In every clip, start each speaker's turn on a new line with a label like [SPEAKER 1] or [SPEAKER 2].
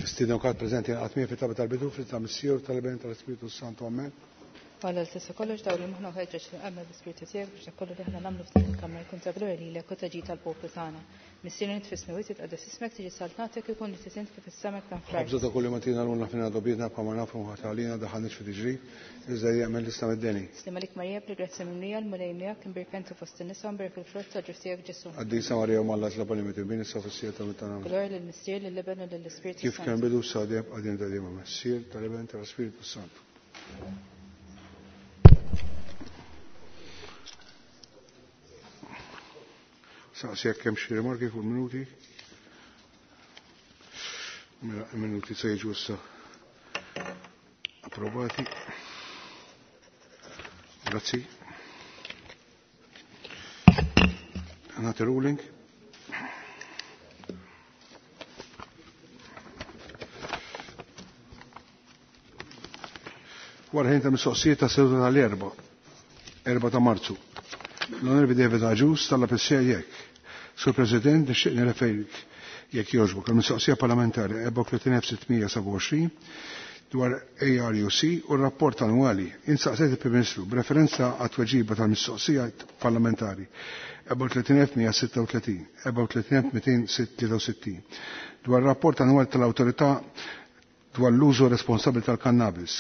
[SPEAKER 1] Nistieden kulħadd preżenti jingħaqad miegħi fit-talba tal-bidu fl-isem tal-Missier u tal-Iben tal-Ispirtu s-Santu. Amen.
[SPEAKER 2] Alla li tista' kollox dawwal moħħna u ħeġġeġ lil qalbna bl-Ispirtu tiegħek biex dak kollu li aħna nagħmlu f'din il-kamra jkun ta' glorja lilek u ta' ġid tal-poplu tagħna. Missierna int fis-smewwiet jitqaddes ismek tiġi saltnatek ikun li trid int kif fis-sema hekk fl-art.
[SPEAKER 1] Ħobża ta' kuljum agħtina llum aħfrilna dnubietna bħalma naħfru aħna għalina daħħalniex fi tiġrib, iżda eħlisna mid-deni.
[SPEAKER 2] Sliem għalik Marija bil-grazzja mimlija l-Mulej miegħek imbierka inti fost in-nisa u mbierek il-frott tal-ġuf tiegħek Ġesù.
[SPEAKER 1] Qaddisa Marija Omm Alla itlob għalina midinbin issa u fis-siegħa tal-mewt tagħna. Amen.
[SPEAKER 2] Glorja lill-Missier, lill-Iben u lill-Ispirtu
[SPEAKER 1] Kif kien
[SPEAKER 2] s-Santu.
[SPEAKER 1] bidu issa u dejjem dejjem ta' dejjem. Amen. Missier, tal-Iben, tal-Ispirtu s-Santu. Saqsi jekk hemm xi rimarki fuq il-minuti. Mela, il-minuti se jiġu issa approvati. Grazzi. Nagħti ruling. Wara ħin ta' mistoqsijiet ta' seduta tal-Erbgħa, 4 ta' Marzu. L-Onorevoli David Agius talab is-sejja jekk. Sur President, nixtieq nirreferik jekk jogħġbok il-mistoqsija parlamentari 34627 dwar ARUC u r-rapport annwali. Insaqsejt il-Prim Ministru b'referenza għat-tweġiba tal-mistoqsija parlamentari 34136, 34263 dwar rapport annwali tal-Awtorità dwar l-użu responsabbli tal-kannabis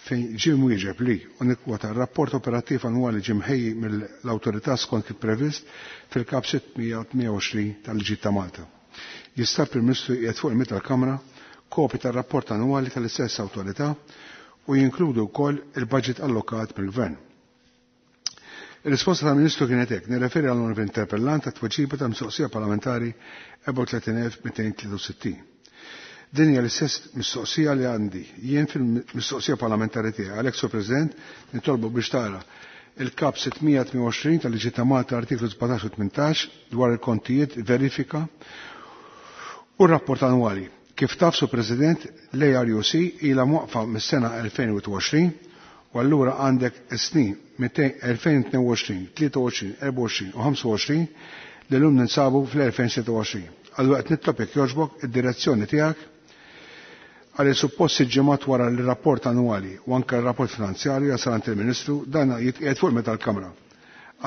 [SPEAKER 1] fejn ġie mwieġeb li u nikkwota r-rapport operattiv annwali ġie mħejji mill-awtorità skont kif previst fil-kap 628 tal-Liġi ta' Malta. Jista' l-Prim Ministru jqiegħed fuq il-mid tal-Kamra kopji tar-rapport annwali tal-istess awtorità u jinkludu wkoll il-budget allokat mill-Gvern. Ir-risposta tal-Ministru kienet hekk, nirreferi għal onorevoli interpellant għat-tweġiba tal-mistoqsija parlamentari 34263. Din hija l-istess mistoqsija li għandi jien fil-mistoqsija parlamentari tiegħi. Għalhekk, Sur President, nitolbu biex tara il-kap 628 tal-Liġi ta' Malta artiklu 17 u 18 dwar il-kontijiet, verifika u r-rapport annwali. Kif taf, Sur President, l-ARUC ilha mwaqfa mis-sena 2021 u allura għandek snin 2022, 23, 24 u 25 li l-lum ninsabu fl-2026. Allura qed nitlob jekk jogħġbok id-direzzjoni tiegħek għal suppost ġimgħat wara l-rapport annwali u anke r-rapport finanzjarju jasal għand il-Ministru dan jitqiegħed fuq meta l-Kamra.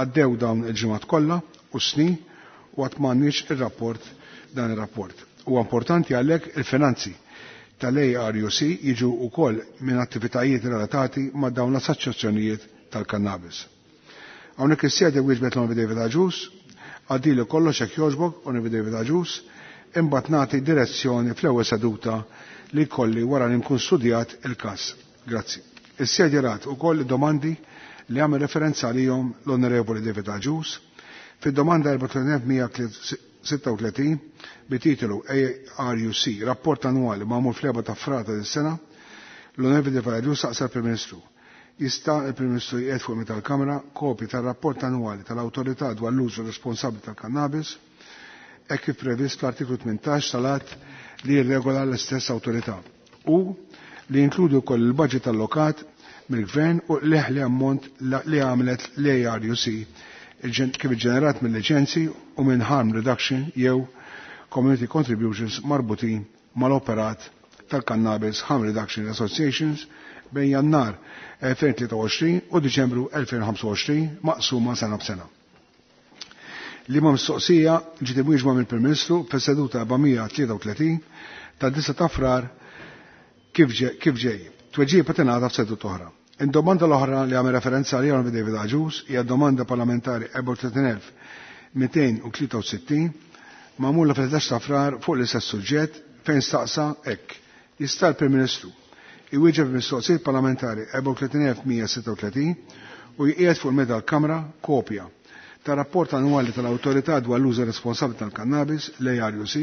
[SPEAKER 1] Għaddew dawn il-ġimgħat kollha u snin u għad m'għandniex ir-rapport dan ir-rapport. Huwa importanti għalhekk il-finanzi tal-ARUC jiġu wkoll minn attivitajiet relatati ma' dawn l-assoċjazzjonijiet tal-kannabis. Hawnhekk is-sede wieġbet l-Onorevoli David Agius, għaddilu kollox hekk jogħġbok, Onorevoli David Agius, imbagħad nagħti direzzjoni fl-ewwel seduta li kolli wara li nkun studjat il-każ. Grazzi. Is-sede rat ukoll domandi li għamel referenza għalihom l-Onorevoli David Agius fid-domanda 4136 bit-titolu ARUC, rapport annwali magħmul fl-4 ta' Frar ta' dis-sena, l-Onorevoli David Agius saqsa l-Prim Ministru. Jista' il-Prim Ministru jqiegħed fuq meta l-Kamra kopji tar-rapport annwali tal-Awtorità dwar l-użu responsabbli tal-kannabis hekk kif previst fl-artiklu 18 tal-att li jirregola l-istess awtorità u li jinkludi wkoll il-budget allokat mill-Gvern u l-eħli ammont li għamlet l-ARUC kif ġenerat mill-liċenzi u minn harm reduction jew community contributions marbutin mal-operat tal-Cannabis Harm Reduction Associations bejn Jannar 2023 u Diċembru 2025 maqsuma sena b'sena. Li ma mistoqsija ġiet imwieġba mill-Prim Ministru fis-seduta 433 ta' 9 ta' Frar kif ġej. Tweġiba tingħata f'seduta oħra. Id-domanda l-oħra li għamel referenza għaliha David Agius hija domanda parlamentari 34263 magħmula fil-11 ta' Frar fuq l-istess suġġett fejn staqsa hekk. Jista' l-Prim Ministru iwieġeb mistoqsijiet parlamentari 34136 u jqiegħed fuq il-meda l-Kamra kopja ta' rapport annwali tal-Awtorità dwar l-użu responsabbli tal-kannabis, l-ARUC,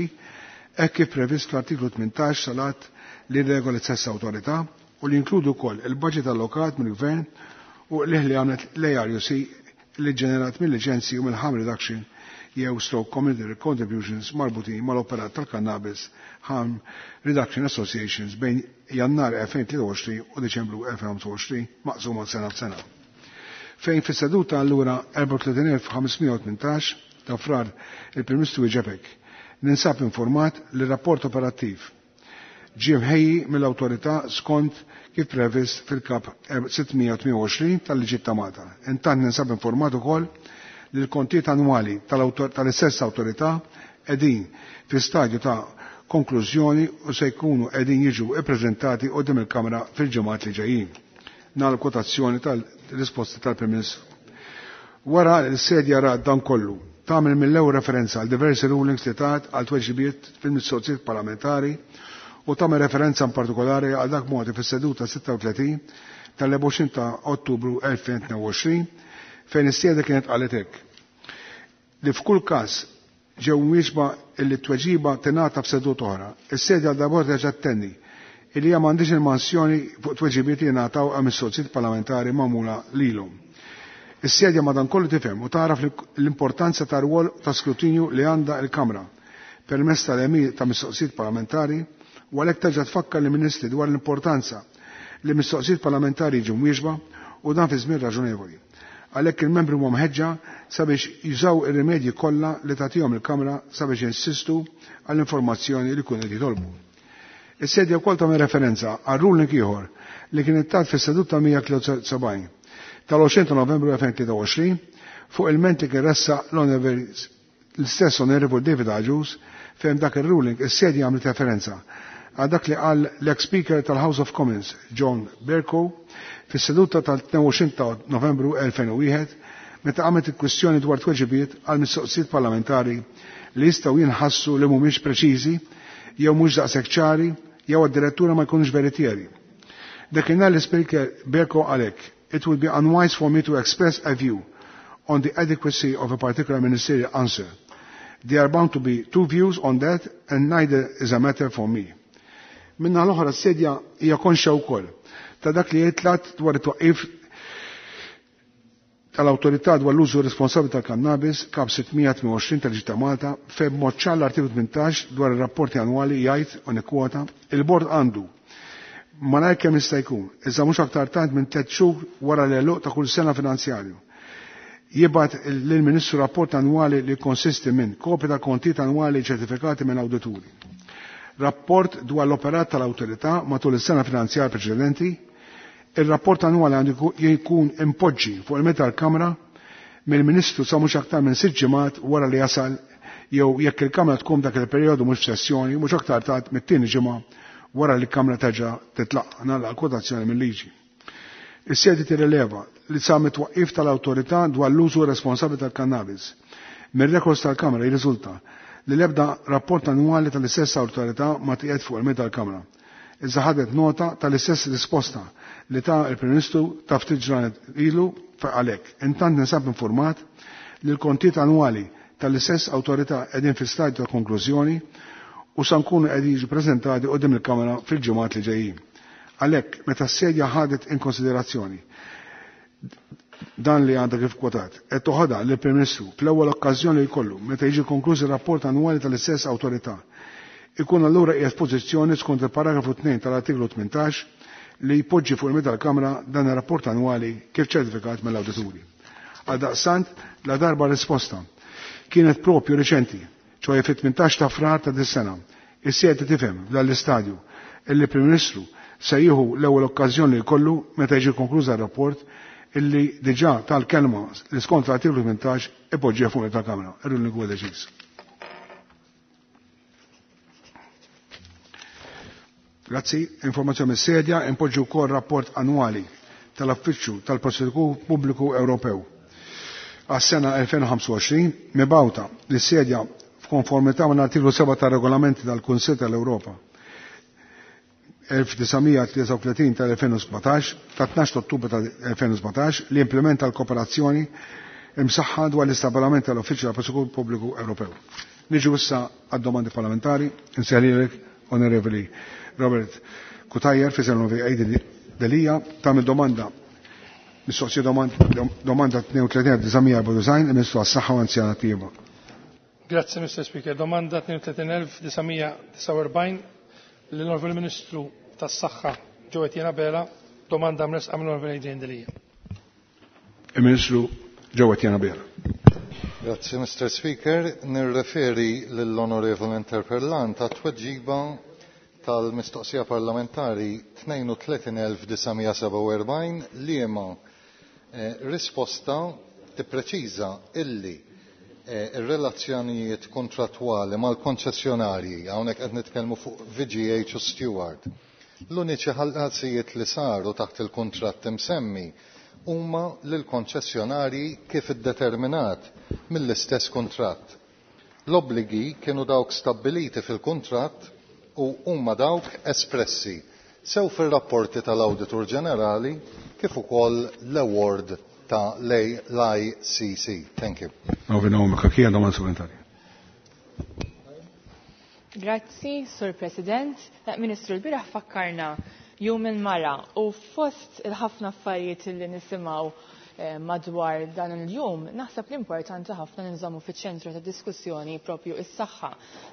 [SPEAKER 1] hekk kif previst fl-artiklu 18 tal-att li regola l-istess awtorità u li jinkludu wkoll il-budget allokat mill-Gvern u l-li għamlet l-ARUC li ġenerat mill-liċenzji u mill-harm reduction jew stroke community contributions marbutin mal-operat tal-Cannabis Harm Reduction Associations bejn Jannar 2023 u Deċembru 2025 maqsuma sena f'sena. Fejn fis-seduta allura 34518 ta' Frar il-Prim Ministru wieġeb hekk. Ninsab informat li rapport operattiv ġie mħejji mill-awtorità skont kif previst fil-kap 628 tal-liġi ta' Malta. Intant ninsab informat ukoll li l-kontijiet annwali tal-istess awtorità qegħdin fi stadju ta' konklużjoni u se jkunu qegħdin jiġu ippreżentati qudiem il-Kamra fil-ġimgħat li ġejjin. Nagħlaq kwotazzjoni tal-risposta tal-Prim Ministru. Wara li s-sedja rat dan kollu, tagħmel mill-ewwel referenza għal diversi rulings li tat għal tweġibiet fil-mistoqsijiet parlamentari u tagħmel referenza in partikolari għal dak mogħti fis-seduta 36 tal-24 ta' Ottubru 2022 fejn is-sedja kienet qalet hekk li f'kull każ ġew mwieġba illi t-tweġiba tingħata f'seduta oħra. Is-sedja għal darb'oħra terġa' ttenni illi hija m'għandhiex il-mansjoni fuq tweġibiet li jingħataw għal mistoqsijiet parlamentari magħmula lilhom. Is-sedja madankollu tifhem u tagħraf l-importanza ta' rwol ta' skrutinju li għandha l-Kamra permezz tal-għemil ta' mistoqsijiet parlamentari u għalhekk terġa' tfakkar lill-Ministri dwar l-importanza li mistoqsijiet parlamentari jiġu mwieġba u dan fi żmien raġonevoli. Għalhekk il-membri huma mħeġġa sabiex jużaw ir-rimedji kollha li tagħtihom il-Kamra sabiex jinsistu għall-informazzjoni li jkunu qed jitolbu. Is-sedja wkoll tagħmel referenza għal ruling ieħor li kien ittat fis-seduta 173 tal-20 ta' Novembru 2023 fuq il-ment li kien ressaq l-istess Onorevoli David Agius fejn dak ir-ruling is-sedja għamlet referenza għal dak li qal l-ex-Speaker tal-House of Commons John Bercow fis-seduta tal-22 ta' Novembru 2001 meta qamet il-kwistjoni dwar tweġibiet għal mistoqsijiet parlamentari li jistgħu jinħassu li mhumiex preċiżi jew mhux daqshekk ċari jew addirittura ma jkunux veritieri. Dakinhar l-Speaker Bercow qal hekk, It would be unwise for me to express a view on the adequacy of a particular ministerial answer. There are bound to be two views on that and neither is a matter for me. Minna l-oħra s-sedja hija konxja wkoll ta' dak li jitlat dwar it-twaqqif tal-Awtorità dwar l-użu responsabbli tal-kannabis kap 628 tal-Liġi ta' Malta fejn b'mod ċar l-artiklu 18 dwar ir-rapporti annwali jgħid u nikkwota il-bord għandu malajr kemm jista' jkun, iżda mhux aktar tard minn tliet xhur wara l-għeluq ta' kull sena finanzjarju. Jibgħat lill-Ministru rapport annwali li jikkonsisti minn kopja tal-kontijiet annwali ċertifikati minn awdituri. Rapport dwar l-operat tal-awtorità matul is-sena finanzjarja preċedenti. Ir-rapport annwali għandu jkun impoġġi fuq il-meta tal-Kamra mill-Ministru sa mhux aktar minn sitt ġimgħat wara li jasal jew jekk il-Kamra tkun dak il-perjodu mhux f'sessjoni mhux aktar tard mit-tieni ġimgħa wara li l-Kamra terġa' titlaqqa' nagħlaq kwotazzjoni mil-liġi. Is-sedi tirrileva li sa mit-twaqqif tal-Awtorità dwar l-użu responsabbli tal-kannabis. Mir-rekords tal-Kamra jirriżulta li l-ebda rapport annwali tal-istess awtorità ma tqiegħed fuq il-mejda tal-Kamra. Iżda ħadet nota tal-istess risposta li ta l-Prim Ministru ta' ftit ġranet ilu għalhekk. Intant ninsab infurmat li l-kontijiet annwali tal-istess awtorità qegħdin fi stadju ta' konklużjoni u sa nkunu qegħdin jiġu preżentati quddiem il-Kamra fil-ġimgħat li ġejjin. Għalhekk, meta s-sedja ħadet in konsiderazzjoni dan li għandha kif kwotat, qed toħodha lill-Prim Ministru fl-ewwel okkażjoni li jkollu meta jiġi konkluż ir-rapport annwali tal-istess awtorità, ikun allura qiegħed f'pożizzjoni skont il-paragrafu 2 tal-artiklu 18 li jpoġġi fuq il-mejda tal-Kamra dan ir-rapport annwali kif ċertifikat mill-awdituri. Għaldaqstant, ladarba r-risposta kienet propju riċenti, ċoħe fit-18 ta' frar ta' dis-sena, is-sejja tifhem f'dan l-istadju illi Prim Ministru se jieħu l-ewwel okkażjoni li jkollu meta jiġi konkluża r-rapport illi diġà tal-kelma li skont l-artiklu 18 ipoġġiha fuq tal-Kamra. Ir-ruling huwa deċiż. Grazzi, informazzjoni mis-sedja, impoġġi wkoll rapport annwali tal-Affiċċju tal-Prosekutur Pubbliku Ewropew għas-sena 2025 mibgħuta lis-sedja f'konformità mal artiklu 7 tar-Regolamenti tal-Kunsill tal-Ewropa 1933 tal-2017 ta' 12 Ottubru tal-2017 li implementa l-kooperazzjoni imsaħħa dwar l-istabbiliment tal-Uffiċċju tal-Prosekutur Pubbliku Ewropew. Niġu issa għad-domandi parlamentari, insejħlilek Onorevoli Robert Cutajar fi Aidi Delia tagħmel domanda mistoqsija domanda 32.994 il-Ministru għas-Saħħa u Anzjana Tieba.
[SPEAKER 3] Grazzi, Mr. Speaker. Domanda 32.949 l-Onorevoli Ministru tas-Saħħa Joe Etienne Abela, domanda mresqa mill-Onorevoli Adrian Delia.
[SPEAKER 1] Il-Ministru Joe Etienne Abela.
[SPEAKER 4] Grazzi, Mr. Speaker. Nirreferi lill-Onorevoli Interpellant għat-tweġiba tal-mistoqsija parlamentari 32947 liema risposta tippreċiża illi ir-relazzjonijiet kontrattwali mal-konċessjonarji, hawnhekk qed nitkellmu fuq VGH u Steward. L-uniċi ħallasijiet li saru taħt il-kuntratt imsemmi huma lill-konċessjonarji kif iddeterminat mill-istess kuntratt. L-obbligi kienu dawk stabbiliti fil-kuntratt u huma dawk espressi sew fir-rapporti tal-Awditur Ġenerali kif ukoll l-award ta' l-ICC. Thank you.
[SPEAKER 1] Domanda supplementari.
[SPEAKER 2] Grazzi, Sur President. Ministru, l-bieraħ fakkarna jum il-mara u fost il-ħafna affarijiet li nisimgħu madwar dan il-jum, naħseb l-importanti ħafna ninżommu fiċ-ċentru ta' diskussjoni propju is-saħħa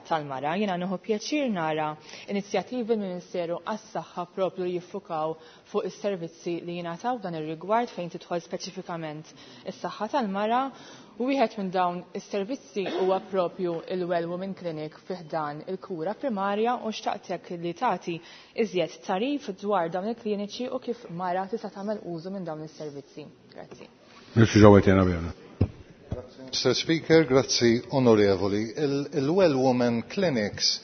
[SPEAKER 2] tal-mara. Jiena nieħu pjaċir nara inizjattivi mill-Ministeru għas-saħħa propju li jiffukaw fuq is-servizzi li jingħataw dan ir-rigward fejn tidħol speċifikament is-saħħa tal-mara. U wieħed minn dawn is-servizzi huwa propju il-Well Women Clinic fi ħdan il-kura primarja u xtaqtek li tagħti iżjed tarif dwar dawn il-kliniċi u kif mara tista' tagħmel użu minn dawn is-servizzi. Grazzi.
[SPEAKER 1] Ministru Jo Etienne Abela.
[SPEAKER 4] Mr. Speaker, grazzi onorevoli. Il-Well Women Clinics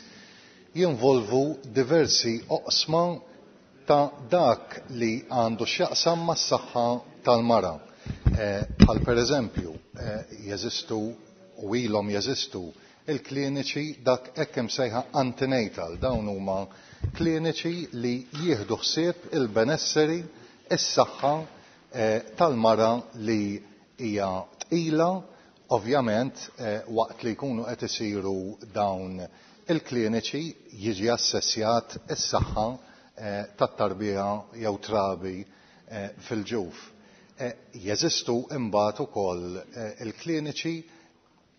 [SPEAKER 4] jinvolvu diversi oqsma ta' dak li għandu x'jaqsam mas-saħħa tal-mara. Bħal per eżempju, jeżistu u ilhom jeżistu il-kliniċi dak hekk imsejħa antenatal, dawn huma kliniċi li jieħdu ħsieb il-benesseri, is-saħħa tal-mara li hija tqila, ovvjament waqt li jkunu qed isiru dawn il-kliniċi jiġi assessjat is-saħħa tat-tarbija jew trabi fil-ġuf. Jeżistu imbagħad ukoll il-kliniċi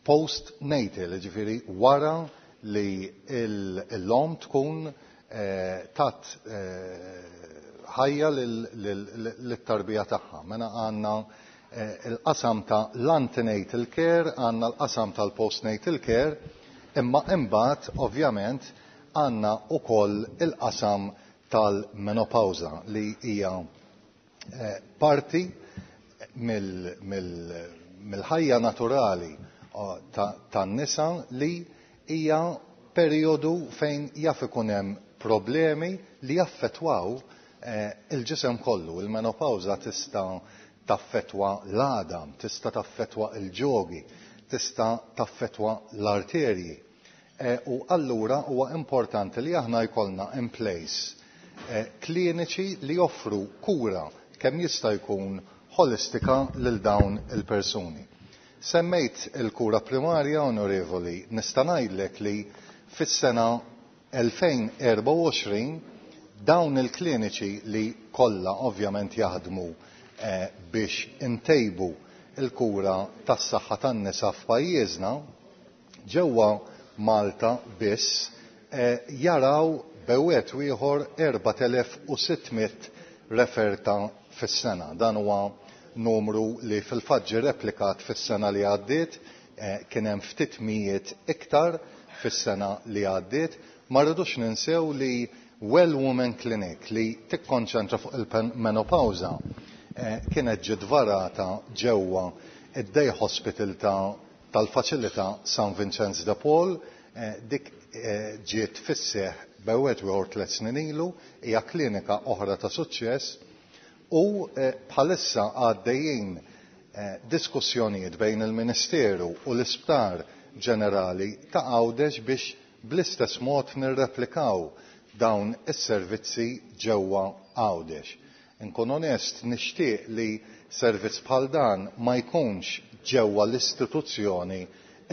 [SPEAKER 4] post-natal, ġifieri wara li l-om tkun tat ħajja lit-tarbija tagħha. Mela għandna il-qasam ta' l-antenatal care, għandna l-qasam tal-postnatal care, imma imbagħad ovvjament għandna ukoll il-qasam tal-menopawża li hija parti mill-ħajja naturali tan-nisa li hija perjodu fejn jaf ikun hemm problemi li jaffettwaw il-ġisem kollu. Il-menopawża tista' taffettwa l-għadam, tista' taffettwa l-ġogi, tista' taffettwa l-arterji. U allura huwa importanti li aħna jkollna in place kliniċi li joffru kura kemm jista' jkun holistika lil dawn il-persuni. Semmejt il-kura primarja, onorevoli, nista' ngħidlek li fis-sena 2024 dawn il-kliniċi li kollha ovvjament jaħdmu biex intejbu il-kura tas-saħħa tan-nisa f'pajjiżna ġewwa Malta biss jaraw bewet ieħor 4600 referta fis-sena. Dan huwa numru li fil-fatt ġie replikat fis-sena li għaddiet, kien hemm ftit mijiet iktar fis-sena li għaddiet. Ma rridux ninsew li Well Women Clinic li tikkonċentra fuq il-menopawża kienet ġiet varata ġewwa id-Day Hospital tal-faċilità San Vincenz de Paul, dik ġiet fis-seħ bewet ieħor 3 snin ilu, hija klinika oħra ta' suċċess u bħalissa għaddejjin diskussjonijiet bejn il-Ministeru u l-Isptar Ġenerali ta' Għawdex biex bl-istess mod nirreplikaw dawn is-servizzi ġewwa Għawdex. Inkun onest, nixtieq li servizz bħal dan ma jkunx ġewwa l-istituzzjoni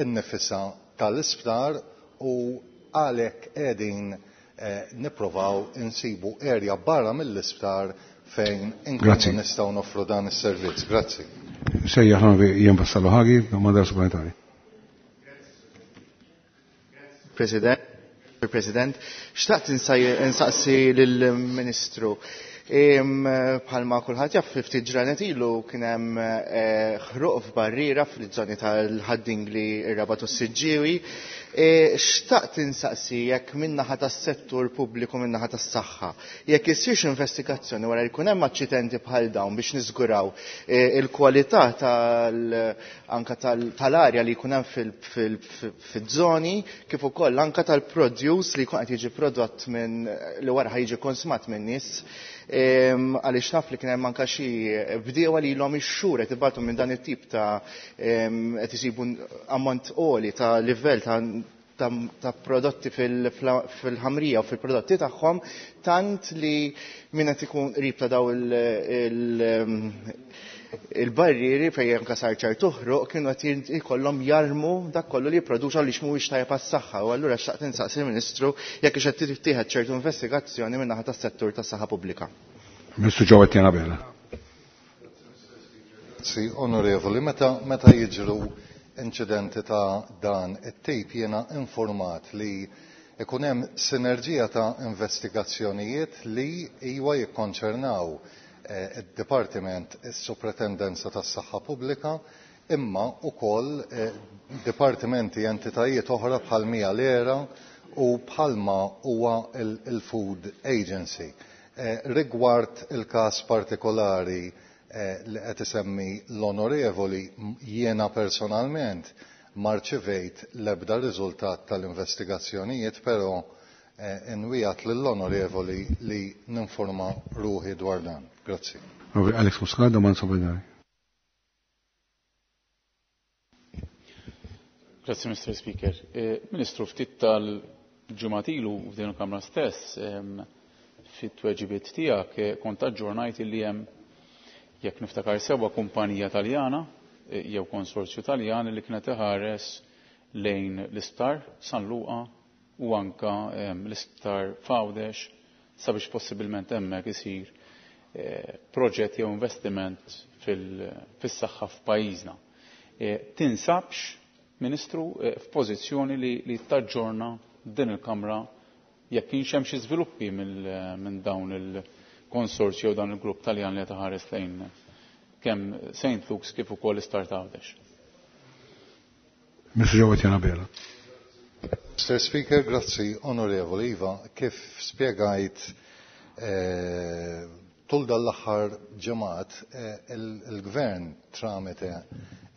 [SPEAKER 4] innifisha tal-isptar u għalhekk qegħdin nipprovaw insibu area barra mill-isptar fejn inkunu nistgħu noffru dan is-servizz. Grazzi.
[SPEAKER 1] Sejjaħ Ian Vassallo Hagi, domanda supplementari.
[SPEAKER 5] President, President, xtaqt insaqsi lill-Ministru. Bħalma kulħadd jaf, ftit ġranet ilu kien hemm ħruq f'barriera fil-żoni tal-Ħad-Dingli, ir-Rabat u s-Siġġiewi. Xtaqt insaqsi jekk min-naħa tas-settur pubbliku, min-naħa tas-saħħa, jekk issirx investigazzjoni wara li jkun hemm aċċidenti bħal dawn biex niżguraw il-kwalità tal anka tal-arja li jkun hemm fiż-żoni, kif ukoll anka tal-produce li jkun qed jiġi prodott minn li wara jiġi konsumat minn nies, għaliex naf li kien hemm anka xi bdiewa li ilhom ix-xhur qed ibatu minn dan it-tip ta' qed isibu ammont għoli ta' livell ta' prodotti fil-ħamrija u fil-prodotti tagħhom, tant li min qed ikun qrib ta' daw il-barrieri fejn anke sar ċertu ħruq kienu qed jkollhom jarmu dak kollu li jipproduċa li mhuwiex tajjeb għas-saħħa. U allura xtaqt insaqsi l-Ministru jekk hux qed tittieħed ċertu investigazzjoni min-naħa tas-settur tas-saħħa pubblika.
[SPEAKER 1] Ministru Jo Etienne Abela.
[SPEAKER 4] Grazzi, onorevoli. Meta jiġru inċidenti ta' dan it-tip, jiena informat li ikun hemm sinerġija ta' investigazzjonijiet li iwa jikkonċernaw id-Dipartiment, is-Sopratendenza tas-Saħħa Pubblika, imma wkoll dipartimenti, entitajiet oħra bħal mija l-ERA u bħalma huwa il-Food Agency. Rigward il-każ partikolari li qed isemmi l-onorevoli, jiena personalment ma rċivejt l-ebda riżultat tal-investigazzjonijiet, però inwiegħed lill-onorevoli li ninforma ruħi dwar dan. Grazzi.
[SPEAKER 1] Alex Muscat, domanda supplementari.
[SPEAKER 6] Grazzi, Mr. Speaker. Ministru, ftit tal-ġimgħat ilu f'din il-Kamra stess, fit-tweġibiet tiegħek kont aġġornajt li hemm, jekk niftakar sewwa, kumpanija Taljana jew konsorzju Taljan li kienet iħares lejn l-isptar San Luqa u anka l-isptar f'Għawdex sabiex possibilment hemmhekk isir proġett jew investiment fis-saħħa f'pajjiżna. Tinsabx, Ministru, f'pożizzjoni li taġġorna din il-Kamra jekk kienx hemm xi żviluppi minn dawn il-konsorzju jew dan il-grupp Taljan li qed iħares lejn kemm St. Luke's kif ukoll l-isptar ta' Għawdex?
[SPEAKER 1] Mr. Jo Etienne Abela.
[SPEAKER 4] Mr. Speaker, grazzi, onorevoli. Iva, kif spiegajt tul dal-aħħar ġimgħat, il-Gvern tramite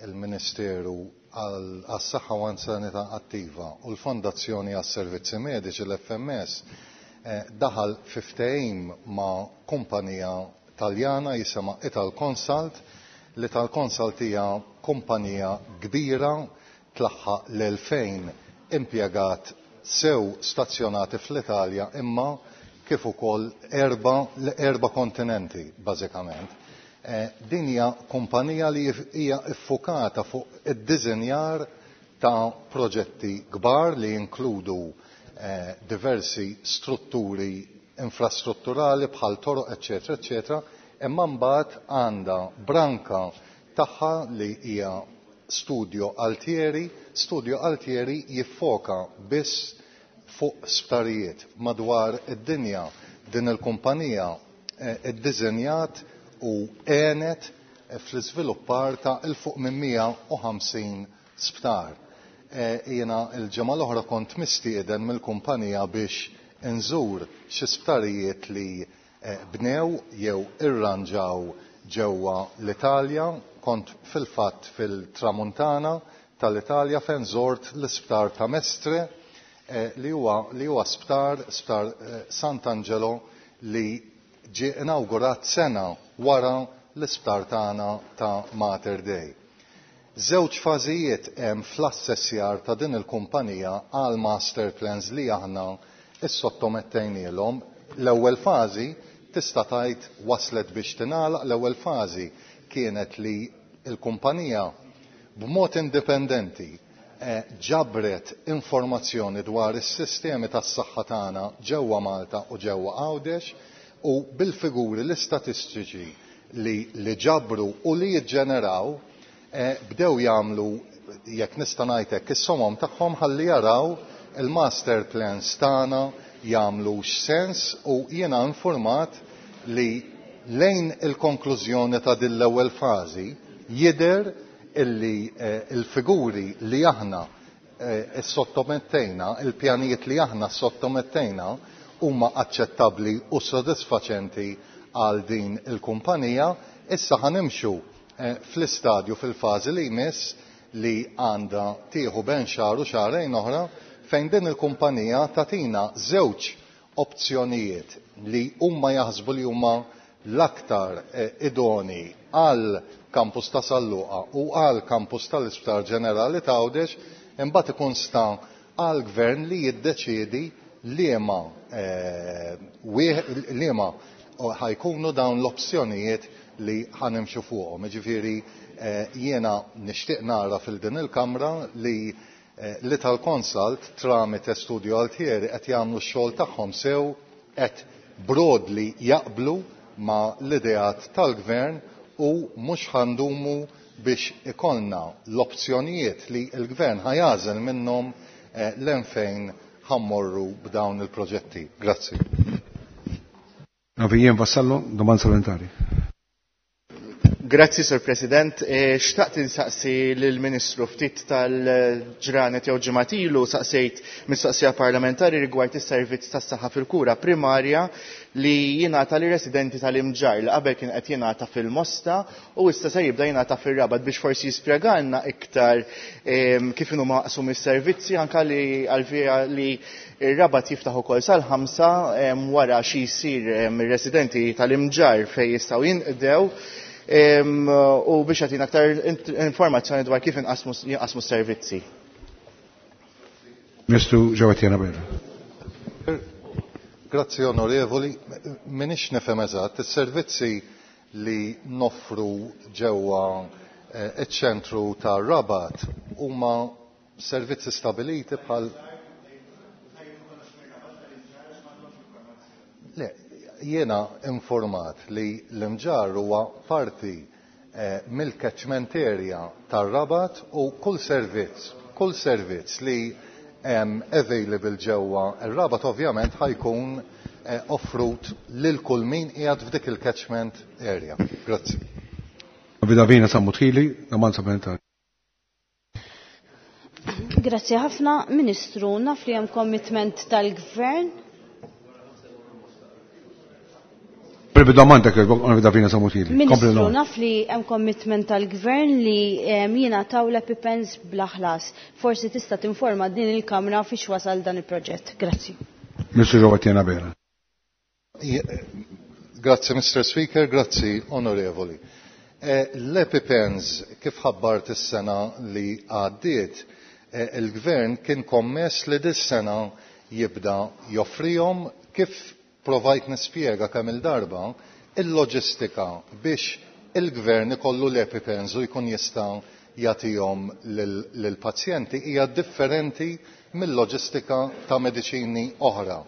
[SPEAKER 4] il-Ministeru għas-Saħħa u Sanità Attiva u l-Fondazzjoni għas-Servizzi Mediċi, l-FMS, daħal fi ftehim ma' kumpanija Taljana jisimha Ital Consult. L-Ital Consult hija kumpanija kbira, tlaħħaq l-2000 impjegat sew stazzjonati fl-Italja imma kif ukoll erba' kontinenti bażikament. Din hija kumpanija li hija iffukata fuq id-diżinjar ta' proġetti kbar li jinkludu diversi strutturi infrastrutturali bħal toroq, eċetera, eċetera, imma mbagħad għandha branka tagħha li hija Studio Altieri. Studio Altieri jiffoka biss fuq sptarijiet madwar id-dinja. Din il-kumpanija iddiżenjat u għenet fl-iżviluppar ta' 'il fuq minn 150 sptar. Jiena l-ġimgħa l-oħra kont mistieden mill-kumpanija biex inżur xi sptarijiet li bnew jew irranġaw ġewwa l-Italja. Kont fil-fatt fil-Tramuntana tal-Italja fejn żort l-isptar ta' Mestre, li huwa sptar Sant'Angelo li ġie inawgurat sena wara l-isptar tagħna ta' Mater Dei. Żewġ fażijiet hemm fl-assessjar ta' din il-kumpanija għal master plans li aħna issottomettejnielhom. L-ewwel fażi tista' tgħid waslet biex tingħalaq. L-ewwel fażi kienet li l-kumpanija b'mod indipendenti ġabret informazzjoni dwar is-sistemi tas-saħħa tagħna ġewwa Malta u ġewwa Għawdex, u bil-figuri, l-istatistiċi li ġabru u li jiġġeneraw, bdew jagħmlu, jekk nista' ngħid hekk, is-somom tagħhom ħalli jaraw il-master plans tagħna jagħmlu sens, u jiena informat li lejn il-konklużjoni ta' din l-ewwel fażi jidher illi il-figuri li aħna sottomettejna, il-pjanijiet li aħna sottomettejna huma aċċettabbli u sodisfaċenti għal din il-kumpanija. Issa ħanimxu fl-istadju fil-fażi li jmiss li għandha tieħu ben xahar u xahrejn oħra fejn din il-kumpanija tagħtina żewġ opzjonijiet li huma jaħsbu li huma l-aktar idoni għal kampus ta' San Luqa u għal kampus tal-Isptar Ġenerali ta' Għawdex, imbagħad ikun sta għal gvern li jiddeċiedi liema liema ħajkunu dawn l-opzjonijiet li ħanimxu fuqhom. Jiġifieri jiena nixtieq nara fil din il-Kamra li l-Italconsult tramite Studio Altieri qed jagħmlu x-xogħol tagħhom sew, qed broadly jaqblu ma' l-ideat tal-gvern u mhux ħandumu biex ikollna l-opzjonijiet li l-gvern ħajażel minnhom l fejn ħammorru b'dawn il-proġetti. Grazzi.
[SPEAKER 1] Navijien Vassallo, domanda supplementari.
[SPEAKER 5] Grazzi, Sir President. Xtaqt insaqsi lill-Ministru ftit tal-ġranet jew ġimgħat ilu saqsejt mistoqsija parlamentari rigward is-servizz tas-saħħa fil-kura primarja li jingħata lir residenti tal-Imġarr li qabel kien qed jingħata fil-Mosta u issa se jibda jingħata fir-Rabat biex forsi jispjegalna iktar kif inhu maqsum is-servizzi anke li għalfija li ir-Rabat jiftaħ ukoll sal-5 wara xi jsir mir-residenti tal-Imġarr fejn jistgħu jinqdew u biex jagħtina aktar informazzjoni dwar kif jinqasmu s-servizzi.
[SPEAKER 1] Ministru Jo Etienne Abela.
[SPEAKER 4] Grazzi onorevoli, minix nifhem eżatt, is-servizzi li noffru ġewwa iċ-ċentru ta' Rabat huma servizzi stabiliti bħal Le, jiena informat li l-Imġarr huwa parti mill-catchment area tar-Rabat u kull servizz li hemm available ġewwa r-Rabat ovvjament ħajkun offrut lil kull min qiegħed f'dik il-catchment area. Grazzi.
[SPEAKER 1] Vidavina Sammut-Hili, domanda supplementari.
[SPEAKER 7] Grazzi ħafna, Ministru, naf li hemm commitment tal-Gvern.
[SPEAKER 1] Domanda kif Davina Sammut-Hili.
[SPEAKER 7] Ministru, naf li hemm commitment tal-Gvern li jingħataw l-EpiPens bla ħlas. Forsi tista' tinforma din il-Kamra fiex wasal dan il-proġett. Grazzi.
[SPEAKER 1] Ministru Jo Etienne Abela.
[SPEAKER 4] Grazzi, Mr. Speaker, grazzi, onorevoli. L-EpiPens, kif ħabbart is-sena li għaddiet, il-Gvern kien kommess li dis-sena jibda joffrihom kif provajt nispjega kemm il-darba il-loġistika biex il-gvern ikollu l-EpiPens u jkun jista' jagħtihom lill-pazjenti hija differenti mill-loġistika ta' mediċini oħra.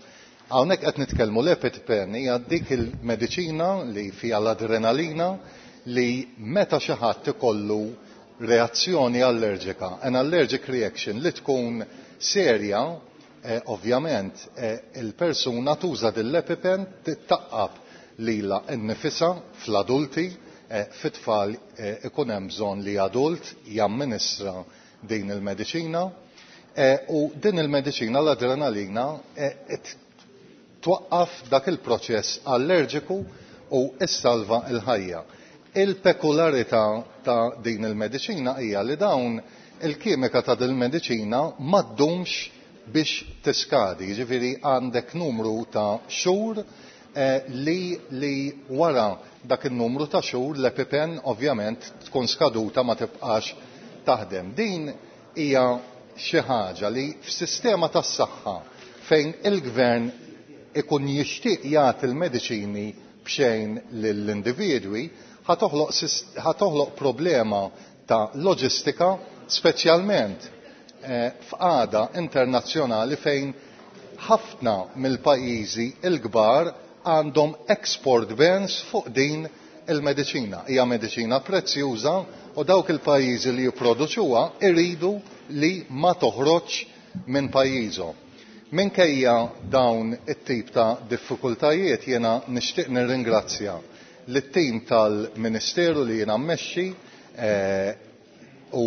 [SPEAKER 4] Hawnhekk qed nitkellmu l-EpiPen hija dik il-mediċina li fiha l-adrenalina li meta xi ħadd ikollu reazzjoni allerġika, an allergic reaction li tkun serja, ovvjament il-persuna tuża din l-EpiPen tittaqqab lilha nnifisha fl-adulti, fit-tfal ikun hemm bżonn li adult jamministra din il-mediċina u din il-mediċina l-adrenalina twaqqaf dak il-proċess allerġiku u issalva l-ħajja. Il-pekularità ta' din il-mediċina hija li dawn il-kimika ta' din il-mediċina ma ddumx biex tiskadi, jiġifieri għandek numru ta' xhur li wara dak in-numru ta' xhur l-EpiPen ovvjament tkun skaduta ma tibqax taħdem. Din hija xi ħaġa li f'sistema tas-saħħa fejn il-gvern ikun jixtieq jagħti l-mediċini b'xejn lill-individwi ħatoħloq problema ta' loġistika, speċjalment f'qagħda internazzjonali fejn ħafna mill-pajjiżi l-kbar għandhom export bans fuq din il-mediċina. Hija mediċina prezzjuża u dawk il-pajjiżi li jipproduċuha iridu li ma toħroġ minn pajjiżhom. Minkejja dawn it-tip ta' diffikultajiet jiena nixtieq nirringrazzja lit-tim tal-Ministeru li jiena mmexxi u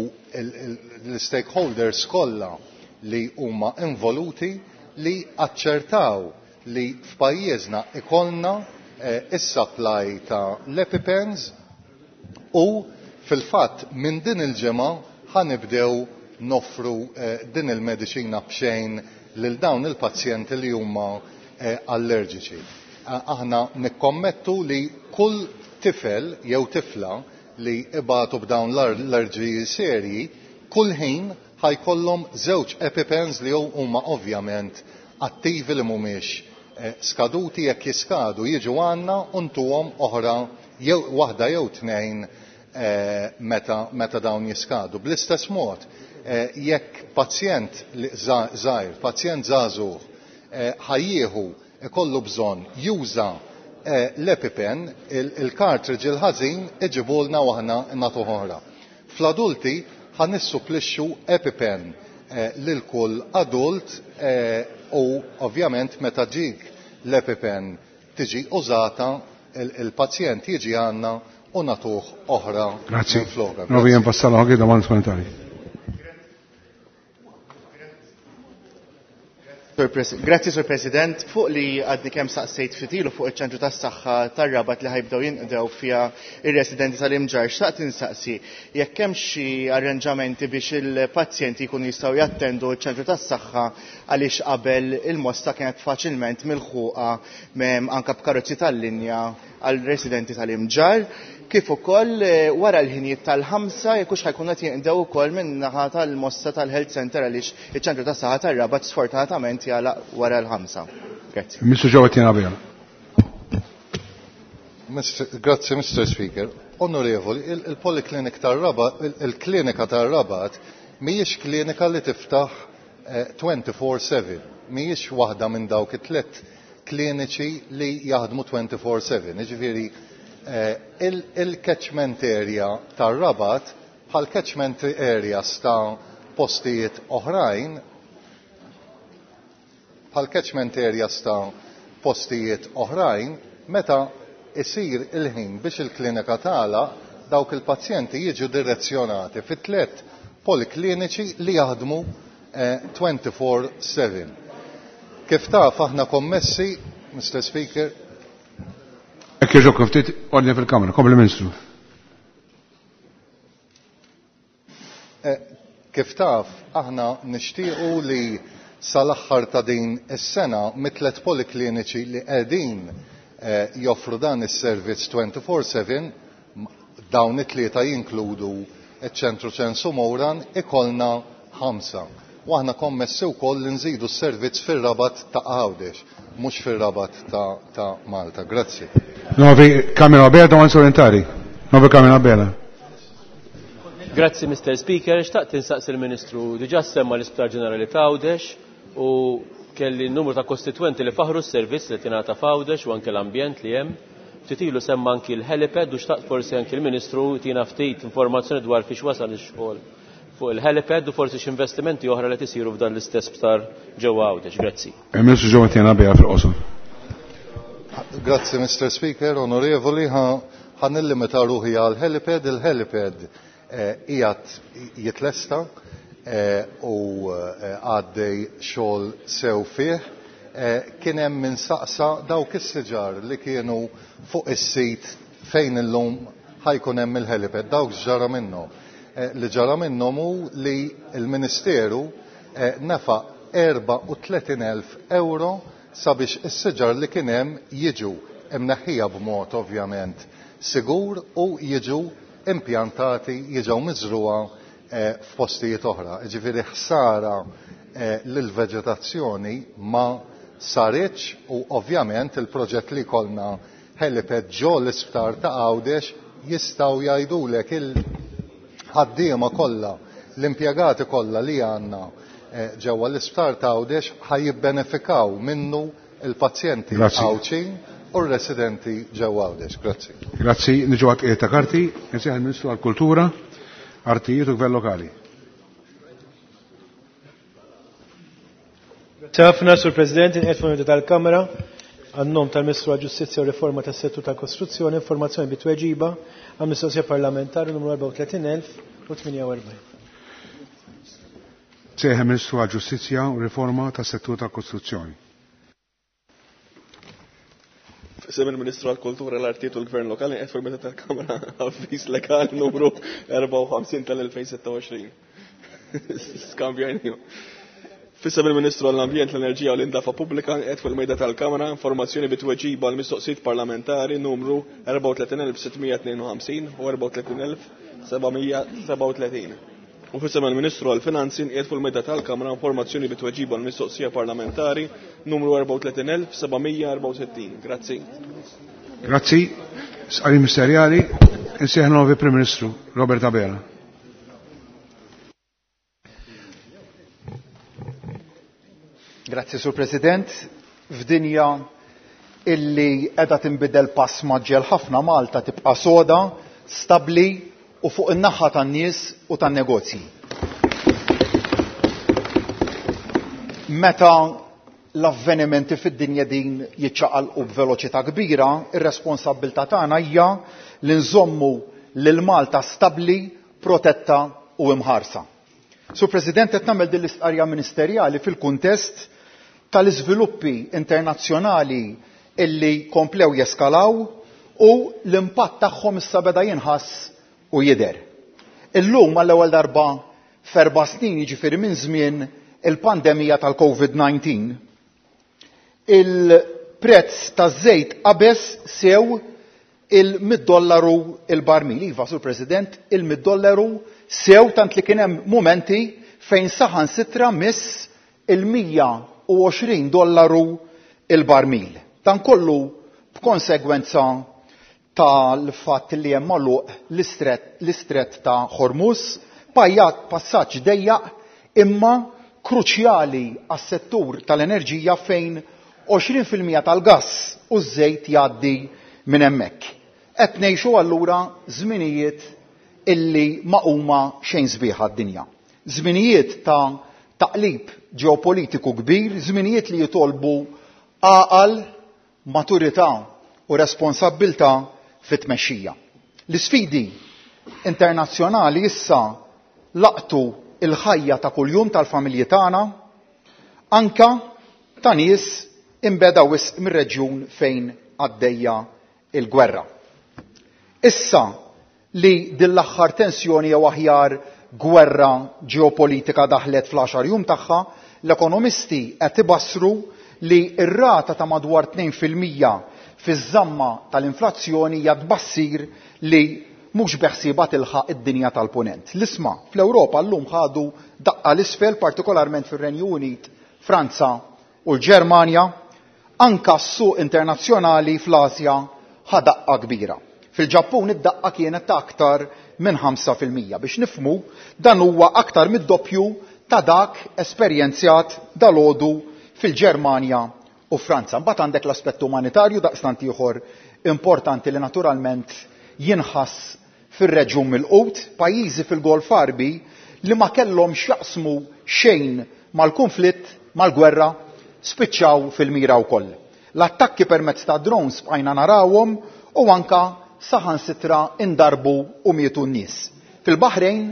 [SPEAKER 4] l-stakeholders kollha li huma involuti li aċċertaw li f'pajjiżna ikollna is-supply ta' l-EpiPens u fil-fatt minn din il-ġimgħa ħanibdew noffru din il-mediċina b'xejn lil dawn il-pazjenti li huma allerġiċi. Aħna nikkommettu li kull tifel jew tifla li ibatu b'dawn l-allerġiji serji, kull ħin ħajkollhom żewġ EpiPens li huma ovvjament attivi li mhumiex skaduti jekk jiskadu jiġu għandna u ntuhom oħra jew waħda jew tnejn meta dawn jiskadu. Bl-istess mod, jekk pazjent żgħir, pazjent żagħżugħ ħajjieħu ikollu bżonn juża l-EpiPen, il-cartridge il-ħażin iġibulna u aħna nagħtuh oħra. Fl-adulti ħa nissupplixxu EpiPen lil kull adult u ovvjament meta ġik l-EpiPen tiġi użata il-pazjent jiġi għandna u nagħtuh oħra.
[SPEAKER 1] Grazzi. Novi Vassallo, anche domanda supplementari.
[SPEAKER 5] Grazzi, Sur President. Fuq li għadni kemm saqsejt fitilu fuq iċ-ċentru tas-saħħa tar-Rabat li ħajbdew jinqdew fiha ir-residenti tal-Imġarr, xtaqt insaqsi jekk hemm xi arranġamenti biex il-pazjenti jkunu jistgħu jattendu ċ-ċentru tas-saħħa għaliex qabel il-mosta kienet faċilment milħuqa anke b'karozzi tal-linja għal residenti tal-Imġarr, kif ukoll wara l-ħinijiet tal-5 jekk hux ħajkun qed jinqdew ukoll minn naħa tal-mosta tal-Health Center għaliex iċ-ċentru tas-saħħa tar-Rabat sfortunatament jagħlaq wara l-5. Grazzi.
[SPEAKER 1] Mr. Joe Etienne Abela.
[SPEAKER 4] Grazzi, Mr. Speaker. Onorevoli, il-Poliklinik tar-Rabat, il-klinika tar-Rabat mhijiex klinika li tiftaħ 24/7, mhijiex waħda minn dawk it-tliet kliniċi li jaħdmu 24/7. Jiġifieri il-catchment area tar-Rabat bħal catchment areas ta' postijiet oħrajn bħal catchment areas ta' postijiet oħrajn meta isir il-ħin biex il-klinika tagħlaq dawk il-pazjenti jiġu direzzjonati fi tliet polikliniċi li jaħdmu 24/7. Kif taf aħna kommessi, Mr. Speaker.
[SPEAKER 1] Ekk jogħġobkom ftit ordni fil-Kamra, kompli Ministru.
[SPEAKER 4] Kif taf aħna nixtiequ li sal-aħħar ta' din is-sena mit-tliet polikliniċi li qegħdin joffru dan is-servizz 24/7, dawn it-tlieta jinkludu iċ-ċentru Ċensu Mowran, ikollna 5. U aħna kommessi wkoll li nżidu s-servizz fir-Rabat ta' Għawdex, mhux fir-Rabat ta' Malta. Grazzi.
[SPEAKER 1] Novi Kamera Bela, domanda supplementari. Novi Kamera Bela.
[SPEAKER 8] Grazzi, Mr. Speaker. Xtaqt insaqsi il-Ministru. Diġà semma l-Isptar Ġenerali ta' Għawdex u kelli n-numru ta' kostitwenti li faħru s-servizz li tingħata f'Għawdex u anke l-ambjent li hemm. Ftit ilu semma anki l-helipad u xtaqt forsi anki l-Ministru tina ftit informazzjoni dwar fiex wasal ix-xogħol fuq il-helipad u forsi x'investimenti oħra li tisiru f'dan l-istess sptar ġewwa Għawdex. Grazzi.
[SPEAKER 1] Il-Ministru Joe Etienne Abela fil-qosor.
[SPEAKER 4] Grazzi, Mr. Speaker. Onorevoli, ħa nillimita ruħi għal helipad. Il-helipad qiegħed jitlesta u għaddej xogħol sew fih. Kien hemm min saqsa dawk is-siġar li kienu fuq is-sit fejn illum ħajkun hemm il-helipad, dawk ġara minnhom. Li ġara minnhom hu li l-Ministeru nefaq 34,000 euro sabiex is-siġar li kien hemm jiġu imneħħija b'mod ovvjament sigur u jiġu impjantati, jiġu miżruha f'postijiet oħra. Ġifieri ħsara lill-veġetazzjoni ma saritx u ovvjament il-proġett li kolna helipad ġo l-isptar ta' Għawdex jistgħu jgħidulek il-ħaddiema kollha, l-impjegati kollha li għandna ġewwa l-isptar ta' Għawdex ħajjibbenefikaw minnu il-pazjenti Għawdxin u r-residenti ġewwa Għawdex. Grazzi.
[SPEAKER 1] Grazzi. Niġu għat ta' karti, nsejħ il-Ministru għall-Kultura, Artijiet u Gvern Lokali.
[SPEAKER 9] Ħafna, Sur President, inqiegħed fuq tal-Kamra għan-nom tal-Ministru għall-Ġustizzja u Riforma tas-Settur tal-Kostruzzjoni, informazzjoni bi tweġiba għal mistoqsija parlamentari numru 34048.
[SPEAKER 1] Sejħa Ministru għall-Ġustizzja u Riforma tas-Settur tal-Kostruzzjoni.
[SPEAKER 10] F'isem il-Ministru għall-Kultura, l-Artijiet u l-Gvern Lokali qed fuq tal-Kamra avviż legali numru 54 tal-2026. Skambjajniju. F'isem il-Ministru għall-Ambjent, l-Enerġija u l-Indafa Pubblika qed fuq il-mejda tal-Kamra informazzjoni bi tweġiba għal mistoqsijiet parlamentari numru 34652 u 34737. U f'isem il-Ministru għall-Finanzi qiegħed fuq il-mejda tal-Kamra informazzjoni bi tweġiba għal mistoqsija parlamentari numru 34764. Grazzi.
[SPEAKER 1] Grazzi. Sqari Ministerjali, insejħ novi Prim Ministru Robert Abela.
[SPEAKER 4] Grazzi, Sur President. F'dinja illi qiegħda tinbidel pass maġġel ħafna, Malta tibqa' soda, stabbli u fuq in-naħa tan-nies u tan-negozji. Meta l-avvenimenti fid-dinja din jiċċaqalqu b'veloċità kbira, ir-responsabbiltà tagħna hija li nżommu lil Malta stabbli, protetta u imħarsa. Sur President, qed nagħmel din l-istqarrija ministerjali fil-kuntest tal-iżviluppi internazzjonali illi komplew jeskalaw u l-impatt tagħhom issa beda jinħass u jidher. Illum għall-ewwel darba f'erba' snin, jiġifieri minn żmien il-pandemija tal-COVID-19, il-prezz taż-żejt qabeż sew il-mid dollaru il-barmil. Iva, Sur President, il-mid dollaru sew tant li kien hemm mumenti fejn saħansitra miss il-mija u għoxrin dollaru il-barmil. Dan kollu b'konsegwenza tal-fatt li hemm magħluq l-istret ta' Hormuz, pajjat passaġġ dejjaq imma kruċjali għas-settur tal-enerġija fejn għoxrin fil-mija tal-gass u ż-żejt jgħaddi minn hemmhekk. Qed ngħixu allura żminijiet illi ma huma xejn sbieħ għad-dinja. Żminijiet ta' taqlib ġeopolitiku kbir, żminijiet li jitolbu għaqal, maturità u responsabbiltà fit-tmexxija. L-isfidi internazzjonali issa laqtu il-ħajja ta' kuljum tal-familji tagħna, anka ta' nies imbeda wisq mir-reġjun fejn għaddejja il-gwerra. Issa li din l-aħħar tensjoni jew aħjar gwerra ġeopolitika daħlet fl-10 jum tagħha, l-ekonomisti qed ibassru li r-rata ta' madwar tnejn fil-mija fiż-żamma tal-inflazzjoni hija tbassir li mhux beħsiebha tilħaq id-dinja tal-punent. L-isma fl-Ewropa llum ħadu daqqa l-isfel, partikolarment fir-Renju Unit, Franza u l-Ġermanja, anka s-suq internazzjonali fl-Asja ħa daqqa kbira. Fil-Ġappun id-daqqa kienet ta' aktar minn ħamsa fil-mija. Biex nifhmu, dan huwa aktar mid-doppju ta' dak esperjenzjat dalodu fil-Ġermanja u Franza. Mbagħad għandek l-aspett umanitarju daqstant ieħor importanti li naturalment jinħass fir-reġjun mill-Qut, pajjiżi fil-Golf Għarbi li ma kellhom x'jaqsmu xejn mal-konflitt, mal-gwerra, spiċċaw fil-mira wkoll. L-attakki permezz ta' drones bqajna narawhom u anka saħansitra indarbu u mietu n-nies. Fil-Baħrejn,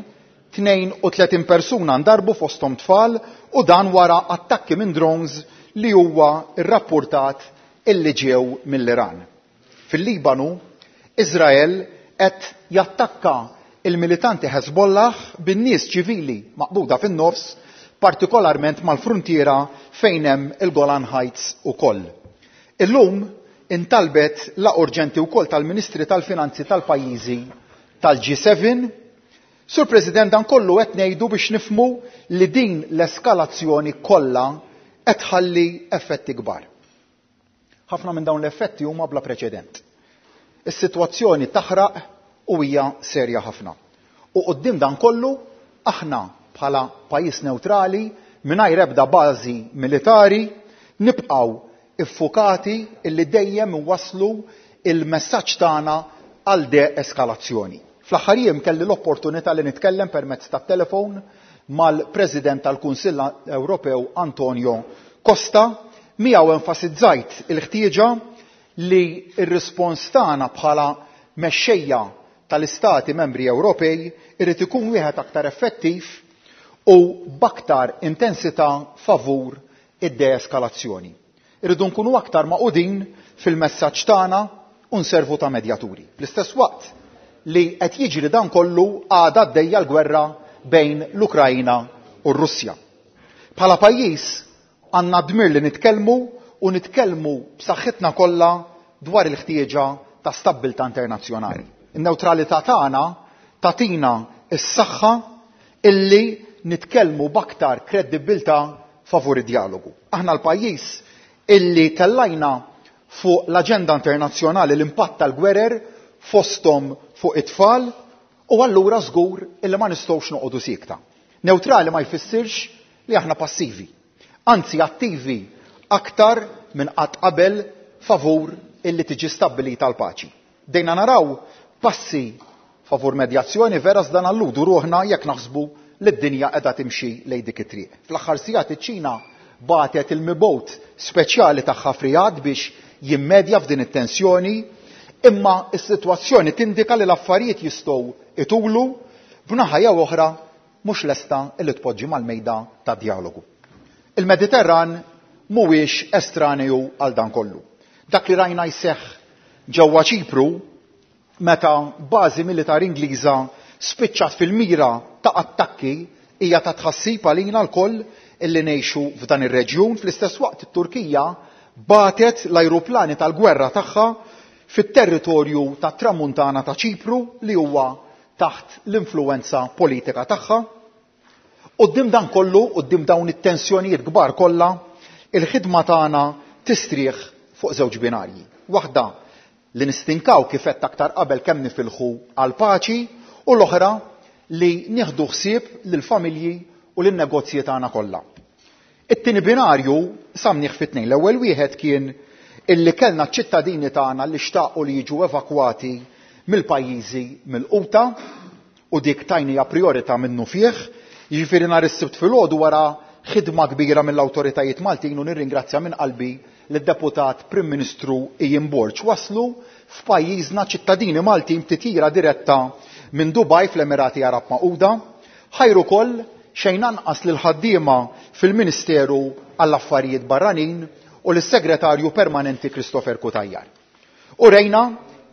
[SPEAKER 4] 32 persuna ndarbu fosthom tfal u dan wara attakki minn drones li huwa rrapportat illi ġew mill-Iran. Fil-Libanu, Izrael qed jattakka il-militanti Hezbollah bin-nies ċivili maqbuda fin-nofs, partikolarment mal-frontiera fejn hemm il-Golan Heights ukoll. Illum intalbet la urġenti wkoll tal-Ministri tal-Finanzi tal-pajjiżi tal-G7. Sur President, dan kollu qed ngħidu biex nifhmu li din l-eskalazzjoni kollha qed tħalli effetti kbar. Ħafna minn dawn l-effetti huma bla preċedent. Is-sitwazzjoni taħraq u hija serja ħafna. U quddiem dan kollu aħna bħala pajjiż neutrali mingħajr ebda bażi militari nibqgħu iffukati illi dejjem iwasslu il-messaġġ tagħna għal de-eskalazzjoni. Fl-aħħar jiem kelli l-opportunità li nitkellem permezz tat-telefon mal-President tal-Kunsill Ewropew Antonio Costa. Miegħu enfasizzajt il-ħtieġa li r-rispons tagħna bħala mexxejja tal-Istati Membri Ewropej irid ikun wieħed aktar effettiv u b'aktar intensità favur id-deeskalazzjoni. Irridu nkunu aktar magħqudin fil-messaġġ tagħna u nservu ta' medjaturi. Fl-istess waqt li qed jiġri dan kollu għadha għaddejja l-gwerra bejn l-Ukrajna u r-Russja. Bħala pajjiż għandna dmir li nitkellmu u nitkellmu b'saħħitna kollha dwar il-ħtieġa ta' stabbiltà internazzjonali. In-newtralità tagħna tagħtina s-saħħa illi nitkellmu b'aktar kredibbiltà favur id-djalogu. Aħna l-pajjiż illi tellajna fuq l-aġenda internazzjonali l-impatt tal-gwerer fosthom fuq it-tfal u allura żgur illi ma nistgħux noqogħdu siekta. Newtrali ma jfissirx li aħna passivi, anzi attivi aktar minn qatt qabel favur illi tiġi stabbilita l-paċi. Bdejna naraw passi favur medjazzjoni vera iżda nalludu ruħna jekk naħsbu li d-dinja qiegħda timxi lejn dik it-triq. Fl-aħħar sigħat iċ-Ċina bagħtet il-mibgħut speċjali tagħha f'Riyadh biex jimmedja f'din it-tensjoni, imma s-sitwazzjoni tindika li l-affarijiet jistgħu itulu b'naħa jew oħra mhux lesta li tpoġġi mal-mejda tad-djalogu. Il-Mediterran mhuwiex estraneu għal dan kollu. Dak li rajna jseħħ ġewwa Ċipru meta bażi militari Ingliża spiċċat fil-mira ta' attakki hija ta' tħassib għalina lkoll illi ngħixu f'dan ir-reġjun. Fl-istess waqt it-Turkija bagħtet l-ajruplani tal-gwerra tagħha fit-territorju tat-Tramuntana ta' Ċipru li huwa taħt l-influwenza politika tagħha. Quddiem dan kollu, quddiem dawn it-tensjonijiet kbar kollha, il-ħidma tagħna tistrieħ fuq żewġ binarji. Waħda li nistinkaw kif għedt aktar qabel kemm nifilħu għall-paċi u l-oħra li nieħdu ħsieb lill-familji u lin-negozji tagħna kollha. It-tieni binarju qsamnih fi tnejn. L-ewwel wieħed kien illi kellna ċ-ċittadini tagħna li xtaqu li jiġu evakwati mill-pajjiżi milquta u dik tajniha prijorità minnufih. Jiġifieri nhar is-Sibt filgħodu wara ħidma kbira mill-awtoritajiet Maltin u nirringrazzja minn qalbi lid-Deputat Prim Ministru Ian Borg waslu f'pajjiżna ċittadini Maltin b'titjira diretta minn Dubai fl-Emirati Għarab Magħquda. Ħajr ukoll xejn anqas lill-ħaddiema fil-Ministeru għall-Affarijiet Barranin u lis-Segretarju Permanenti Christopher Cutajar. Urejna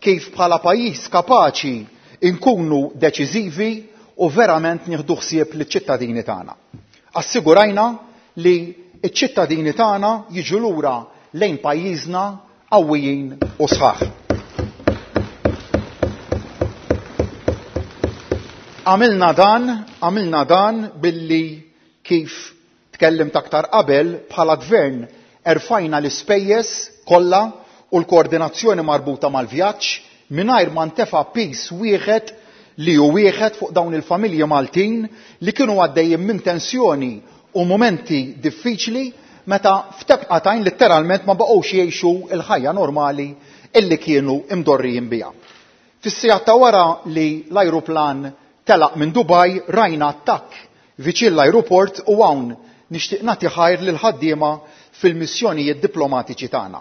[SPEAKER 4] kif bħala pajjiż kapaċi nkunu deċiżivi u verament nieħdu ħsieb liċ-ċittadini tagħna. Assigurajna li ċ-ċittadini tagħna jiġu lura lejn pajjiżna qawwijin u sħaħ. Għamilna dan, għamilna dan billi kif tkellimt aktar qabel bħala gvern erfajna l-ispejjeż kollha u l-koordinazzjoni marbuta mal-vjaġġ mingħajr ma ntefa' piż wieħed li hu wieħed fuq dawn il-familji Maltin li kienu għaddejjin minn tensjoni u mumenti diffiċli meta f'tebqa t'għajn litteralment ma baqgħux jgħixu l-ħajja normali illi kienu imdorrijin biha. Fis-sigħat ta' wara li l-ajruplan telaq minn Dubai rajna attakk viċin l-ajruport u hawn nixtieq nagħti ħajr lill-ħaddiema fil-missjonijiet diplomatiċi tagħna.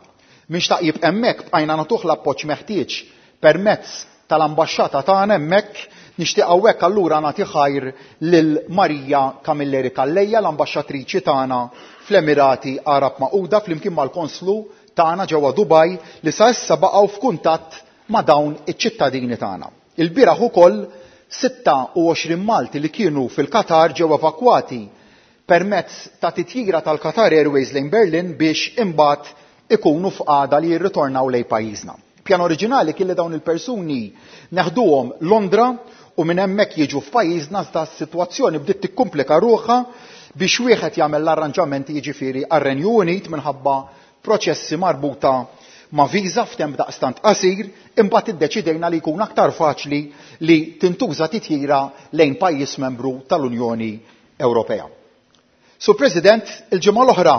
[SPEAKER 4] Min xtaq jibqa' hemmhekk bqajna nagħtuh l-appoġġ meħtieġ permezz tal-ambaxxata tagħna hemmhekk. Nixtieq hawnhekk allura nagħti ħajr lil Maria Camilleri Calleja, l-ambaxxatriċi tagħna fl-Emirati Għarab Magħquda flimkien mal-konslu tagħna ġewwa Dubai li sa issa baqgħu f'kuntatt ma' dawn iċ-ċittadini tagħna. Ilbieraħ ukoll 26 Malti li kienu fil-Qatar ġew evakwati permezz ta' titjira tal-Qatar Airways lejn Berlin biex imbagħad ikunu f'qagħda li jirritornaw lejn pajjiżna. Pjan oriġinali kien li dawn il-persuni neħduhom Londra u minn hemmhekk jiġu f'pajjiżna iżda s-sitwazzjoni bdiet tikkumplika ruħha biex wieħed jagħmel l-arranġamenti jiġifieri għar-Renju Unit minħabba proċessi marbuta ma' viża f'temp daqstant qasir, imbagħad iddeċidejna li jkun aktar faċli li tintuża titjira lejn pajjiż membru tal-Unjoni Ewropea. Sur President, il-ġimgħa l-oħra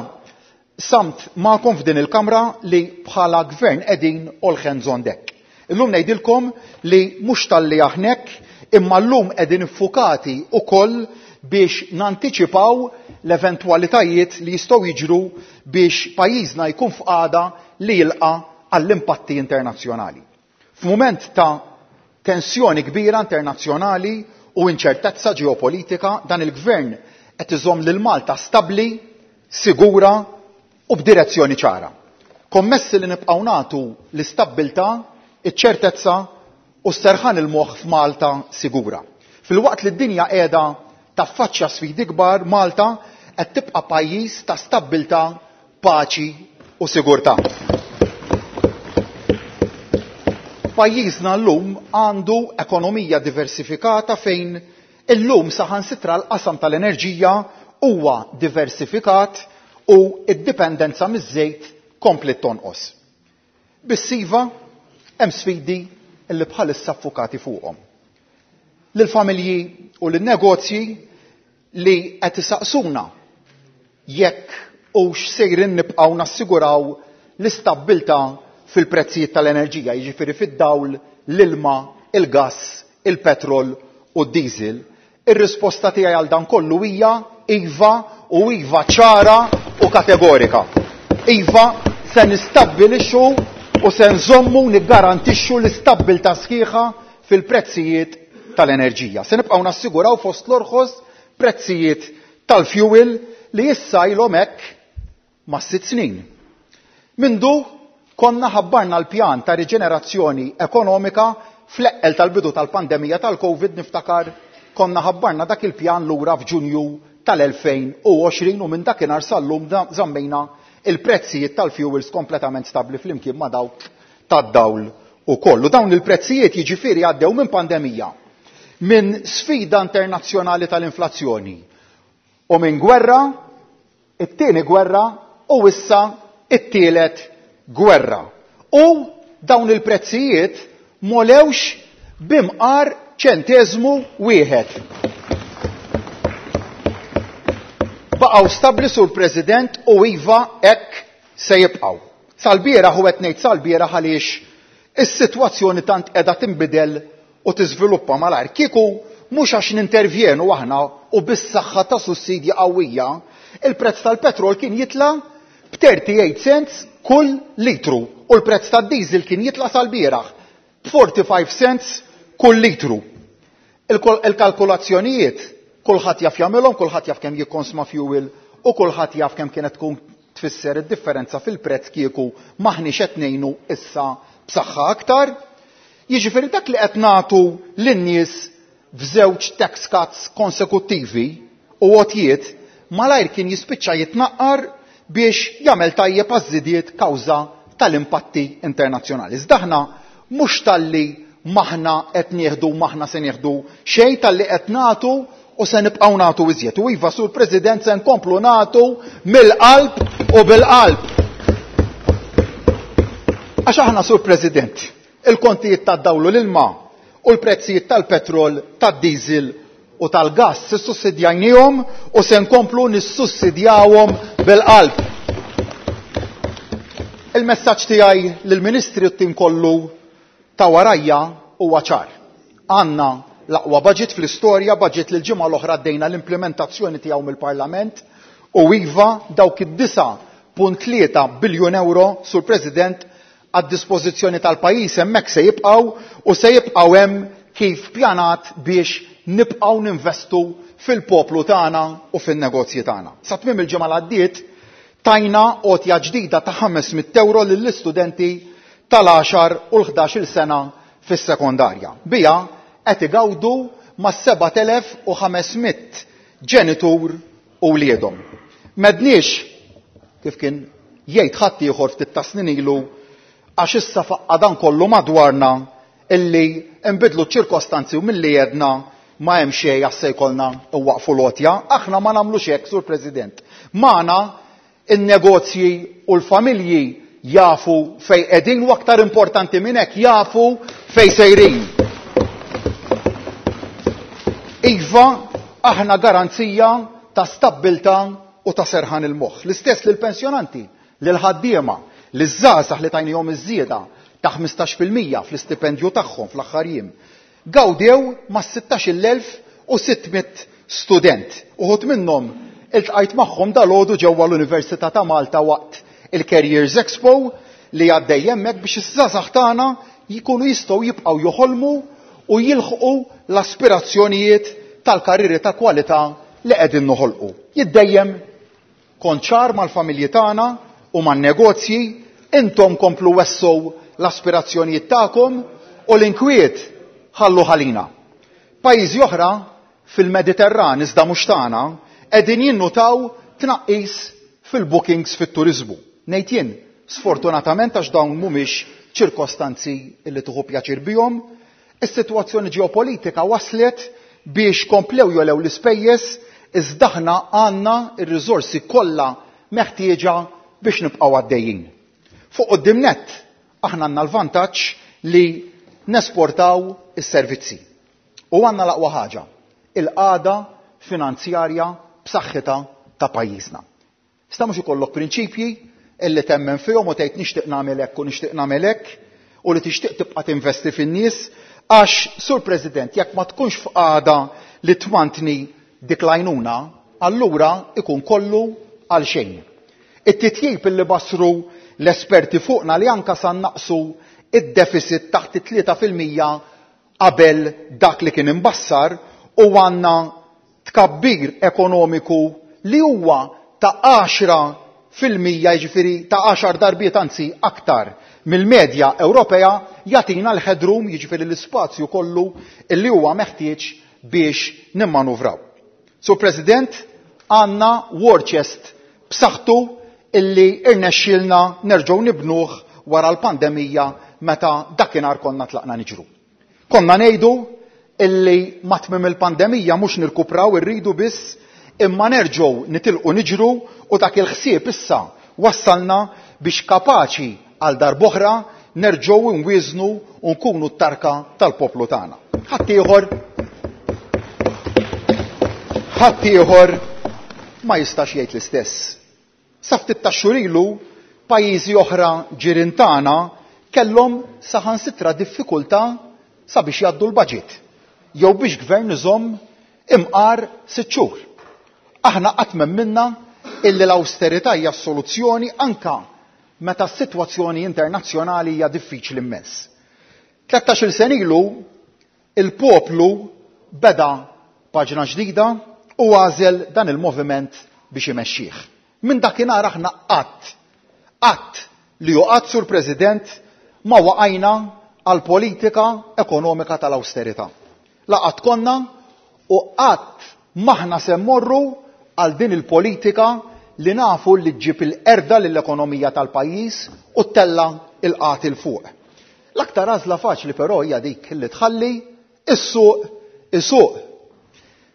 [SPEAKER 4] samt magħkom f'din il-Kamra li bħala gvern qegħdin all hands on deck. Illum ngħidilkom li mhux talli aħna hekk, imma llum qegħdin iffukati wkoll biex nantiċipaw l-eventwalitajiet li jistgħu jiġru biex pajjiżna jkun f'qagħda li jilqa' għall-impatti internazzjonali. F'mument ta' tensjoni kbira internazzjonali u inċertezza ġeopolitika, dan il-Gvern qed iżomm lil Malta stabbli, sigura u b'direzzjoni ċara. Kommessi li nibqgħu nagħtu l-istabbiltà, iċ-ċertezza u s-serħan il-moħħ f'Malta sigura. Filwaqt li d-dinja qiegħda taffaċċja sfidi kbar, Malta qed tibqa' pajjiż ta' stabbiltà, paċi u sigurtà. Pajjiżna llum għandu ekonomija diversifikata fejn illum saħansitra l-qasam tal-enerġija huwa diversifikat u d-dipendenza miż-żejt kompliet tonqos. Biss iva, hemm sfidi li bħalissa ffukati fuqhom. Lill-familji u lin-negozji li qed isaqsuna jekk hux sejrin nibqgħu nassiguraw l-istabbiltà fil-prezzijiet tal-enerġija, jiġifieri fid-dawl, l-ilma, il-gass, il-petrol u d-diesel, ir-risposta tiegħi għal dan kollu hija iva u iva ċara u kategorika. Iva, se nistabbilixxu u se nżommu niggarantixxu l-istabbiltà sħiħa fil-prezzijiet tal-enerġija. Se nibqgħu nassiguraw fost l-orħos prezzijiet tal-fuel li issa ilhom hekk ma' sitt snin. Mindu konna ħabbarna l-pjan ta' riġenerazzjoni ekonomika fl-eqqel tal-bidu tal-pandemija tal-Covid, niftakar konna ħabbarna dak il-pjan lura f'Ġunju tal-2020 u minn dakinhar sal-lum żammejna il-prezzijiet tal-fuels kompletament stabbli flimkien ma' dawk tad-dawl ukoll. U dawn il-prezzijiet jiġifieri għaddew minn pandemija, minn sfida internazzjonali tal-inflazzjoni u minn gwerra, it-tieni gwerra u issa it-tielet gwerra. U dawn il-prezzijiet m'għolewx b'imqar ċenteżmu wieħed. Baqgħu stabbli, Sur President, u iva hekk se jibqgħu. Sal-bieraħ, u qed ngħid sal-bieraħ għaliex is-sitwazzjoni tant qiegħda tinbidel u tiżviluppa malajr. Kieku mhux għax nintervjenu aħna u bis-saħħa ta' sussidji qawwija, il-prezz tal-petrol kien jitla' b'38 cents kull litru u l-prezz tad-diesel kien jitla' sal-bieraħ b'45 cents kull litru. Il-kalkulazzjonijiet kulħadd jaf jagħmilhom, kulħadd jaf kemm jikkonsma fuel u kulħadd jaf kemm kienet tkun tfisser id-differenza fil-prezz kieku m'aħniex qed ngħinu issa b'saħħa aktar. Jiġifieri dak li qed nagħtu lin-nies f'żewġ tax cuts konsekuttivi u għotjiet malajr kien jispiċċa jitnaqqar biex jagħmel tajjeb għaż-żidiet kawża tal-impatti internazzjonali. Iżda aħna mhux talli m'aħna qed nieħdu m'aħna se nieħdu xejn, talli qed nagħtu u se nibqgħu nagħtu iżjed. U iva, Sur President, se nkomplu nagħtu mill-qalb u bil-qalb. Għax aħna, Sur President, il-kontijiet tad-dawl u l-ilma u l-prezzijiet tal-petrol, tad-diesel u tal-gass issussidjajniehom u se nkomplu nissussidjawhom bil-qalb. Il-messaġġ tiegħi lill-Ministri u t-tim kollu ta' warajja huwa ċar. Għandna l-aqwa budget fl-istorja, budget li l-ġimgħa l-oħra għaddejna l-implementazzjoni tiegħu mill-Parlament u iva dawk id-9.3 biljun euro, Sur President, għad-dispożizzjoni tal-pajjiż hemmhekk se jibqgħu u se jibqgħu hemm kif pjanat biex nibqgħu ninvestu fil-poplu tagħna u fin-negozji tagħna. Sa tmiem il-ġimgħa li għaddiet tajna għotja ġdida ta' 500 euro lill-istudenti tal-10 u l-11-il sena fis-sekondarja. Biha qed igawdu ma' 7500 ġenitur u wliedhom. M'għedniex kif kien jgħid ħadd ieħor ftit ta' snin ilu għax issa faqqa dan kollu madwarna illi nbidlu ċ-ċirkostanzi u milli għedna ma hemm xejn għax se jkollna nwaqfu l-għotja. Aħna ma nagħmlux hekk, Sur President. Magħna in-negozji u l-familji jafu fej qegħdin u aktar importanti minn hekk jafu fej sejrin. Iva, aħna garanzija ta' stabbiltà u ta' serħan il-moħħ. L-istess lill-pensjonanti, lill-ħaddiema, liż-żgħażagħ li tajnihom iż-żieda ta' ħmistax fil-mija fl-istipendju tagħhom fl-aħħar jiem. Gawdew mas-sittax-il elf u sitt mitt student. Uħud minnhom iltqajt magħhom dalgħodu ġewwa l-Università ta' Malta waqt il-Careers Expo li għaddej hemmhekk biex iż-żgħażagħ tagħna jkunu jistgħu jibqgħu joħolmu u jilħqu l-aspirazzjonijiet tal-karrieri ta' kwalità li qegħdin noħolqu. Jien dejjem kont ċar mal-familji tagħna u man-negozji, intom komplu wessgħu l-aspirazzjonijiet tagħkom u l-inkwiet ħalluh għalina. Pajjiżi oħra fil-Mediterran iżda mhux tagħna qegħdin jinnutaw tnaqqis fil-bookings fit-turiżmu. Ngħid jien, sfortunatament għax dawn mhumiex ċirkostanzi li tieħu pjaċir bihom, is-sitwazzjoni ġeopolitika waslet biex komplew jogħlew l-ispejjeż iżda aħna għandna r-riżorsi kollha meħtieġa biex nibqgħu għaddejjin. Fuq quddiem nett aħna għandna l-vantaġġ li nesportaw is-servizzi. U għandna l-aqwa ħaġa, il-qagħda finanzjarja b'saħħitha ta' pajjiżna. Sta mhux ikollok prinċipji illi temmen fihom u tgħid nixtieq nagħmel hekk u nixtieq nagħmel hekk u li tixtieq tibqa' tinvesti fin-nies għax, Sur President, jekk ma tkunx f'qagħda li tmantni dik l-għajnuna, allura ikun kollu għal xejn. It-titjib illi basru l-esperti fuqna li anka sa naqsu id-deficit taħt it-3% qabel dak li kien imbassar u għandna tkabbir ekonomiku li huwa ta' 10%, jiġifieri ta' 10 darbiet anzi aktar mill-medja Ewropea, jagħtina l-headroom, jiġifieri l-ispazju kollu illi huwa meħtieġ biex nimmanuvraw. Sur President, għandna war chest b'saħħtu illi irnexxielna nerġgħu nibnuh wara l-pandemija meta dakinhar konna tlaqna niġru. Konna ngħidu illi ma tmiem il-pandemija mhux nirkupraw irridu biss imma nerġgħu nitilqu niġru u dak il-ħsieb issa wassalna biex kapaċi għal darb'oħra nerġgħu nwieżnu u nkunu t-tarka tal-poplu tagħna. Ħaddieħor ma jistax jgħid l-istess. Sa ftit tax-xhur ilu pajjiżi oħra ġirien tagħna kellhom saħansitra diffikultà sabiex jgħaddu l-budget jew biex gvern iżomm imqar 6 xhur. Aħna qatt m'emminna illi l-awsterità hija s-soluzzjoni anka meta s-sitwazzjoni internazzjonali hija diffiċli immens. 13-il sena ilu il-poplu beda paġna ġdida u għażel dan il-moviment biex imexxih. Minn dakinhar aħna qatt, qatt li hu qatt, Sur President, ma waqajna għal politika ekonomika tal-awsterità. La qatt konna u qatt maħna se mmorru għal din il-politika li nafu li ġġib il-qerda lill-ekonomija tal-pajjiż u ttella' il-qgħad 'il fuq. L-aktar għażla faċli però hija dik li tħalli is-suq isuq.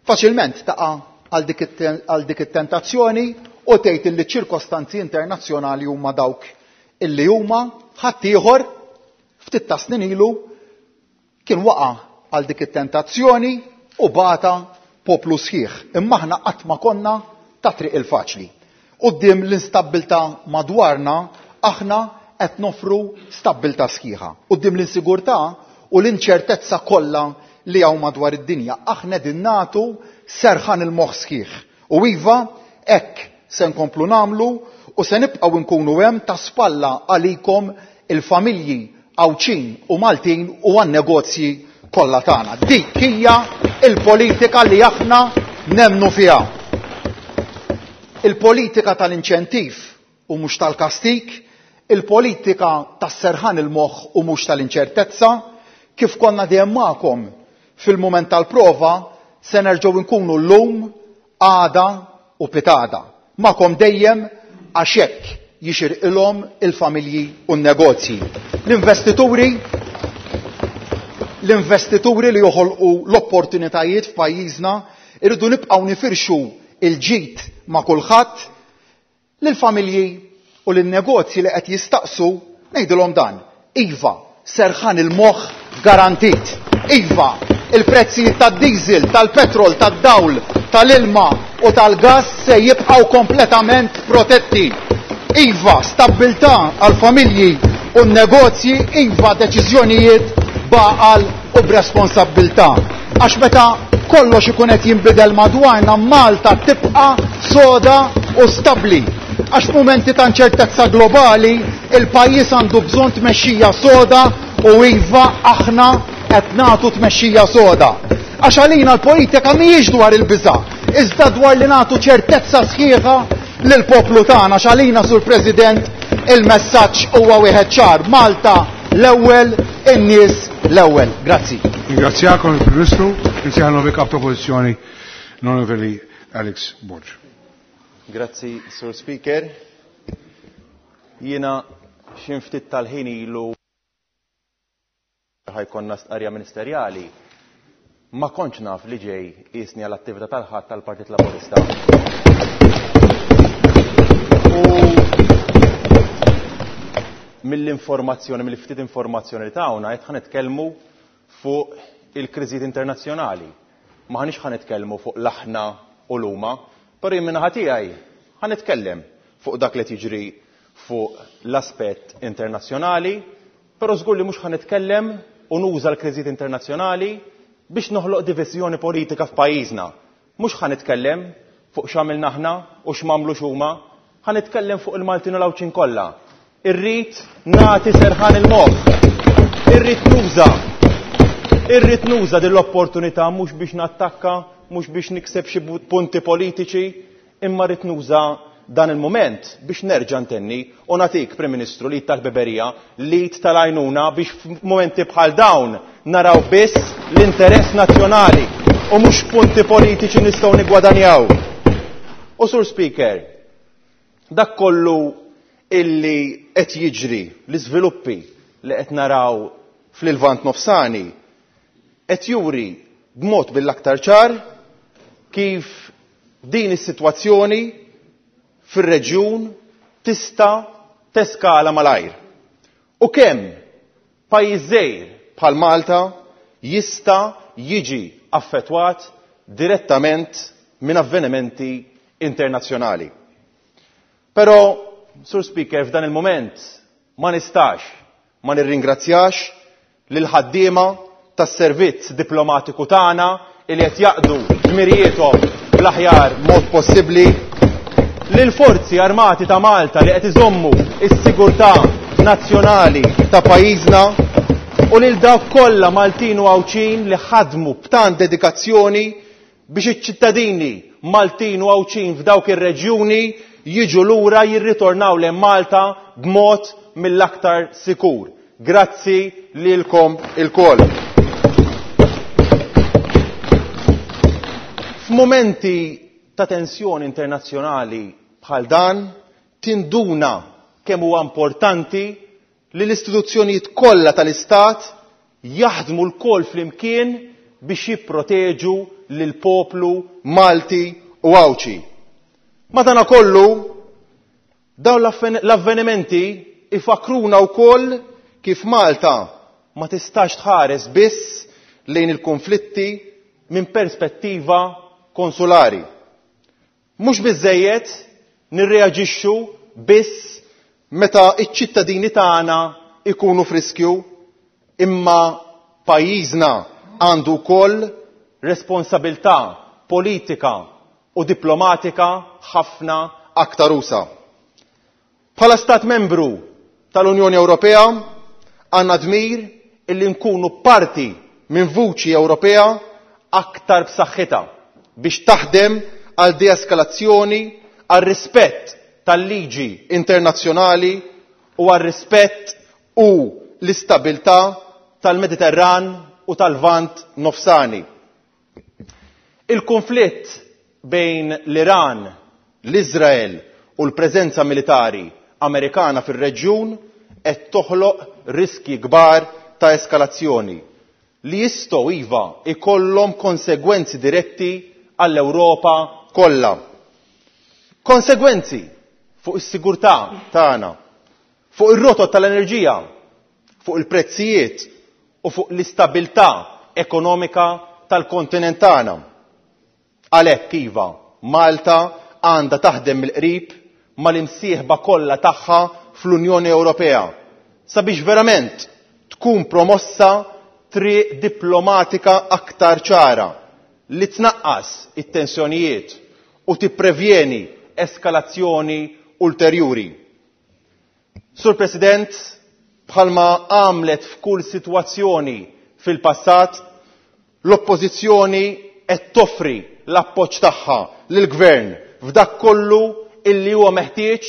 [SPEAKER 4] Faċilment taqa' għal dik it-tentazzjoni u tgħid li ċ-ċirkostanzi internazzjonali huma dawk illi huma. Ħaddieħor ftit ta' snin ilu kien waqa' għal dik it-tentazzjoni u bata poplu sħiħ. Imma aħna qatt ma konna ta' triq il-faċli. Quddiem l-instabbiltà madwarna aħna qed nofru stabbiltà sħiħa. Quddiem l-insigurtà u l-inċertezza kollha li hawn madwar id-dinja, aħna qegħdin nagħtu serħan il-moħħ sħiħ. U iva, hekk se nkomplu nagħmlu u se nibqgħu nkunu hemm ta' spalla għalikom il-familji Għawdxin u Maltin u għan-negozji kollha tagħna. Dik hija l-politika li aħna nemmnu fiha. Il-politika tal-inċentiv u mhux tal-kastik, il-politika tas-serħan il-moħħ u mhux tal-inċertezza, kif konna dejjem magħkom fil-mument tal-prova, se nerġgħu nkunu llum, għada u pitada. Magħkom dejjem għax hekk jixirqilhom il-familji u n-negozji. L-investituri li joħolqu l-opportunitajiet f'pajjiżna irridu nibqgħu nifirxu il-ġid ma' kulħadd. Lill-familji u lin-negozji li qed jistaqsu ngħidilhom dan: iva, serħan il-moħħ garantit. Iva, il-prezzijiet tad-diesel, tal-petrol, tad-dawl, tal-ilma u tal-gas se jibqgħu kompletament protetti. Iva, stabbiltà għall-familji u n-negozji, iva deċiżjonijiet b'għaqal u b'responsabbiltà.
[SPEAKER 11] Għax meta kollox ikun qed jinbidel madwarna Malta tibqa' soda u stabbli. Għax f'mumenti ta' inċertezza globali il-pajjiż għandu bżonn tmexxija soda u iva aħna qed nagħtu tmexxija soda. Għax għalina l-politika mhijiex dwar il-biża', iżda dwar li nagħtu ċertezza sħiħa lill-poplu tagħna. Għax għalina, Sur President, il-messaġġ huwa wieħed ċar: Malta l-ewwel, in-nies l-ewwel. Grazzi.
[SPEAKER 1] Ringrazzjakom il-Prim Ministru, insejħa l-nuovi Kap Oppożizzjoni l-Onorevoli Alex Borg.
[SPEAKER 12] Grazzi, Sur Speaker. Jiena xi ftit tal-ħin ilu ħajkonna stqarrija ministerjali, ma kontx naf li ġej qisni għall attività tal-Ħadd tal-Partit Laburista. U mill-informazzjoni, mill-ftit informazzjoni li tawna, qed ħa nitkellmu fuq il-kriżijiet internazzjonali. Ma ħanix ħa nitkellmu fuq l-aħna u l-huma, però jien min-naħa tiegħi ħa nitkellem fuq dak li qed jiġri fuq l-aspett internazzjonali, però żgur li mhux ħa nitkellem u nuża l-kriżijiet internazzjonali biex noħloq diviżjoni politika f'pajjiżna. Mhux ħa nitkellem fuq x'għamilna aħna u x'm'għamlux huma, ħa nitkellem fuq il-Maltin u l-Għawdxin kollha. Irrid nagħti serħan il-moħħ. Irrid nuża. Irrid nuża din l-opportunità mhux biex nattakka, mhux biex nikseb xi punti politiċi, imma rrid nuża dan il-mument biex nerġa' ntenni u nagħtik, Prim Ministru, l-id tal-ħbiberija, l-id tal-għajnuna biex f'mumenti bħal dawn naraw biss l-interess nazzjonali u mhux punti politiċi nistgħu niggwadanjaw. U Sur Speaker, dak kollu illi qed jiġri, l-iżviluppi li qed naraw fl-Lvant Nofsani, qed juri b'mod mill-aktar ċar kif din is-sitwazzjoni fir-reġjun tista' teskala malajr. U kemm pajjiż żgħir bħal Malta jista' jiġi affettwat direttament minn avvenimenti internazzjonali. Però, Sur Speaker, f'dan il-mument ma nistax ma nirringrazzjax lill-ħaddiema tas-servizz diplomatiku tagħna li qed jaqdu dmirijiethom bl-aħjar mod possibbli, lill-Forzi Armati ta' Malta li qed iżommu s-sigurtà nazzjonali ta' pajjiżna u lil dawk kollha Maltin u Għawdxin li ħadmu b'tant dedikazzjoni biex iċ-ċittadini Maltin u Għawdxin f'dawk ir-reġjuni jiġu lura jirritornaw lejn Malta b'mod mill-aktar sikur. Grazzi lilkom ilkoll. F'mumenti ta' tensjoni internazzjonali bħal dan, tinduna kemm huwa importanti li l-istituzzjonijiet kollha tal-Istat jaħdmu lkoll flimkien biex jipproteġu lill-poplu Malti u Għawdxi. Madanakollu, dawn l-avvenimenti ifakkruna wkoll kif Malta ma tistax tħares biss lejn il-konflitti minn perspettiva konsulari. Mhux biżżejjed nirreaġixxu biss meta ċ-ċittadini tagħna jkunu f'riskju, imma pajjiżna għandu wkoll responsabilità politika u diplomatika ħafna aktar usa'. Bħala Stat Membru tal-Unjoni Ewropea għandna dmir illi nkunu parti minn vuċi Ewropea aktar b'saħħitha biex taħdem għal deeskalazzjoni, għal rispett tal-liġi internazzjonali u għal rispett u l-istabilità tal-Mediterran u tal-Lvant Nofsani. Il-konflitt bejn l-Iran, l-Iżrael u l-preżenza militari Amerikana fir-reġjun qed toħloq riskji kbar ta' eskalazzjoni li jistgħu iva jkollhom konsegwenzi diretti għall-Ewropa kollha. Konsegwenzi fuq is-sigurtà tagħna, fuq ir-rotot tal-enerġija, fuq il-prezzijiet u fuq l-istabilità ekonomika tal-kontinent tagħna. Għalhekk iva, Malta għandha taħdem mill-qrib mal-imsieħba kollha tagħha fl-Unjoni Ewropea sabiex verament tkun promossa triq diplomatika aktar ċara li tnaqqas it-tensjonijiet u tipprevjeni eskalazzjoni ulterjuri. Sur President, bħalma għamlet f'kull sitwazzjoni fil-passat, l-Oppożizzjoni qed toffri l-appoġġ tagħha lill-Gvern f'dak kollu illi huwa meħtieġ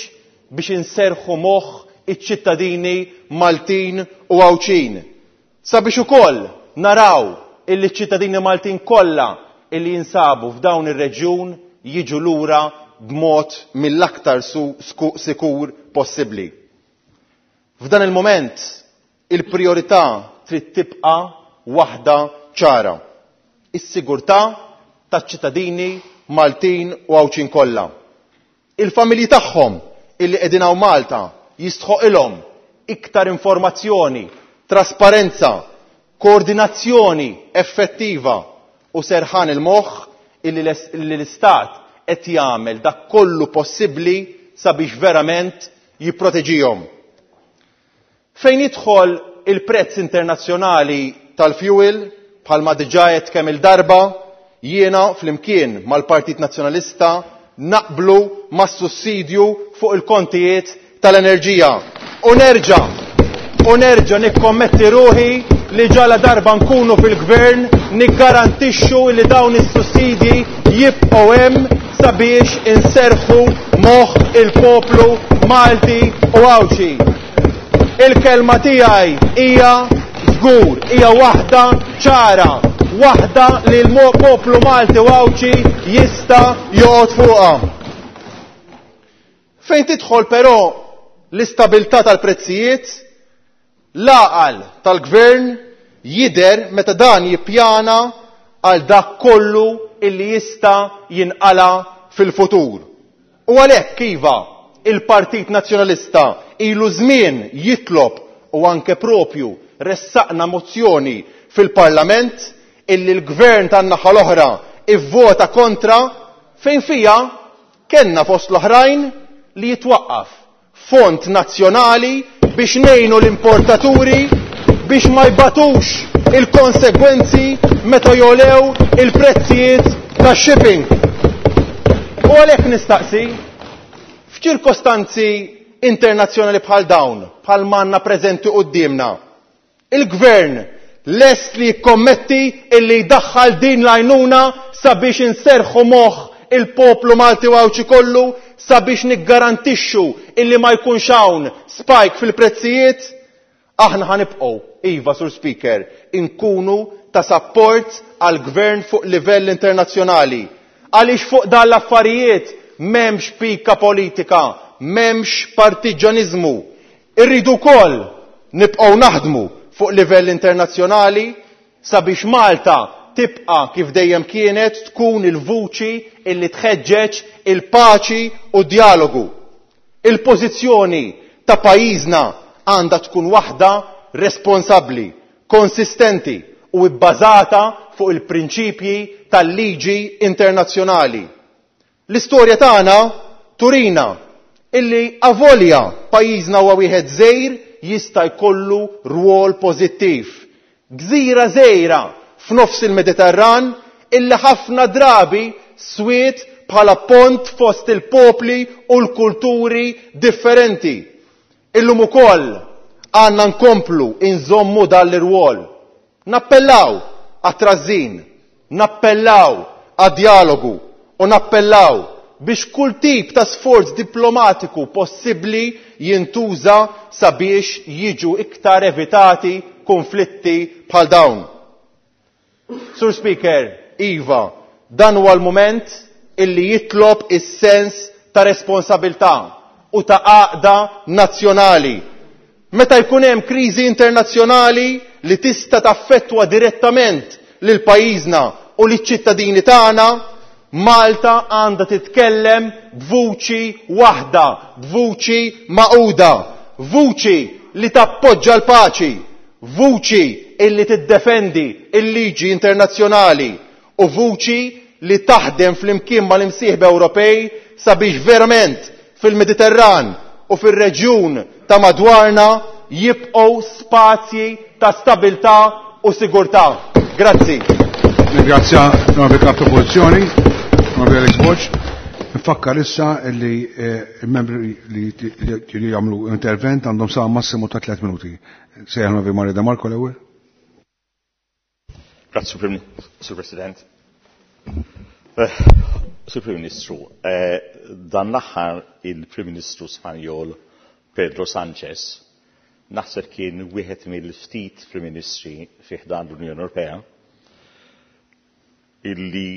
[SPEAKER 12] biex inserrħu moħħ iċ-ċittadini Maltin u Għawdxin. Sabiex ukoll naraw illi ċ-ċittadini Maltin kollha illi jinsabu f'dawn ir-reġjun jiġu lura b'mod mill-aktar sikur possibbli. F'dan il-mument il-prijorità trid tibqa' waħda ċara, is-sigurtà taċ-ċittadini Maltin u Għawdxin kollha. Il-familji tagħhom illi qegħdin hawn Malta jistħoqilhom iktar informazzjoni, trasparenza, koordinazzjoni effettiva u serħan il-moħħ illi l-Istat qed jagħmel dak kollu possibbli sabiex verament jipproteġihom. Fejn jidħol il-prezz internazzjonali tal-fuel, bħalma diġà għedt kemm il-darba, jiena flimkien mal-Partit Nazzjonalista naqblu mas-sussidju fuq il-kontijiet tal-enerġija. U nerġa' u nerġa' nikkommetti ruħi li ġala darba nkunu fil-gvern niggarantixxu li dawn is-sussidji jibqgħu hemm sabiex inserrħu moħħ il-poplu Malti u Għawdxi. Il-kelma tiegħi hija żgur, hija waħda ċara, waħda li l-poplu Malti u Għawdxi jista' joqgħod fuqha. Fejn tidħol però l-istabilità tal-prezzijiet, l-għaqal tal-gvern jidher meta dan jippjana għal dak kollu illi jista' jinqala' fil-futur. U għalhekk iva, il-Partit Nazzjonalista ilu żmien jitlob u anke propju ressaqna mozzjoni fil-Parlament illi l-gvern tan-naħa l-oħra ivvota kontra fejn fiha kellna fost l-oħrajn li jitwaqqaf fond nazzjonali biex ngħinu l-importaturi biex ma jbatux il-konsegwenzi meta jogħlew il-prezzijiet tax-shipping. U għalhekk nistaqsi, f'ċirkostanzi internazzjonali bħal dawn, bħal m'għandna preżenti quddiemna, il-Gvern lest li jikkommetti illi jdaħħal din l-għajnuna sabiex inserrħu moħħ il-poplu Malti u Għawdxi kollu sabiex niggarantixxu illi ma jkunx hawn spike fil-prezzijiet? Aħna ħa nibqgħu, iva Sur Speaker, inkunu ta' sapport għall-Gvern fuq livell internazzjonali. Għaliex fuq dan l-affarijiet m'hemmx pika politika, m'hemmx partiġġaniżmu. Irridu wkoll nibqgħu naħdmu fuq livell internazzjonali sabiex Malta tibqa' kif dejjem kienet tkun il-vuċi illi tħeġġeġ il-paċi u d-djalogu. Il-pożizzjoni ta' pajjiżna għandha tkun waħda responsabbli, konsistenti u bbażata fuq il-prinċipji tal-liġi internazzjonali. L-istorja tagħna turina illi avolja pajjiżna huwa wieħed żgħir jista' jkollu rwol pożittiv. Gżira żgħira f'nofs il-Mediterran illi ħafna drabi swiet bħala pont fost il-popli u l-kulturi differenti. Illum ukoll għandna nkomplu inżommu dan l-irwol. Nappellaw għat-trażżin, nappellaw għad-djalogu u nappellaw biex kull tip ta' sforz diplomatiku possibbli jintuża sabiex jiġu iktar evitati kunflitti bħal dawn. Sur Speaker, iva, dan huwa l-mument illi jitlob is-sens ta' responsabilità u ta' għaqda nazzjonali. Meta jkun hemm kriżi internazzjonali li tista' taffettwa direttament lil pajjiżna u liċ-ċittadini tagħna, Malta għandha titkellem b'vuċi waħda, b'vuċi magħquda, vuċi li tappoġġa l-paċi, vuċi illi tiddefendi l-liġi internazzjonali u vuċi li taħdem flimkien mal-imsieħba Ewropej sabiex verament fil-Mediterran u fir-reġjun ta' madwarna jibqgħu spazji ta' stabilità u sigurtà. Grazzi.
[SPEAKER 1] Ringrazzja l-Onorevoli Kap Oppożizzjoni, l-Onorevoli Alex Borg. Nfakkar issa li il-membri li jagħmlu intervent għandhom sa massimu ta' 3 minuti. Sejjaħ l-Onorevoli Mario De Marco l-ewwel.
[SPEAKER 13] Grazzi, Sur President. Sur Prim Ministru, dan l-aħħar il-Prim Ministru Spanjol Pedro Sanchez naħseb kien wieħed mill-ftit Prim Ministri fi ħdan l-Unjoni Ewropea illi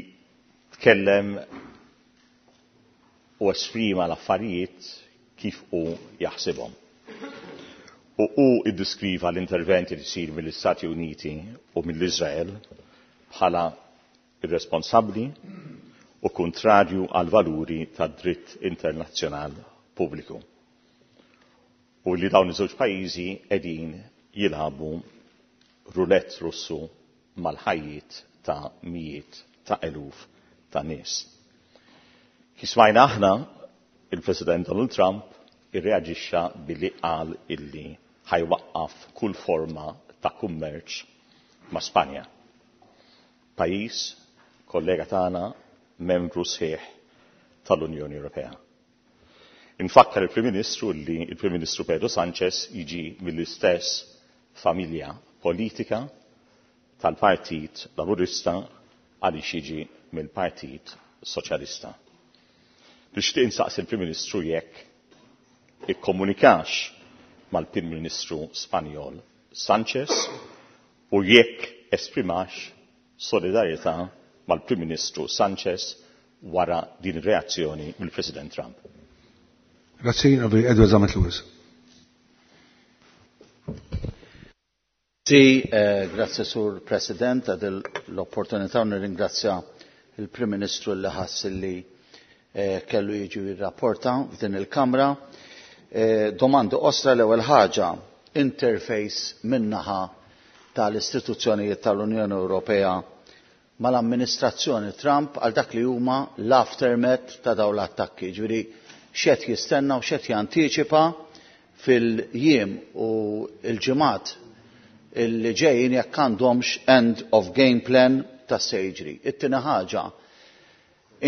[SPEAKER 13] tkellem u esprima l-affarijiet kif hu jaħsibhom. U hu iddiskriva l-interventi li jsir mill-Istati Uniti u mill-Iżrael bħala irresponsabbli u kontrarju għal valuri tad dritt internazzjonal pubbliku. U li dawn iż-żewġ pajjiżi qegħdin jilagħbu rulett Russu mal-ħajjiet ta' mijiet ta' eluf ta' nies. Kif smajna aħna, il-President Donald Trump irreaġixxa billi qal illi ħajwaqqaf kull forma ta' kummerċ ma' Spanja. Pajjiż, kollega tagħna, membru sħiħ tal-Unjoni Ewropea. Infakkar il-Prim Ministru li il-Prim Ministru Pedro Sanchez jiġi mill-istess familja politika tal-Partit Laburista għaliex jiġi mill-Partit Soċjalista. Nixtieq insaqsi il-Prim Ministru jekk ikkomunikax mal-Prim Ministru Spanjol Sanchez u jekk esprimax solidarjetà mal-Prim Ministru Sanchez wara din ir-reazzjoni mill-President Trump.
[SPEAKER 1] Grazzi, Edward Zammit Lewis.
[SPEAKER 14] Sì, grazie Sur President għad l-opportunità u nirringrazzja il-Prim Ministru li ħass li kellu jiġi jirrapporta f'din il-Kamra. Domandi osra l-ewwel ħaġa, interface min-naħa tal-istituzzjonijiet tal-Unjoni Ewropea mal-amministrazzjoni Trump għal dak li huma l-aftermath ta' dawn l-attakki. Ġifieri x'qed jistenna u x'qed jantiċipa fil-jiem u l-ġimgħat illi ġejjin jekk għandhomx end of game plan ta' se jiġri. It-tieni ħaġa,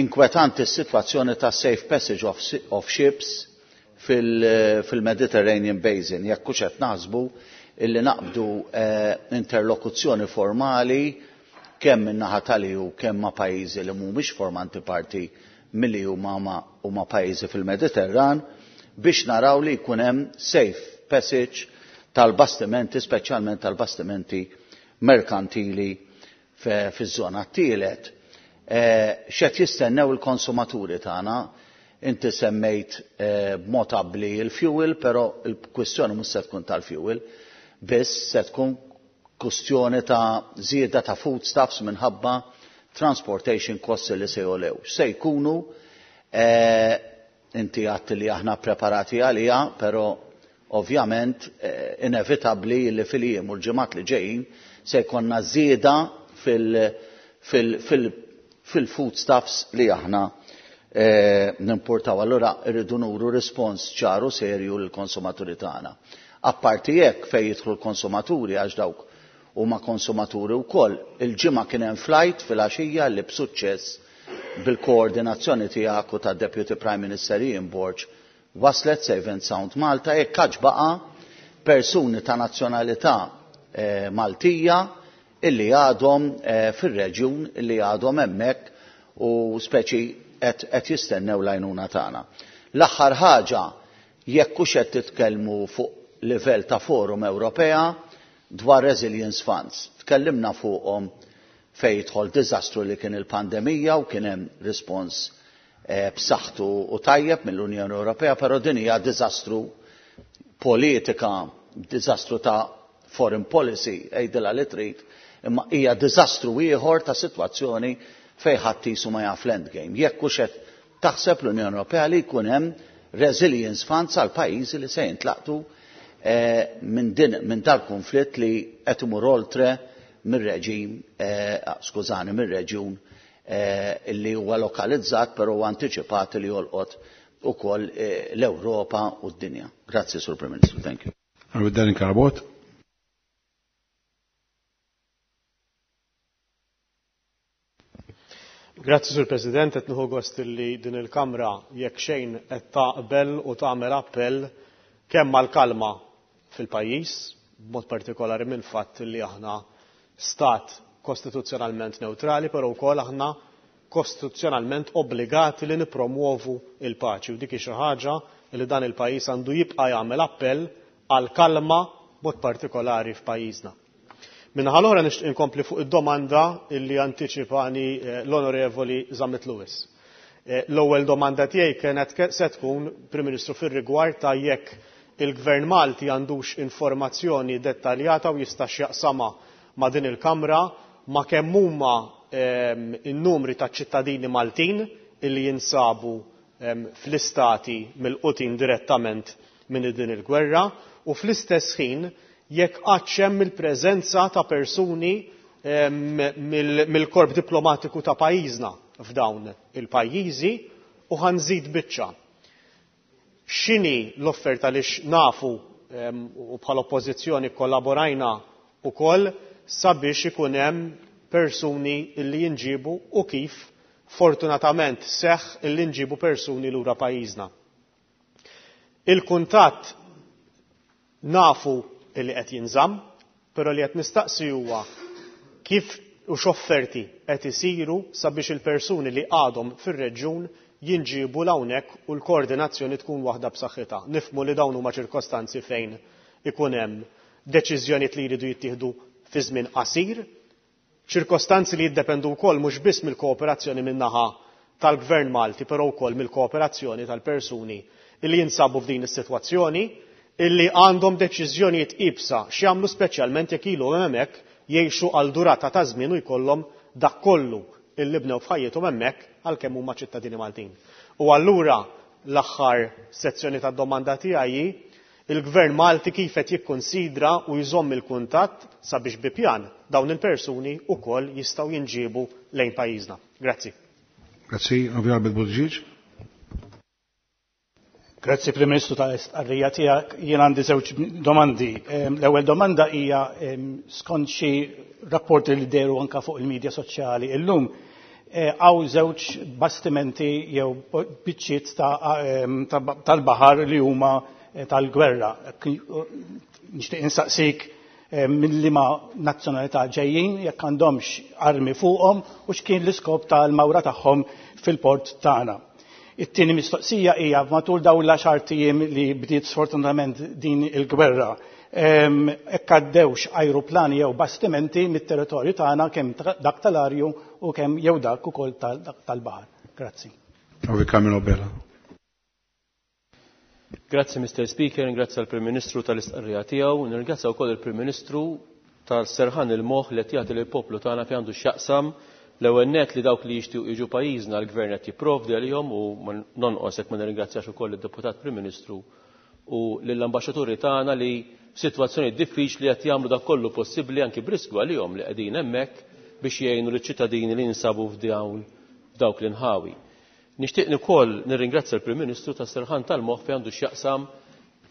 [SPEAKER 14] inkwetanti s-sitwazzjoni ta' safe passage of ships fil-Mediterranean Basin, jekk hux qed naħsbu illi naqbdu interlokuzzjoni formali kemm min-naħa tal-EU kemm ma' pajjiżi li mhumiex formanti parti mill-EU u ma' pajjiżi fil-Mediterran biex naraw li jkun hemm safe passage tal-bastimenti, speċjalment tal-bastimenti merkantili fiż-żona. Tielet, x'qed jistennew il-konsumaturi tagħna? Inti semmejt b'mod abbli il-fuel, però il-kwistjoni mhux se tkun tal-fuel, biss se tkun kwistjoni ta' żieda ta' foodstuffs minħabba transportation costs li se jolew. Se jkunu, inti għadt li aħna preparati għalija, però ovvjament inevitabbli li fil-jiem u l-ġimgħat li ġejjin se jkollna żieda fil-foodstuffs li aħna nimportaw. Allura rridu nuru rispons ċaru serju lill-konsumaturi tagħna. Apparti hekk fejn jidħlu l-konsumaturi għax dawk huma konsumaturi wkoll, il-ġimgħa kien hemm flight fil-għaxija li b'suċċess bil-koordinazzjoni tiegħek u tad-Deputy Prime Minister Ian Borg waslet Safe and Sound Malta, jekk għax baqa' persuni ta' nazzjonalità Maltija illi għadhom fir-reġjun, illi għadhom hemmhekk u speċi qed jistennew l-għajnuna tagħna. L-aħħar ħaġa, jekk hux qed titkellmu fuq livell ta' forum Ewropea dwar Resilience Funds. Tkellimna fuqhom fejn jidħol diżastru li kien il-pandemija u kien hemm rispons b'saħħtu u tajjeb mill-Unjoni Ewropea, però din hija diżastru politika, diżastru ta' foreign policy, għidilha li trid, imma hija diżastru ieħor ta' sitwazzjoni fejn ħadd qisu ma jaf l-endgame. Jekk hux qed taħseb l-Unjoni Ewropea li jkun hemm Resilience Funds għal pajjiżi li se jintlaqtu minn dal-konflitt li qed imur oltre mir-reġim, skużani, mir-reġjun li huwa lokalizzat però huwa antiċipat li jolqot ukoll l-Ewropa u d-dinja. Grazzi, Sur Prim Ministru. Thank you.
[SPEAKER 1] Darren Carabott.
[SPEAKER 15] Grazzi, Sur President, qed nieħu gost li din il-Kamra jekk xejn qed taqbel u tagħmel appell kemm għall-kalma fil-pajjiż, b'mod partikolari minn fatt li aħna stat kostituzzjonalment newtrali, però wkoll aħna kostituzzjonalment obbligati li nippromwovu l-paċi u dik hi xi ħaġa li dan il-pajjiż għandu jibqa' jagħmel appell għall-kalma b'mod partikolari f'pajjiżna. Min-naħa l-oħra nixtieq inkompli fuq id-domanda li antiċipani l-Onorevoli Zammit Lewis. L-ewwel domanda tiegħi kienet se tkun, Prim Ministru, fir-rigward ta' jekk il-Gvern Malti għandux informazzjoni dettaljata u jistax jaqsamha ma' din il-Kamra ma' kemm huma n-numri ta' ċittadini Maltin li jinsabu fl-istati milqutin direttament minn din il-gwerra u fl-istess ħin jekk għadx hemm il-preżenza ta' persuni mill-korp diplomatiku ta' pajjiżna f'dawn il-pajjiżi u ħa nżid biċċa. X'inhi l-offerta għaliex nafu u bħala Oppożizzjoni kkollaborajna wkoll sabiex ikun hemm persuni li jinġiebu u kif fortunatament seħħ illi nġibu persuni lura pajjiżna. Il-kuntatt nafu illi qed jinżamm, però li qed nistaqsi huwa kif u x'offerti qed isiru sabiex il-persuni li għadhom fir-reġjun jinġiebu 'l hawnhekk u l-koordinazzjoni tkun waħda b'saħħitha. Nifhmu li dawn huma ċirkostanzi fejn ikun hemm deċiżjonijiet li jridu jittieħdu fi żmien qasir, Ċirkostanzi li jiddependu wkoll mhux biss mill-kooperazzjoni min-naħa tal-Gvern Malti però wkoll mill-kooperazzjoni tal-persuni li jinsabu f'din is-sitwazzjoni illi għandhom deċiżjonijiet iebsa x'jagħmlu speċjalment jekk ilhom hemmhekk jgħixu għal durata ta' żmien u jkollhom dak kollu illi bnew f'ħajjithom hemmhekk għalkemm huma ċittadini Maltin. U allura l-aħħar sezzjoni tad-domanda tiegħi hi Il-Gvern Malti kif qed jikkunsidra u jżomm il-kuntatt sabiex bi pjan dawn il-persuni wkoll jistgħu jinġiebu lejn pajjiżna? Grazzi.
[SPEAKER 1] Grazzi, Onorevoli Albert Buttigieg.
[SPEAKER 16] Grazzi Prim Ministru tal-istqarrija tiegħek. Jien għandi żewġ domandi. L-ewwel domanda hija skont xi rapporti li dehru anke fuq il-medja soċjali illum hawn żewġ bastimenti jew biċċiet tal-baħar li huma tal-gwerra. Nixtieq insaqsik minn liema nazzjonalità ġejjin, jekk għandhomx armi fuqhom u x'kien l-iskop tal-mawra tagħhom fil-port tagħna. It-tieni mistoqsija hija matul dawn l-għaxart ijiem li bdiet sfortunatament din il-gwerra, hekk għaddewx ajruplani jew bastimenti mit-territorju tagħna kemm dak tal-arju u kemm jew dak ukoll tal-baħar. Grazzi.
[SPEAKER 1] Onorevoli Carmelo Bella.
[SPEAKER 8] Grazzi Mr. Speaker, ringrazzja l-Prim Ministru tal-istqarrija tiegħu, nirringrazzja wkoll il-Prim Ministru tal-serħan il-moħħ li qed jagħti lill-poplu tagħna fejn għandu x'jaqsam l-ewwel nett li dawk li jixtiequ jiġu pajjiżna l-Gvern qed jipprovdi għalihom u nonqos jekk ma nirringrazzjax ukoll id-Deputat Prim Ministru u lill-ambaxxaturi tagħna li f'sitwazzjonijiet diffiċli qed jagħmlu dak kollu possibbli anki b'riskju għalihom li qegħdin hemmhekk biex jgħinu liċ-ċittadini li jinsabu f'dawn f'dawk l-inħawi. Nixtieq ukoll nirringrazzja l-Prim Ministru tas-serħan tal-moħħ fejn għandu x'jaqsam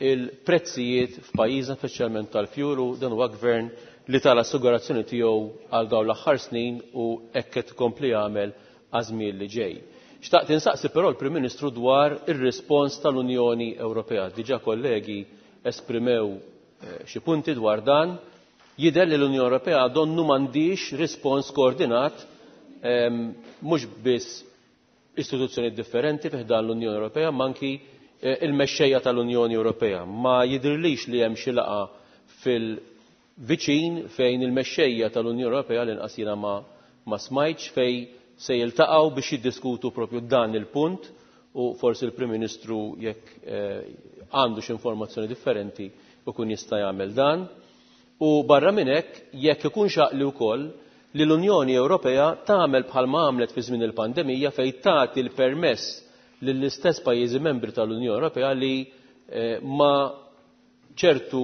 [SPEAKER 8] il-prezzijiet f'pajjiżna speċjalment tal-fjur u dan huwa gvern li ta l-assigurazzjoni tiegħu għal dawn l-aħħar snin u hekk qed ikompli jagħmel għaż-żmien li ġej. Xtaqt insaqsi però l-Prim Ministru dwar ir-rispons tal-Unjoni Ewropea. Diġà kollegi esprimew eh, xi punti dwar dan. Jidher li l-Unjoni Ewropea donnu m'għandix rispons koordinat ehm, mhux biss istituzzjonijiet differenti fi ħdan l-Unjoni Ewropea ma anki eh, il-mexxejja tal-Unjoni Ewropea. Ma jidhirlix li hemm xi laqgħa fil-viċin fejn il-mexxejja tal-Unjoni Ewropea l-inqas jiena ma, ma smajtx fej se jiltaqgħu biex jiddiskutu propju dan il-punt u forsi l-Prim Ministru jekk eh, għandu xi informazzjoni differenti ikun jista' jagħmel dan. U barra minn hekk jekk ikun xaqli wkoll li l-Unjoni Ewropea tagħmel bħalma għamlet fi żmien il-pandemija fejn tagħti l-permess lill-istess pajjiżi membri tal-Unjoni Ewropea li eh, ma ċertu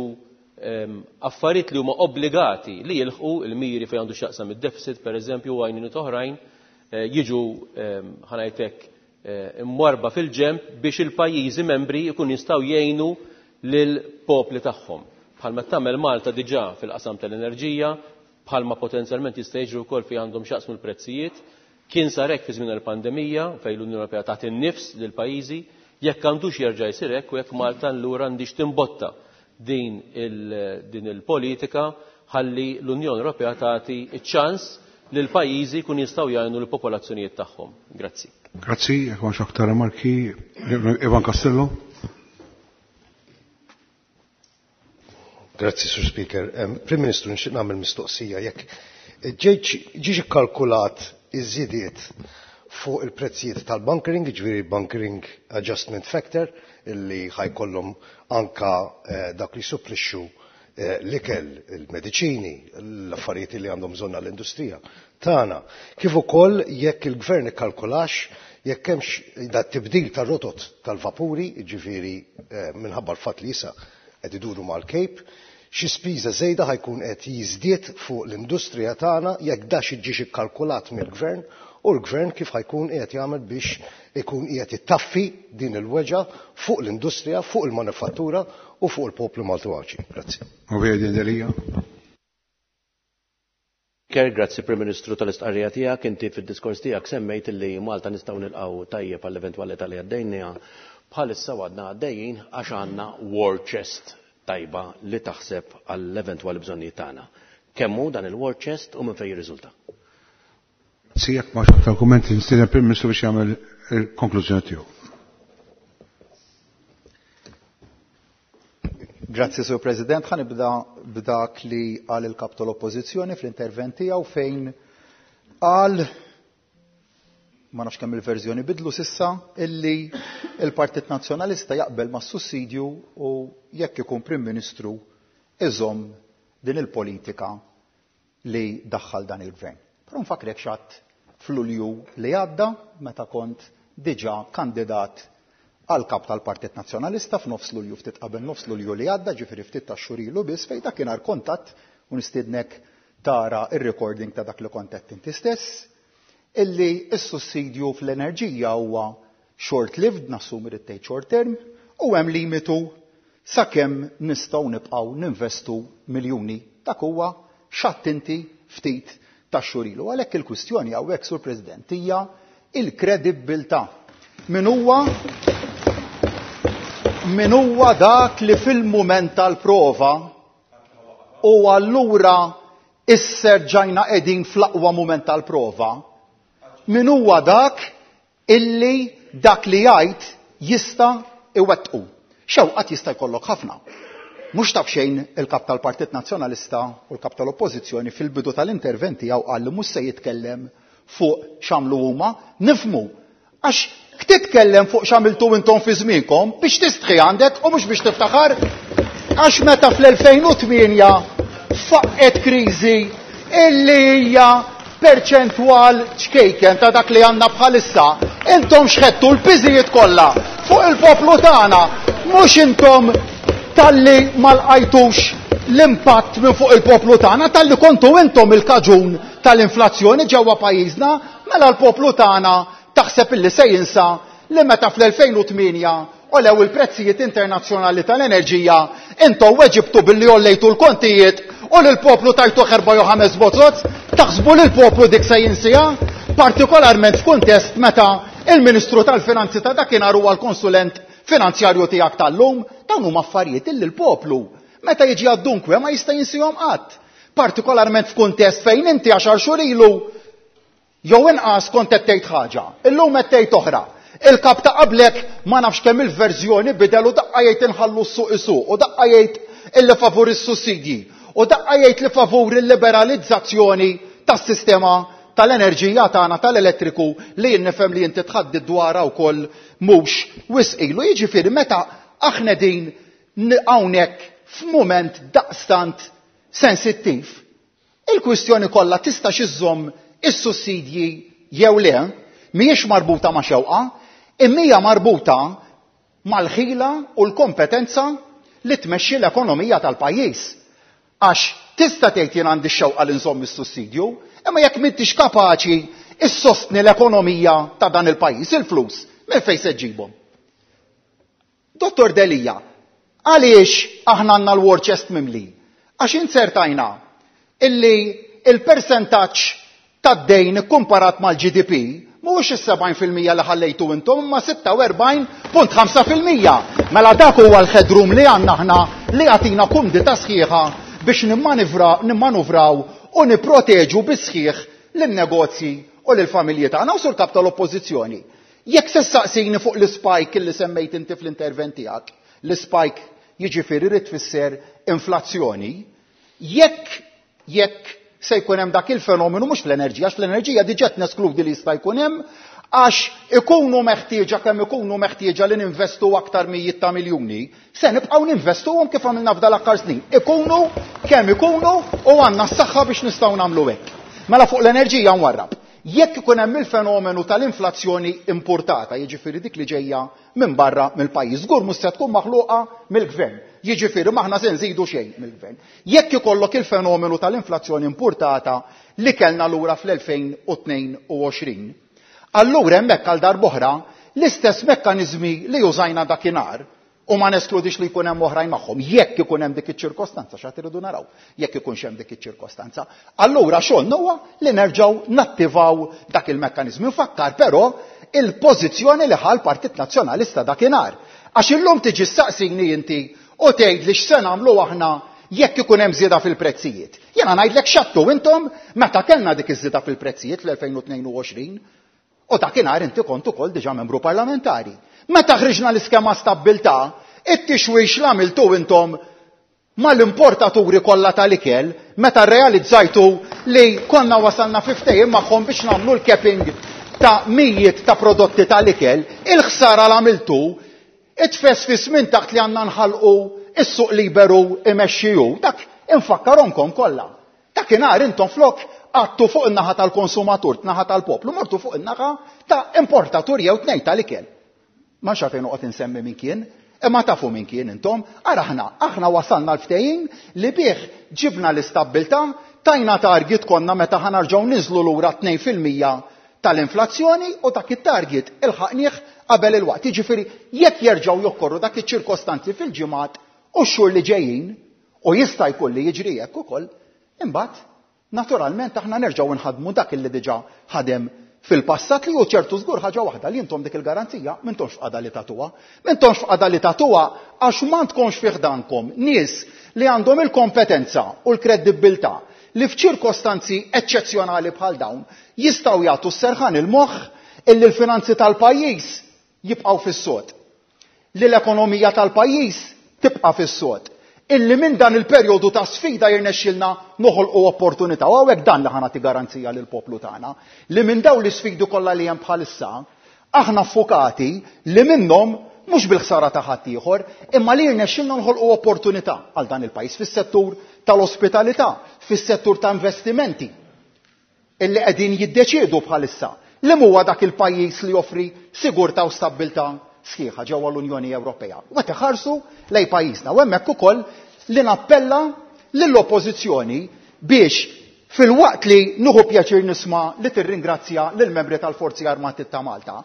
[SPEAKER 8] ehm, affarijiet li huma obbligati li jilħqu il-miri fejn għandu x'jaqsam id-deficit pereżempju u għajnuniet oħrajn eh, jiġu ehm, ħanajtek eh, imwarba fil-ġemp biex il-pajjiżi membri jkun jistgħu jgħinu lill-popli tagħhom. Bħalma tagħmel Malta diġà fil-qasam tal-enerġija, bħalma potenzjalment jista' jiġri wkoll fejn għandhom x'jaqsmu l-prezzijiet, Kien sar hekk fi żmien il-pandemija fejn l-Unjoni Ewropea tagħti n-nifs lil pajjiżi, jekk għandux jerġa' jsir hekk u jekk Malta allura għandix timbotta din il-politika ħalli l-Unjoni Ewropea tagħti ċ-ċans li l-pajjiżi jkun jistgħu jgħinu lill-popolazzjonijiet tagħhom. Grazzi.
[SPEAKER 1] Grazzi, jekk m'hawnx aktar rimarki, Ivan Castello.
[SPEAKER 17] Grazzi, Sur Speaker. Prim Ministru, nixtieq nagħmel mistoqsija jekk ġiex ikkalkulat iż-żidiet fuq il-prezzijiet tal-bunkering, ġifieri bunkering adjustment factor, illi ħajkollhom anka dak li supplixxu l-ikel, il-mediċini, l-affarijiet li għandhom bżonn għall-industrija tagħna. Kif ukoll jekk il-gvern ikkalkulax jekk hemmx da tibdil tar-rotot tal-vapuri, ġifieri minħabba l-fatt li issa qed iduru mal-Cape, xi spiża żejda ħajkun qed jiżdied fuq l-industrija tagħna jekk da xi ġiex ikkalkulat mill-gvern u l-gvern kif ħajkun qiegħed jagħmel biex ikun qiegħed ittaffi din il-weġgħa fuq l-industrija, fuq il-manifattura u fuq il-poplu Malti u Għawdxi. Grazzi.
[SPEAKER 18] Grazzi Prim Ministru tal-istqarrija tiegħek, inti fid-diskors tiegħek semmejt li Malta nistgħu nilqgħu tajjeb għall-eventwalità li għaddejniha bħalissa għadna għaddejjin għax għandna war chest tajba li taħseb għall-eventwali bżonnijiet tagħna. Kemm hu dan il-war chest u minn fejn jirriżulta?
[SPEAKER 1] Grazzi, jekk m'hawnx aktar kummenti nistieden Prim Ministru biex jagħmel il-konklużjoni tiegħu.
[SPEAKER 11] Grazzi, Sur President. Ħa nibda b'dak li qal il-kap tal-Oppożizzjoni fl-intervent tiegħu fejn qal, ma nafx kemm il-verżjoni bidlu sissa, illi il-Partit Nazzjonalista jaqbel mas-sussidju u jekk ikun Prim Ministru iżomm din il-politika li daħħal dan il-gvern. Però nfakrek x'għadt f'Lulju li għadda meta kont diġà kandidat għal kap tal-Partit Nazzjonalista f'nofs Lulju, ftit qabel nofs Lulju li għadda, ġifieri ftit ta' xhur ilu biss, fejn dakinhar kontatt u nistiednek tara ir-recording ta' dak li kont qed inti stess, illi s-sussidju fl-enerġija huwa short-lived, nassumi rrid tgħid short term, u hemm limitu sakemm nistgħu nibqgħu ninvestu miljuni. Dak huwa x'għadt inti ftit ta' xhur ilu. Għalhekk il-kwistjoni hawnhekk, Sur President, hija il-kredibbiltà. Min huwa dak li fil-mument tal-prova u allura isser ġajna qegħdin fl-aqwa mument tal-prova, min huwa dak illi dak li jgħid jista' iwettqu. Xewqat jista' jkollok ħafna. Mhux taf xejn il-kap tal-Partit Nazzjonalista u l-kap tal-Oppożizzjoni fil-bidu tal-intervent tiegħu qal li mhux se jitkellem fuq x'għamlu huma, nifhmu. Għax titkellem fuq x'għamiltu intom fi żmienkom biex tistħi għandek u mhux biex tiftaħar. Għax meta fl-2008 faqqet kriżi illi hija perċentwal ċkejken ta' dak li għandna bħalissa, intom xħettu l-piżijiet kollha fuq il-poplu tagħna, mhux intom talli ma lqajtux l-impatt minn fuq il-poplu tagħna, talli kontu intom il-kaġun tal-inflazzjoni ġewwa pajjiżna, mela l-poplu tagħna taħseb illi se jinsa li meta fl-2008 olew il-prezzijiet internazzjonali tal-enerġija, intom weġibtu billi ollejtu l-kontijiet u lill-poplu tajtu erba' jew ħames bozoz, taħsbu li l-poplu dik se jinsija, partikolarment f'kuntest meta il-Ministru tal-Finanzi ta' dakinhar huwa l-konsulent finanzjarju tiegħek tal-lum, dawn huma affarijiet illi l-poplu meta jiġi għad-dunkwe ma jista' jinsihom qatt. Partikolarment f'kuntest fejn inti għaxar xhur ilu jew inqas kont qed tgħid ħaġa, illum qed tgħid oħra. Il-kap ta' qablek ma nafx kemm il-verżjoni bidel u daqqa jgħid inħallu s-suq isuq u daqqa jgħid illi favur is-sussidji u daqqa jgħid li favur il-liberalizzazzjoni tas-sistema tal-enerġija tagħna tal-elettriku li jien nifhem li inti tħaddid dwarha wkoll mhux wisq ilu. Jiġifieri meta aħna din hawnhekk f'mument daqstant sensittiv, il-kwistjoni kollha tista' iżżomm is-sussidji jew le, mhijiex marbuta ma' xewqa, imma hija marbuta mal-ħila u l-kompetenza li tmexxi l-ekonomija tal-pajjiż. Għax tista' tgħid jien għandi x-xewqa li nżomm is-sussidju, imma jekk m'intix kapaċi issostni l-ekonomija ta' dan il-pajjiż, il-flus, minn fejn se ġġibhom? Dottor Delia, għaliex aħna għandna l-war chest mimli? Għax inzertajna illi il-percentaġġ tad-dejn ikkumparat mal-GDP mhuwiex is-70% li ħallejtu intom imma 46.5%. Mela dak huwa l-headroom li għandna aħna li jagħtina kumdità sħiħa biex nimmanuvraw u nipproteġu bis-sħiħ lin-negozji u lill-familji tagħna. U Sur Kap tal-Oppożizzjoni, jekk se ssaqsini fuq l-ispike li semmejt inti fl-intervent tiegħek, l-ispike jiġifieri rid tfisser inflazzjoni, jekk jekk se jkun hemm dak il-fenomenu mhux fl-enerġija, għax fl-enerġija diġà qed neskludi li jista' jkun hemm, għax ikunu meħtieġa kemm ikunu meħtieġa li ninvestu aktar mijiet ta' miljuni, se nibqgħu ninvestuhom kif għamilna f'dal-aħħar snin. Ikunu kemm ikunu u għandna s-saħħa biex nistgħu nagħmlu hekk. Mela fuq l-enerġija nwarrab. Jekk ikun hemm il-fenomenu tal-inflazzjoni importata, jiġifieri dik li ġejja minn barra mill-pajjiż, żgur mhux se tkun maħluqa mill-gvern. Jiġifieri m'aħna se nżidu xejn mill-gvern. Jekk ikollok il-fenomenu tal-inflazzjoni importata li kellna lura fl-2022, allura hemmhekk għal darb'oħra l-istess mekkaniżmi li użajna dakinhar, u ma neskludix li jkun hemm oħrajn magħhom, jekk ikun hemm dik iċ-ċirkostanza, x'għad iridu naraw, jekk ikunx hemm dik iċ-ċirkostanza. Allura xogħolna huwa li nerġgħu nattivaw dak il-mekkaniżmi. Nfakkar però il-pożizzjoni li ħa l-Partit Nazzjonalista dakinhar. Għax illum tiġi ssaqsini inti u tgħid li x'se nagħmlu aħna jekk ikun hemm żieda fil-prezzijiet. Jiena ngħidlek x'għadtu intom meta kellna dik iż-żieda fil-prezzijiet fl-2022. U dakinhar inti kont ukoll diġà membru parlamentari. Meta ħriġna l-iskema stabbiltà, it-tixwix l-għamiltu intom mal-importaturi kollha tal-ikel, meta rrealizzajtu li konna wasalna fi ftehim magħhom biex nagħmlu l-capping ta' mijiet ta' prodotti tal-ikel, il-ħsara l-għamiltu, it-tfesfis minn taħt li għandna nħalqu is-suq liberu imexxiju, dak infakkarhomkom kollha. Dakinhar intom flok għattu fuq in-naħa tal-konsumatur, naħa tal-poplu, mortu fuq in-naħa ta' importatur jew tnejn tal-ikel. Ma nafx fejn noqgħod insemmi min kien, imma tafu min kien intom, ara aħna wasalna l-ftehim li bih ġibna l-istabbiltà, tajna target konna meta ħanarġgħu niżlu lura tnejn fil-mija tal-inflazzjoni u dak it-target ilħaqnieh qabel il-waqt. Jiġifieri jekk jerġgħu jokkorru dak iċ-ċirkostanzi fil-ġimgħat u x-xhur li ġejjin, u jista' jkun li jiġri hekk ukoll, imbagħad naturalment aħna nerġgħu nħadmu dak li diġà ħadem fil-passat li hu ċertu żgur ħaġa waħda li intom dik il-garanzija m'intomx f'qagħda li tagħtuha. M'intomx f'qagħda li tagħtuha għax m'għandkomx fih dankom nies li għandhom il-kompetenza u l-kredibbiltà li f'ċirkostanzi eċċezzjonali bħal dawn jistgħu jagħtu s-serħan il-moħħ illi l-finanzi tal-pajjiż jibqgħu fis-sod, li l-ekonomija tal-pajjiż tibqa' fis-sod, illi minn dan il-perjodu ta' sfida jirnexxilna noħolqu opportunità. U hawnhekk dan li ħa nagħti garanzija lill-poplu tagħna, li minn dawn l-isfidi kollha li hemm bħalissa, aħna ffukati li minnhom mhux bil-ħsara ta' ħadd ieħor, imma li jirnexxilna noħolqu opportunità għal dan il-pajjiż fis-settur tal-ospitalità, fis-settur ta' investimenti, illi qegħdin jiddeċiedu bħalissa li huwa dak il-pajjiż li joffri sigurtà u stabbiltà sħiħa ġewwa l-Unjoni Ewropea. U qed iħarsu lejn pajjiżna u hemmhekk ukoll li nappella lill-Oppożizzjoni biex fil-waqt li nieħu pjaċir nisma' li tirringrazzja lill-membri tal-Forzi Armati ta' Malta,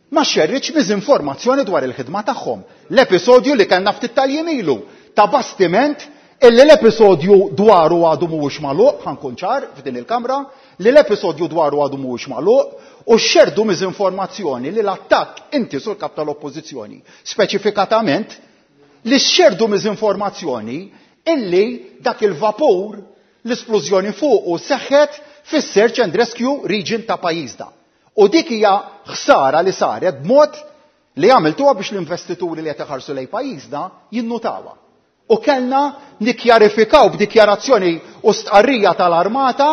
[SPEAKER 11] ma xerritx miżinformazzjoni dwar il-ħidma tagħhom. L-episodju li kellna ftit tal-jiem ilu ta' bastiment illi l-episodju dwaru għadu mhuwiex magħluq, ħankun ċar f'din il-kamra, li l-episodju dwaru għadu mhuwiex magħluq u xerdu miżinformazzjoni li l-attakk inti sur kap tal-Oppożizzjoni, speċifikatament li xerdu miżinformazzjoni illi dak il-vapur l-isplużjoni fuqu seħħet fis-Search and Rescue Region ta' pajjiżna. U dik hija ħsara li saret b'mod li għamiltuha biex l-investituri li qed iħarsu lejn pajjiżna jinnutawha. U kellna nikkjarifikaw b'dikjarazzjoni u stqarrija tal-armata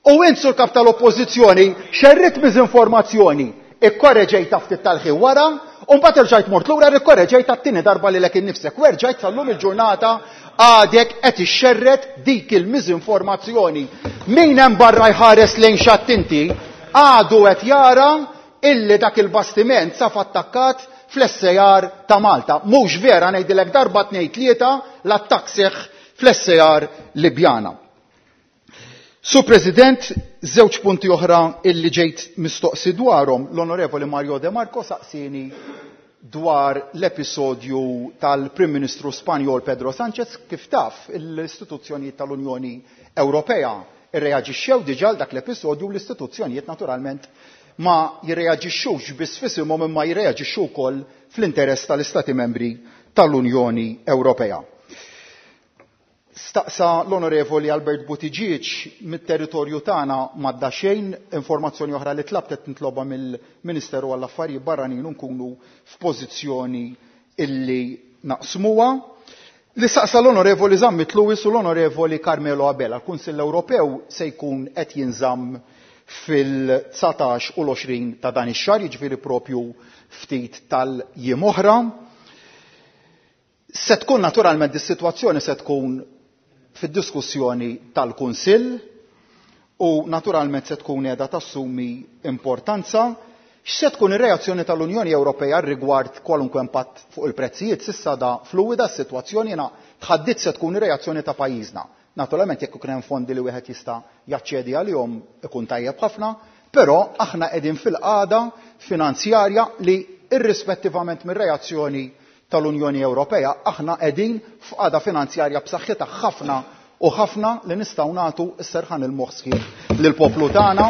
[SPEAKER 11] u int sur kap tal-Oppożizzjoni xerrit miżinformazzjoni, ikkoreġejta ftit tal-ħin wara, u mbagħad erġajt mort lura rikkoreġejta t-tieni darba lilek innifsek u erġajt sal-lum il-ġurnata għadek qed ixxerret dik il-miżinformazzjoni. Min hemm barra jħares lejn xatt inti għadu qed jara illi dak il-bastiment saf attakkat fl-SAR ta' Malta. Mhux vera ngħidilek darba tnejn tlieta l-attakk seħħ fl-SAR Libjana. Sur President, żewġ punti oħra illi ġejt mistoqsi dwarhom. L-Onorevoli Mario De Marco saqsini dwar l-episodju tal-Prim Ministru Spanjol Pedro Sanchez. Kif taf, l-istituzzjonijiet tal-Unjoni Ewropea Irreaġixxew diġà għal dak l-episodju u l-istituzzjonijiet naturalment ma jirreaġixxux biss f'isimhom imma jirreaġixxu wkoll fl-interess tal-Istati Membri tal-Unjoni Ewropea. Staqsa l-Onorevoli Albert Buttigieg mit-territorju tagħna m'għadda xejn, informazzjoni oħra li tlabt qed nitlobha mill-Ministeru għall-Affarijiet Barranin u nkunu f'pożizzjoni illi naqsmuha. Li staqsa l-Onorevoli Zammit Lewis u l-Onorevoli Carmelo Abela, l-Kunsill Ewropew se jkun qed jinżamm fil-19 u l-20 ta' dan ix-xahar, jiġifieri propju ftit tal-jiem oħra. Se tkun naturalment dis-sitwazzjoni se tkun fid-diskussjoni tal-Kunsill u naturalment se tkun qiegħda tassumi importanza. X'se tkun ir-reazzjoni tal-Unjoni Ewropea rigward kwalunkwe impatt fuq il-prezzijiet? S'issa da fluwida s-sitwazzjoni, jiena tħaddid se tkun ir-reazzjoni ta' pajjiżna. Naturalment jekk ikun hemm fondi li wieħed jista' jaċċedi għalihom ikun tajjeb ħafna, però aħna qegħdin fil-qagħda finanzjarja li irrispettivament mir-reazzjoni tal-Unjoni Ewropea aħna qegħdin f'qagħda finanzjarja b'saħħitha ħafna u ħafna li nistgħu nagħtu s-serħan il-moħħ sħiħ lill-poplu tagħna.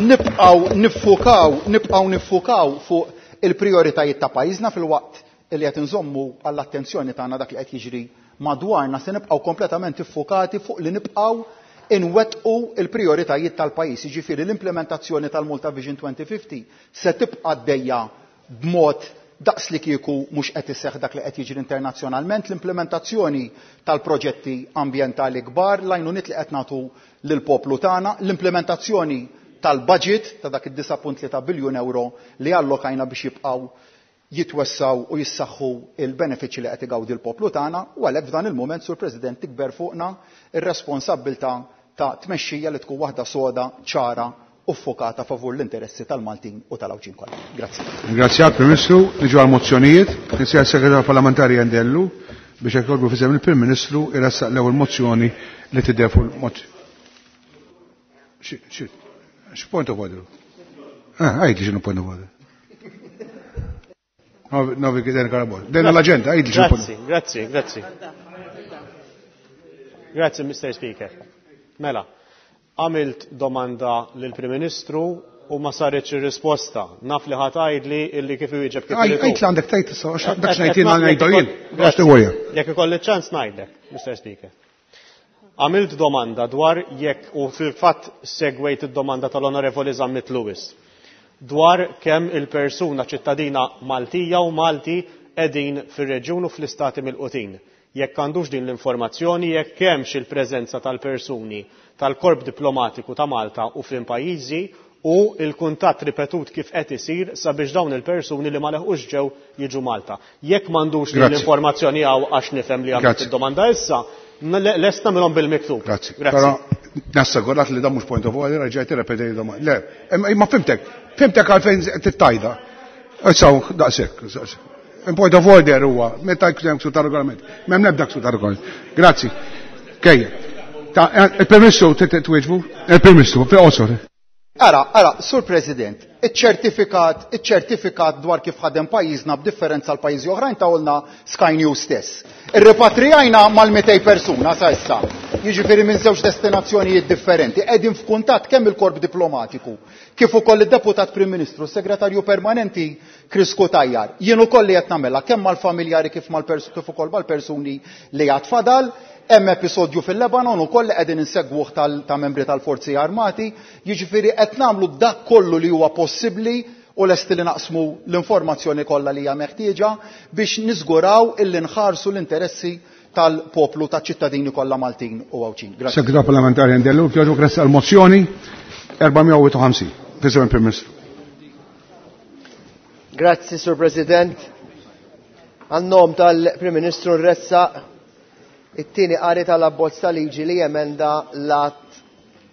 [SPEAKER 11] Nibqgħu niffukaw, nibqgħu niffukaw fuq il-prijoritajiet ta' pajjiżna filwaqt li qed inżommu għall-attenzjoni tagħna dak li qed jiġri madwarna, se nibqgħu kompletament iffukati fuq li nibqgħu inwettqu l-prijoritajiet tal-pajjiż, jiġifieri l-implementazzjoni tal-Malta Vision 2050 se tibqa' għaddejja b'mod daqs li kieku mhux qed iseħħ dak li qed jiġri internazzjonalment, l-implementazzjoni tal-proġetti ambjentali kbar, l-għajnuniet li qed nagħtu lill-poplu tagħna, l-implementazzjoni tal-budget ta' dak id-9.3 biljun euro li allokajna biex jibqgħu jitwessgħu u jissaħħu l-benefiċċji li qed igawdi l-poplu tagħna u għalhekk f'dan il-mument, Sur President, tikber fuqna r-responsabbiltà ta' tmexxija li tkun waħda soda, ċara u ffokata favur l-interessi tal-Maltin u tal-Għawdxin kollha. Grazzi.
[SPEAKER 1] Ringrazzjak, Prim Ministru. Niġu għall-mozzjonijiet. Ninsejjaħ is-Segretarju Parlamentari Endellu biex jekk jogħġbu f'isem il-Prim Ministru jressaq l-ewwel mozzjoni li tidher fuq il-mozzjoni. X'point of order? Ah, għidli x'inhu point of order. Novi den karabol. Den l-agenda, għidli x'inhu
[SPEAKER 15] Grazzi, grazzi, grazzi. Grazzi, Mr. Speaker. Mela, għamilt domanda lill-Prim Ministru u ma saritx ir-risposta. Naf li ħa tgħidli illi kif iwieġeb kif irid hu.
[SPEAKER 1] Għid li għandek tgħid issa, għax dak x'ngħid jien ngħidu jien. Għax tiworja.
[SPEAKER 15] Jekk ikolli ċans ngħidlek, Mr. Speaker. Għamilt domanda dwar jekk, u fil-fatt segwejt id-domanda tal-Onorevoli Zammit Lewis, dwar kemm il-persuna ċittadina Maltija u Malti qegħdin fir-reġjun u fl-istati milqutin. Jekk għandux din l-informazzjoni, jekk hemmx il-preżenza tal-persuni tal-Korp Diplomatiku ta' Malta u f'liem pajjiżi u l-kuntatt ripetut kif qed isir sabiex dawn il-persuni li ma leħqux ġew jiġu Malta. Jekk m'għandux din l-informazzjoni hawn għax nifhem li għamilt id-domanda issa, lest nagħmilhom bil-miktub.
[SPEAKER 1] Grazzi. Però nassigurak li dan mhux point of order, reġgħet irrepetejt id-domanda. Le, imma fimtek, fimtek għalfejn tittajda. Issa daqshekk. Point of order huwa meta jkun hemm ksur ta' regolament. M'hemm l-ebda ksur ta' regolament. Grazzi. Kejja. Il-Prim Ministru twieġbu? Il-Prim Ministru, fi qosor.
[SPEAKER 11] Ara, ara, Sur President, iċ-ċertifikat, iċ-ċertifikat dwar kif ħadem pajjiżna b'differenza għal pajjiżi oħrajn tawlna Sky News stess. Irrepatrijajna mal-200 persuna sa issa, jiġifieri minn żewġ destinazzjonijiet differenti, qegħdin f'kuntatt kemm il-Korp Diplomatiku kif ukoll id-Deputat Prim Ministru, s-Segretarju Permanenti Chris Cutajar. Jien ukoll li qed nagħmilha kemm mal-familjari kif kif ukoll mal-persuni li għad fadal. Hemm episodju fil-Lebanon ukoll li qegħdin insegwuh ta' membri tal-Forzi Armati, jiġifieri qed nagħmlu dak kollu li huwa possibbli u lesti li naqsmu l-informazzjoni kollha li hija meħtieġa biex niżguraw illi nħarsu l-interessi tal-poplu taċ-ċittadini kollha Maltin u Għawdxin. Grazzi.
[SPEAKER 1] Segretarju Parlamentari Endellu, kjoġu grazzi għall-mozzjoni 451. Fisem il-Prim Ministru.
[SPEAKER 19] Grazzi, Sur President. Għan-nom tal-Prim Ministru nressaq it-tieni qari tal-abbozz ta' liġi li jemenda l-att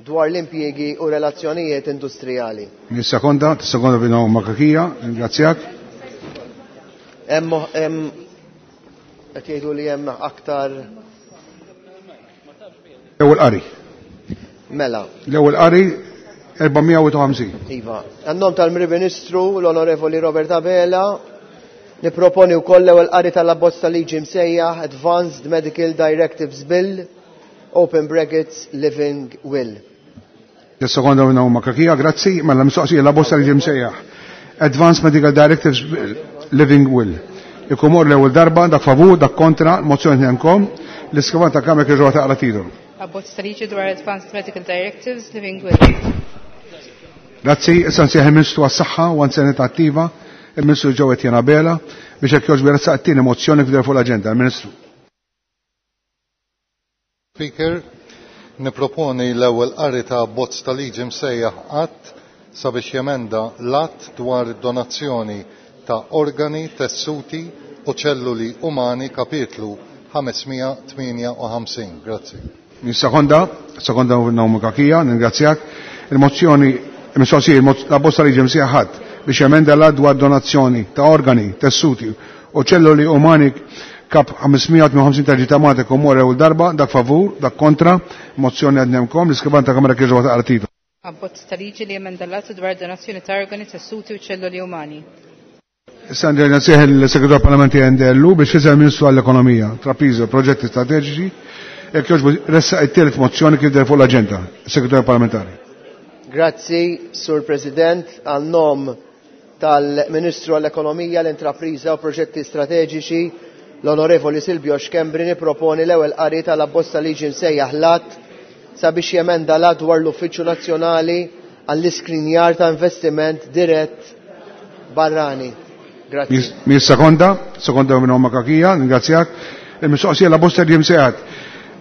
[SPEAKER 19] dwar l-impjiegi u relazzjonijiet industrijali.
[SPEAKER 1] Nissekonda, tissekonda bina Makakija, ringrazzjak.
[SPEAKER 19] Hemm qed jgħidu li hemm aktar
[SPEAKER 1] L-ewwel qari.
[SPEAKER 19] Mela.
[SPEAKER 1] L-ewwel qari 451.
[SPEAKER 19] Iva. Għan-nom tal-Prim Ministru l-Onorevoli Robert Abela niproponi wkoll l-ewwel qari tal-abbozz ta' liġi msejjaħ Advanced Medical Directives Bill open brackets, Living Will.
[SPEAKER 1] Sekonda minna huma kakija, grazzi, mela mistoqsija la bosta li ġim sejjaħ. Advanced Medical Directives Living Will. Ikumor l-ewwel darba, dak favur, dak kontra, mozzjoni nkom, l-iskrivan ta' kamra kieġu taqra titolu.
[SPEAKER 2] Abbozz ta' liġi dwar Advanced Medical Directives Living Will.
[SPEAKER 1] Grazzi, issa nsejħ il-Ministru għas-Saħħa u għan attiva, il-Ministru Jo Etienne Abela, biex hekk jogħġbu jressaq it-tieni mozzjoni fidel fuq l-aġenda. Il-Ministru.
[SPEAKER 4] Speaker, niproponi l-ewwel qari ta' abbozz ta' liġi msejjaħ att sabiex jemenda l-att dwar donazzjoni ta' organi, tessuti u ċelluli umani kapitlu 558. Grazzi.
[SPEAKER 1] Sekonda, sekonda Naomi Kakija, ningrazzjak. Il-mozzjoni, il-mistoqsija, la bosta liġi msejjaħ ħadd biex jemenda l dwar donazzjoni ta' organi, tessuti u ċelluli umani kap 558 ta' ġita Malta komore u darba, dak favur, dak kontra, mozzjoni għadnemkom, l-iskrivan ta' kamra kieġu għata artito.
[SPEAKER 2] Abbozz ta' liġi li jemenda l-att dwar donazzjoni ta' organi, tessuti u ċelluli umani.
[SPEAKER 1] Issa nsejħ il-Segretar Parlamenti NDLU biex jisel Ministru għall-Ekonomija, Trapiżo, Proġetti Strateġiċi, jekk jogħġbu ressaq it-tielet mozzjoni kif deher fuq l-aġenda, Segretar Parlamentari.
[SPEAKER 19] Grazzi, Sur President, għal nom tal-Ministru għall-Ekonomija, l-Intrapriża u Proġetti Strateġiċi, l-Onorevoli Silvio Schembri niproponi l-ewwel qari tal-abbozz ta' liġi msejjaħ l-att sabiex jemenda l-att dwar l-Uffiċċju Nazzjonali għall-iskrinjar ta' investiment dirett barrani. Grazzi.
[SPEAKER 1] Mi sekonda, sekonda minn omma kakija, ningrazzjak. Il-mistoqsija la bosta li jimsejħat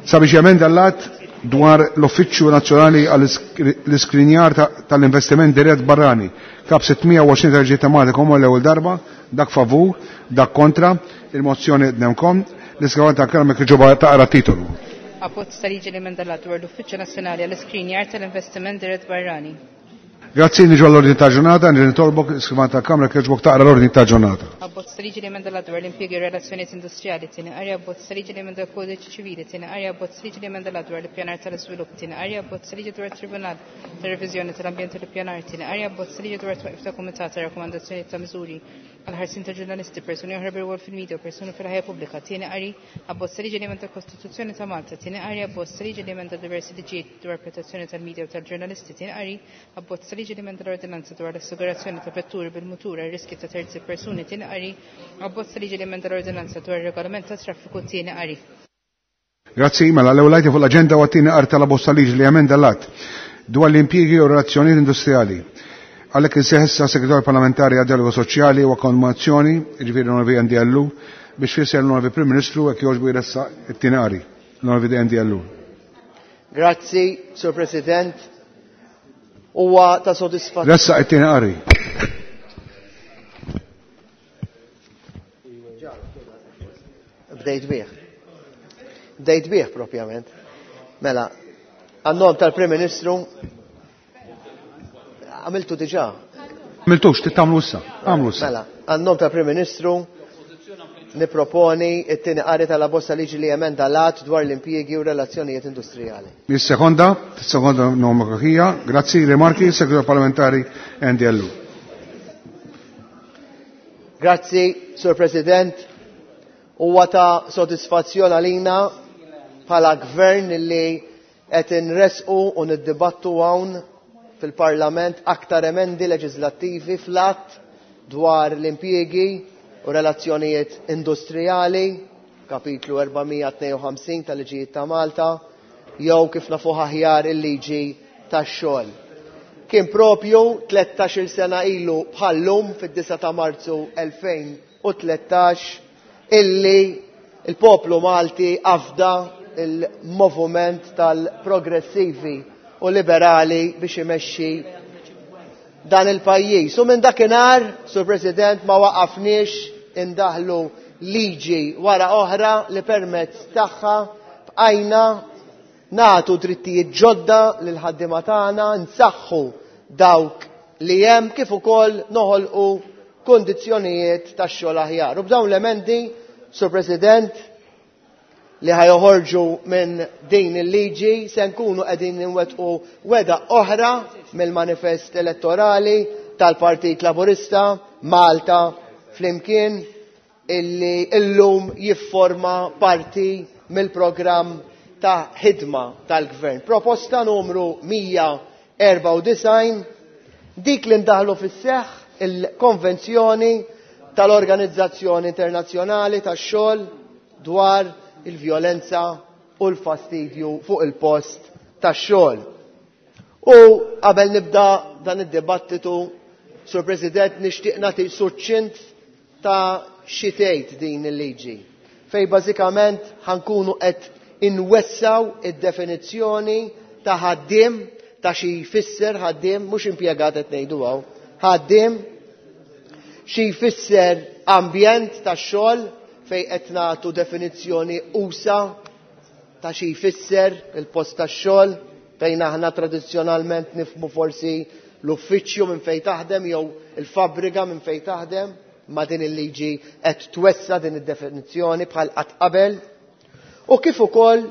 [SPEAKER 1] sabiex jemenda l-att dwar l-Uffiċċju Nazzjonali għall-iskrinjar tal-investiment dirett barrani. Kap 620 ta' ġiet ta' Malta komu l-ewwel darba, dak favur, dak kontra, il-mozzjoni dnemkom, l-iskavan ta' karmek ġoba taqra titolu.
[SPEAKER 2] Abbozz ta' liġi li jemenda l-att dwar l-Uffiċċju Nazzjonali għall-Iskrinjar tal-Investiment Dirett Barrani.
[SPEAKER 1] Grazzi, niġu għall-ordni ta' ġurnata, nitolbok l-iskrivan ta' kamra kieġbok taqra l-ordni ta' ġurnata.
[SPEAKER 2] Abbozz ta' liġi li jemenda l-att dwar l-impjiegi u relazzjonijiet industrijali, tieni qari, abbozz ta' liġi li jemenda l-kodiċi ċivili, tieni qari, abbozz ta' liġi li jemenda l-att dwar l-ippjanar tal-iżvilupp, tieni qari, abbozz ta' liġi dwar it-Tribunal tar-Reviżjoni tal-Ambjent u l-Ippjanar, tieni qari, abbozz ta' liġi dwar it-twaqif ta' kumitat ta' rakkomandazzjonijiet ta' miżuri għall-ħarsien ta' ġurnalisti, persuni oħra bir-rwol fil-media u persuni fil-ħajja pubblika, tieni qari, abbozz ta' liġi li jemenda l-Kostituzzjoni ta' Malta, tieni qari, abbozz ta' liġi li jemenda diversi liġijiet dwar protezzjoni tal-media u tal-ġurnalisti, tieni qari, abbozz ta' liġi li jemenda l-ordinanza dwar l-assigurazzjoni ta' vetturi bil-mutur għal riski ta' terzi persuni, tieni qari, abbozz ta' liġi li jemenda l-ordinanza dwar ir-regolament ta' traffiku, tieni qari.
[SPEAKER 1] Grazzi, mela l-ewwel lajti fuq l-aġenda u għat-tieni qari tal-abbozz ta' liġi li jemenda l-att dwar l-impjiegi u relazzjonijiet industrijali. Għalhekk insejħ issa Segretarju Parlamentari għad Dialogu Soċjali u Akkomodazzjoni, jiġifieri l-Onorevoli NDLU, biex fisser l-Onorevoli Prim Ministru hekk jogħġbu jressaq it-tieni qari. L-Onorevoli NDLU.
[SPEAKER 19] Grazzi, Sur President. Huwa ta' sodisfazzjon.
[SPEAKER 1] Ressaq it-tieni qari.
[SPEAKER 19] Bdejt bih. Bdejt bih propjament. Mela, għan-nom tal-Prim Ministru għamiltu diġà.
[SPEAKER 1] Għamiltux, tittamlu issa. Għamlu issa.
[SPEAKER 19] Mela, għan-nom tal-Prim Ministru niproponi it-tieni qari tal-abbozz ta' liġi li jemenda l-att dwar l-impjiegi u relazzjonijiet industrijali.
[SPEAKER 1] Is-sekonda, sekonda Naomi Kakija, grazzi, rimarki, Segretarju Parlamentari NDLU.
[SPEAKER 19] Grazzi, Sur President. Huwa ta' sodisfazzjon għalina bħala gvern li qed inresqu u niddibattu hawn fil-Parlament aktar emendi leġislattivi fl-att dwar l-impjiegi u relazzjonijiet industrijali, kapitlu 452 tal-liġijiet ta' Malta, jew kif nafuh aħjar il-liġi tax-xogħol. Kien propju 13-il sena ilu bħallum fid-9 ta' Marzu 2013 illi il-poplu Malti afda il-moviment tal-progressivi u liberali biex imexxi dan il-pajjiż. U minn dakinhar, Sur President, ma waqafniex indaħlu liġi wara oħra li permezz tagħha bqajna nagħtu drittijiet ġodda lil ħaddiema tagħna, nsaħħu dawk li hemm kif ukoll noħolqu kundizzjonijiet tax-xogħol aħjar. U b'dawn l-emendi, Sur President, li ħajoħorġu minn din il-liġi se nkunu qegħdin nwettqu weda oħra mill-manifest elettorali tal-Partit Laburista Malta flimkien illi illum jifforma parti mill-programm ta' ħidma tal-Gvern. Proposta numru 194, dik li ndaħlu fis-seħħ il-Konvenzjoni tal-Organizzazzjoni Internazzjonali tax-Xogħol dwar il-vjolenza u l-fastidju fuq il-post tax-xogħol. U qabel nibda dan id-dibattitu, Sur President, nixtieq nagħti suċċint ta' xi tgħid din il-liġi, fejn bażikament ħankunu qed inwessaw id-definizzjoni ta' ħaddiem, ta' xi jfisser ħaddiem, mhux impjegat qed ngħidu hawn, ħaddiem, xi jfisser ambjent tax-xogħol, fejn qed nagħtu definizzjoni usa ta' xi jfisser il-post tax-xogħol, fejn aħna tradizzjonalment nifhmu forsi l-uffiċċju minn fejn taħdem jew il-fabbrika minn fejn taħdem, ma din il-liġi qed twessa din id-definizzjoni bħal qatt qabel, u kif ukoll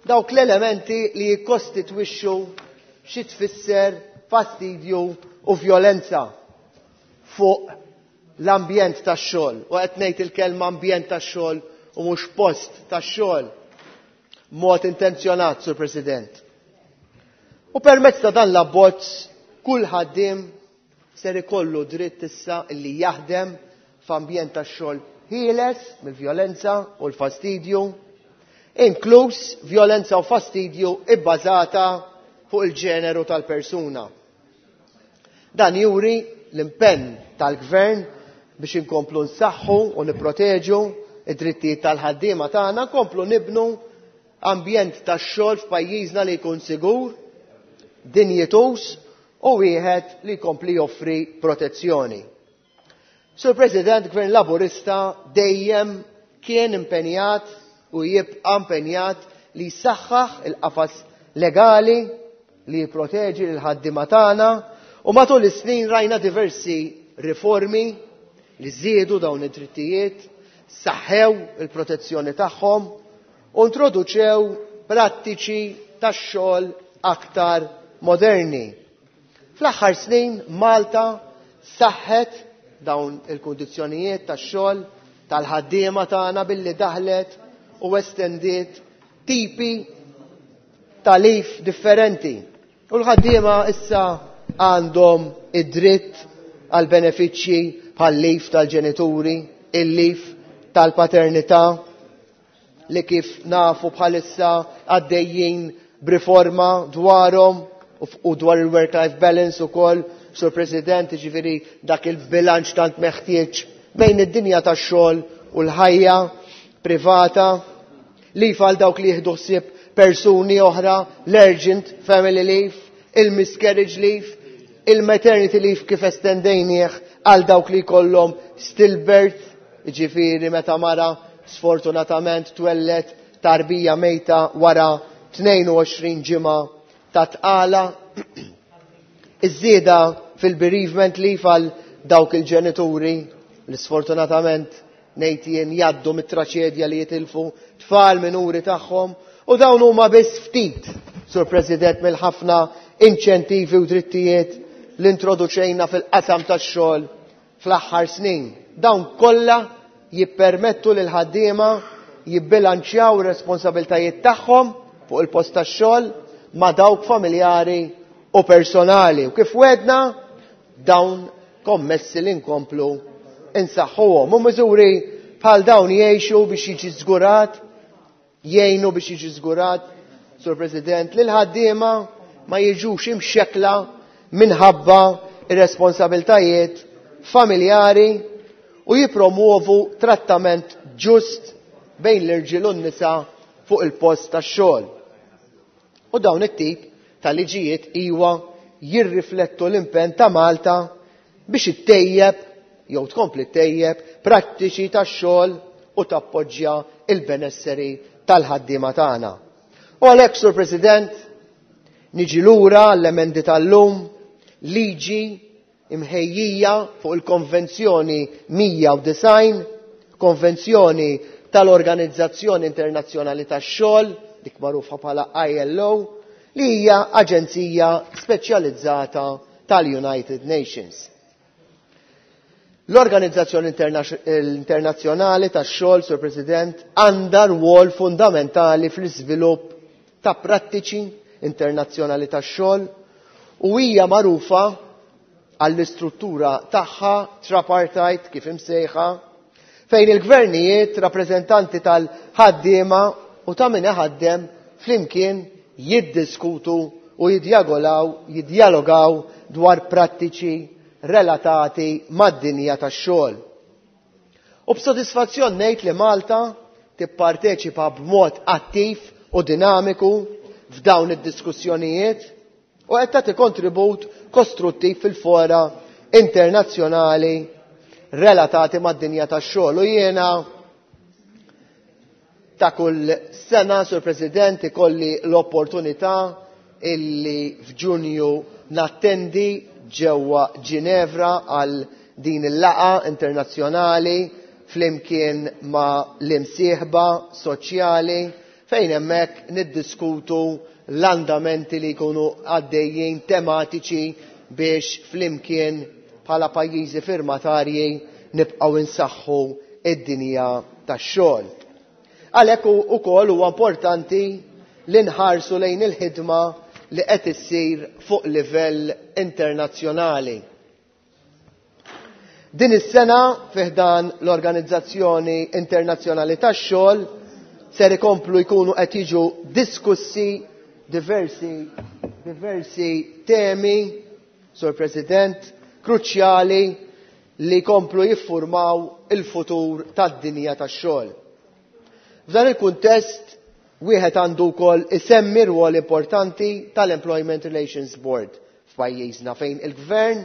[SPEAKER 19] dawk l-elementi li jikkostitwixxu xi tfisser fastidju u vjolenza fuq l-ambjent tax-xogħol. U qed ngħid il-kelma ambjent tax-xogħol u mhux post tax-xogħol mod intenzjonat, Sur President. U permezz ta' dan l-abbozz kull ħaddiem ser ikollu dritt issa li jaħdem f'ambjent tax-xogħol ħieles mill-vjolenza u l-fastidju, inkluż vjolenza u fastidju ibbażata fuq il-ġeneru tal-persuna. Dan juri l-impenn tal-Gvern biex inkomplu nsaħħu u nipproteġu id-drittijiet tal-ħaddiema tagħna, nkomplu nibnu ambjent tax-xogħol f'pajjiżna li jkun sigur, dinjituż u wieħed li jkompli joffri protezzjoni. Sur President, Gvern Laburista dejjem kien impenjat u jibqa' impenjat li jsaħħaħ il-qafas legali li jipproteġi lil ħaddiema tagħna, u matul is-snin rajna diversi riformi li żiedu dawn id-drittijiet, saħħew il-protezzjoni tagħhom u introduċew prattiċi tax-xogħol aktar moderni. Fl-aħħar snin Malta saħħet dawn il-kundizzjonijiet tax-xogħol tal-ħaddiema tagħna billi daħlet u estendiet tipi ta' leave differenti. U l-ħaddiema issa għandhom id-dritt għal benefiċċji bħal leave tal-ġenituri, il-leave tal-paternità, li kif nafu bħalissa għaddejjin b'riforma dwarhom u dwar il-work-life balance ukoll, Sur President, jiġifieri dak il-bilanċ tant meħtieġ bejn id-dinja tax-xogħol u l-ħajja privata, leave għal dawk li jieħdu ħsieb persuni oħra, l-urgent family leave, il-miscarriage leave, il-maternity leave kif estendejnieh għal dawk li jkollhom stillbirth, jiġifieri meta mara sfortunatament twellet tarbija mejta wara 22 ġimgħa ta' tqala. Iż-żieda fil-bereavement leave għal dawk il-ġenituri li sfortunatament ngħid jien jgħaddu mit-traċedja li jitilfu tfal minuri tagħhom, u dawn huma biss ftit, Sur President, mill-ħafna inċentivi u drittijiet li introduċejna fil-qasam tax-xogħol fl-aħħar snin. Dawn kollha jippermettu lil ħaddiema jibbilanċjaw ir-responsabiltajiet tagħhom fuq il-post tax-xogħol ma' dawk familjari u personali. U kif wedna, dawn kommessi li nkomplu insaħħuhom. U miżuri bħal dawn jgħixu biex jiġi żgurat, jgħinu biex jiġi żgurat, Sur President, li l-ħaddiema ma jiġux imxekla minħabba ir-responsabiltajiet familjari u jipromuovu trattament ġust bejn l-irġiel u n-nisa fuq il-post tax-xogħol. U dawn it-tip ta' liġijiet iwa jirriflettu l-impenn ta' Malta biex ittejjeb jew tkompli ttejjeb prattiċi tax-xogħol u tappoġġja il-benesseri tal-ħaddiema tagħna. U għalhekk, Sur President, niġi lura l-emendi tal-lum, liġi imħejjija fuq il-Konvenzjoni 190, Konvenzjoni tal-Organizzazzjoni Internazzjonali tax-Xogħol, dik magħrufa bħala ILO, li hija aġenzija speċjalizzata tal-United Nations. L-Organizzazzjoni Internazzjonali tax-Xogħol, Sur President, għandha rwol fundamentali fl-iżvilupp ta' prattiċi internazzjonali tax-xogħol u hija magħrufa għall-istruttura tagħha tripartite kif imsejħa fejn il-gvernijiet, rappreżentanti tal-ħaddiema u ta' min iħaddem flimkien jiddiskutu u jidjagolaw, jidjalogaw dwar prattiċi relatati mad-dinja tax-xogħol. U b'sodisfazzjon ngħid li Malta tipparteċipa b'mod attiv u dinamiku f'dawn id-diskussjonijiet u qed tagħti kontribut kostruttiv fil-fora internazzjonali relatati mad-dinja tax-xogħol. U jiena ta' kull sena, Sur President, ikolli l-opportunità illi f'Ġunju nattendi ġewwa Ginevra għal din il-laqa internazzjonali flimkien ma' l-imsieħba soċjali fejn hemmhekk niddiskutu l-andamenti li jkunu għaddejjin tematiċi biex flimkien bħala pajjiżi firmatarji nibqgħu insaħħu id-dinja tax-xogħol. Għalhekk ukoll huwa importanti li nħarsu lejn il-ħidma li qed issir fuq livell internazzjonali. Din is-sena fi ħdan l-Organizzazzjoni Internazzjonali tax-Xogħol ser ikomplu jkunu qed jiġu diskussi diversi diversi temi, Sur President, kruċjali li jkomplu jiffurmaw il-futur tad-dinja tax-xogħol. F'dan il-kuntest wieħed għandu wkoll isemmi rwol importanti tal-Employment Relations Board f'pajjiżna fejn il-Gvern,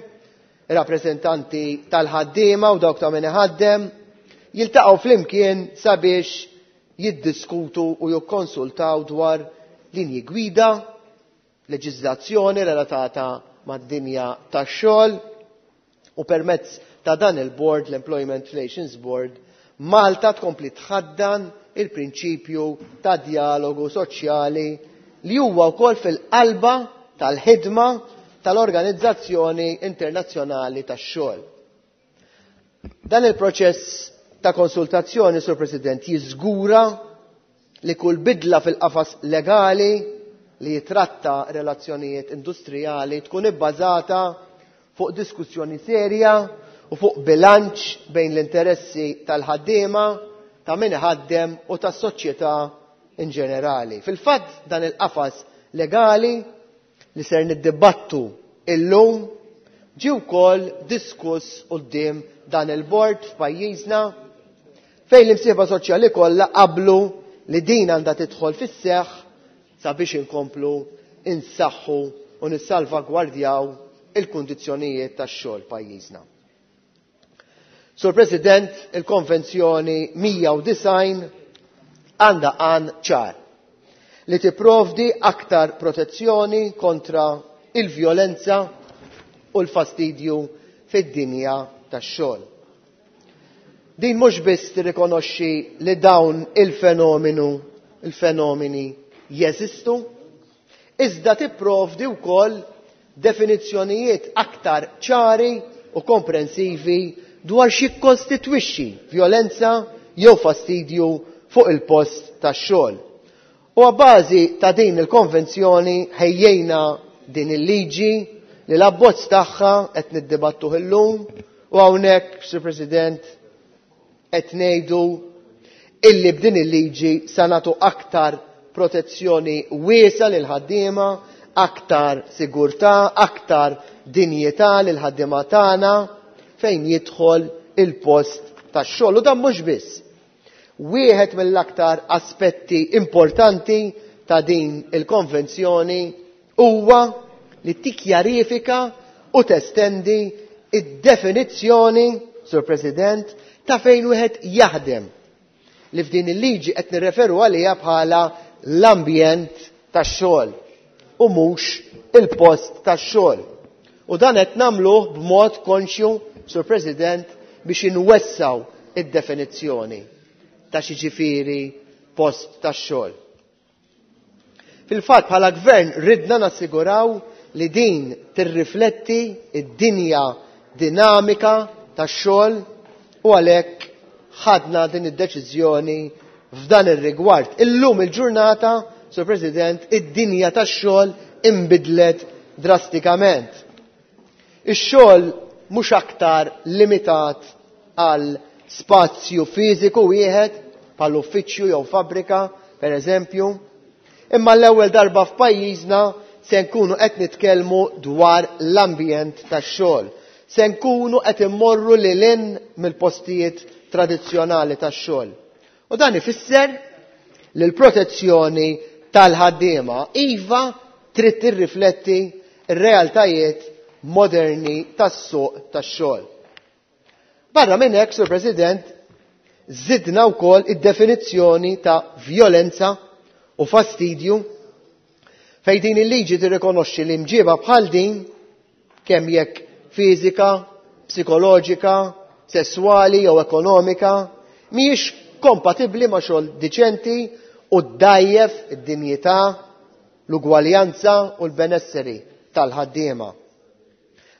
[SPEAKER 19] ir-rappreżentanti tal-ħaddiema u dawk ta' min iħaddem jiltaqgħu flimkien sabiex jiddiskutu u jikkonsultaw dwar linji gwida, leġiżlazzjoni relatata mad-dinja tax-xogħol u permezz ta' dan il-board, l-Employment Relations Board, Malta tkompli tħaddan il-prinċipju ta' dialogu soċjali li huwa wkoll fil-qalba tal-ħidma tal-Organizzazzjoni Internazzjonali tax-Xogħol. Dan il-proċess ta' konsultazzjoni, Sur President, jiżgura li kull bidla fil-qafas legali li jitratta relazzjonijiet industrijali tkun ibbażata fuq diskussjoni serja u fuq bilanċ bejn l-interessi tal-ħaddiema, ta' min iħaddem u tas-soċjetà in ġenerali. Fil-fatt dan il-qafas legali li ser niddibattu illum ġie wkoll diskuss quddiem dan il-bord f'pajjiżna fejn l-imsieħba soċjali kollha qablu li din għandha tidħol fis-seħħ sabiex inkomplu insaħħu u nissalvagwardjaw il-kundizzjonijiet tax-xogħol pajjiżna. Sur President, il-Konvenzjoni 190 għandha għan ċar li tipprovdi aktar protezzjoni kontra il-vjolenza u l-fastidju fid-dinja tax-xogħol. Din mhux biss tirrikonoxxi li dawn il-fenomenu il-fenomeni jeżistu, iżda tipprovdi wkoll definizzjonijiet aktar ċari u komprensivi dwar x'jikkostitwixxi vjolenza jew fastidju fuq il-post tax-xogħol. U għabbażi ta' din il-konvenzjoni ħejjejna din il-liġi li l-abbozz tagħha qed niddibattuh illum u hawnhekk, Sir President, qed ngħidu illi b'din il-liġi sa nagħtu aktar protezzjoni wiesgħa lil ħaddiema, aktar sigurtà, aktar dinjità lil ħaddiema tagħna fejn jidħol il-post tax-xogħol. U dan mhux biss. Wieħed mill-aktar aspetti importanti ta' din il-konvenzjoni huwa li tikkjarifika u testendi id-definizzjoni, Sur President, ta' fejn wieħed jaħdem li f'din il-liġi qed nirreferu għaliha bħala l-ambjent tax-xogħol u mhux il-post tax-xogħol. U dan qed nagħmluh b'mod konxju, Sur President, biex inwessaw id-definizzjoni ta' xi post tax-xogħol. Fil-fatt bħala gvern ridna nassiguraw li din tirrifletti id-dinja dinamika tax-xogħol u għalhekk ħadna din id-deċiżjoni f'dan ir-rigward. Illum il-ġurnata, Sur President, id-dinja tax-xogħol inbidlet drastikament. Ix-xogħol mhux aktar limitat għal spazju fiżiku wieħed bħal uffiċċju jew fabbrika, per eżempju, imma l-ewwel darba f'pajjiżna se nkunu qed nitkellmu dwar l-ambjent tax-xogħol. Se nkunu qed immorru lil hinn mill-postijiet tradizzjonali tax-xogħol. U dan ifisser li l-protezzjoni tal-ħaddiema iva trid tirrifletti r-realtajiet moderni tas-suq tax-xogħol. Barra minn hekk, Sur President, żidna wkoll id-definizzjoni ta' vjolenza u fastidju fejn din il-liġi tirrikonoxxi li mġiba bħal din kemm jekk fiżika, psikoloġika, sesswali jew ekonomika mhijiex kompatibbli ma' xogħol diċenti u ddgħajjef id-dinjità, l-ugwaljanza u l-benesseri tal-ħaddiema.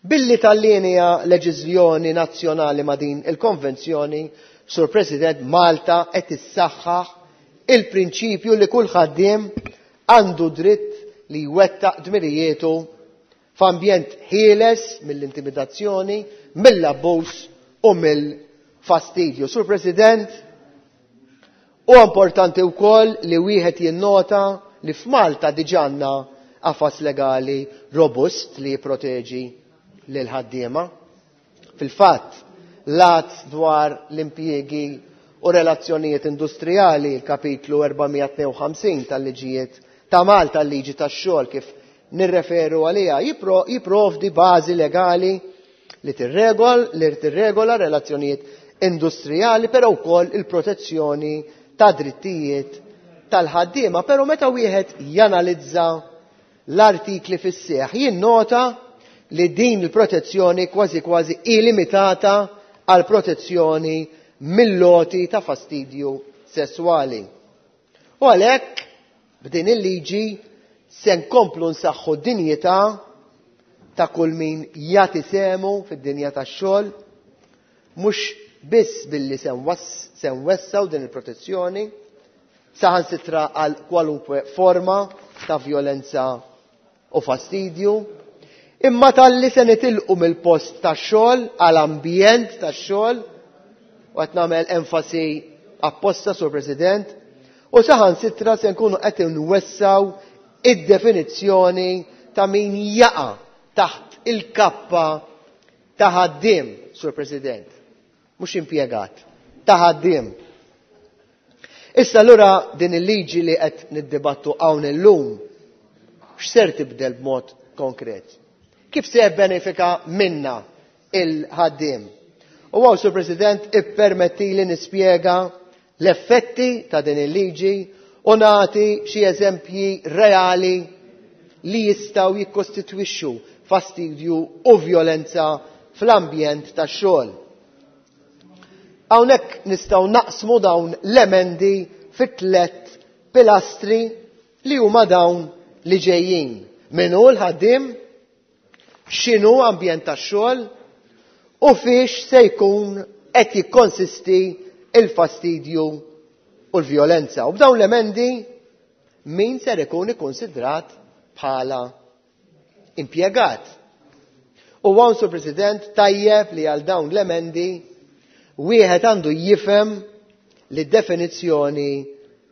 [SPEAKER 19] Billi tallinja leġiżjoni nazzjonali ma' din il-konvenzjoni, Sur President, Malta qed issaħħaħ il-prinċipju li kull ħaddiem għandu dritt li jwettaq dmirijietu f'ambjent ħieles mill-intimidazzjoni, mill-abbuż u mill-fastidju. Sur President, huwa importanti wkoll li wieħed jinnota li f'Malta diġà għandna qafas legali robust li jipproteġi lil ħaddiema. Fil-fatt, l-Att dwar l-impjiegi u relazzjonijiet industrijali, il-kapitlu 452 tal-liġijiet ta' Malta, l-liġi tax-xogħol kif nirreferu għaliha, jipprovdi bażi legali li tirregol, li tirregola relazzjonijiet industrijali, però wkoll il-protezzjoni ta' drittijiet tal-ħaddiema. Però meta wieħed janalizza l-artikli fis-seħħ, jinnota li din il-protezzjoni kważi kważi hi limitata għal protezzjoni mill-loti ta' fastidju sesswali. U għalhekk b'din il-liġi se nkomplu nsaħħu d-dinjità ta' kull min jagħti sehmu fid-dinja tax-xogħol, mhux biss billi se nwessaw din il-protezzjoni saħansitra għal kwalunkwe forma ta' vjolenza u fastidju, imma talli se nitilqu mill-post tax-xogħol għal ambjent tax-xogħol, u qed nagħmel enfasi apposta, Sur President, u saħansitra se nkunu qed nwessaw id-definizzjoni ta' min jaqa' taħt il-kappa ta' ħaddiem, Sur President, mhux impjegat, ta' ħaddiem. Issa allura din il-liġi li qed niddibattu hawn illum x'ser tibdel b'mod konkret? Kif se jibbenefika minna il-ħaddiem? U għaw, Sur President, ippermetti li nispjega l-effetti ta' din il-liġi u nagħti xi eżempji reali li jistgħu jikkostitwixxu fastidju u vjolenza fl-ambjent tax-xogħol. Hawnhekk nistgħu naqsmu dawn l-emendi fi tliet pilastri li huma dawn li ġejjin. Min hu l-ħaddiem, x'inhu ambjent tax-xogħol u fiex se jkun qed jikkonsisti il-fastidju u l-vjolenza. U b'dawn l-emendi min ser ikun ikkonsidrat bħala impjegat. U hawn, Sur President, tajjeb li għal dawn l-emendi wieħed għandu jifhem li definizzjoni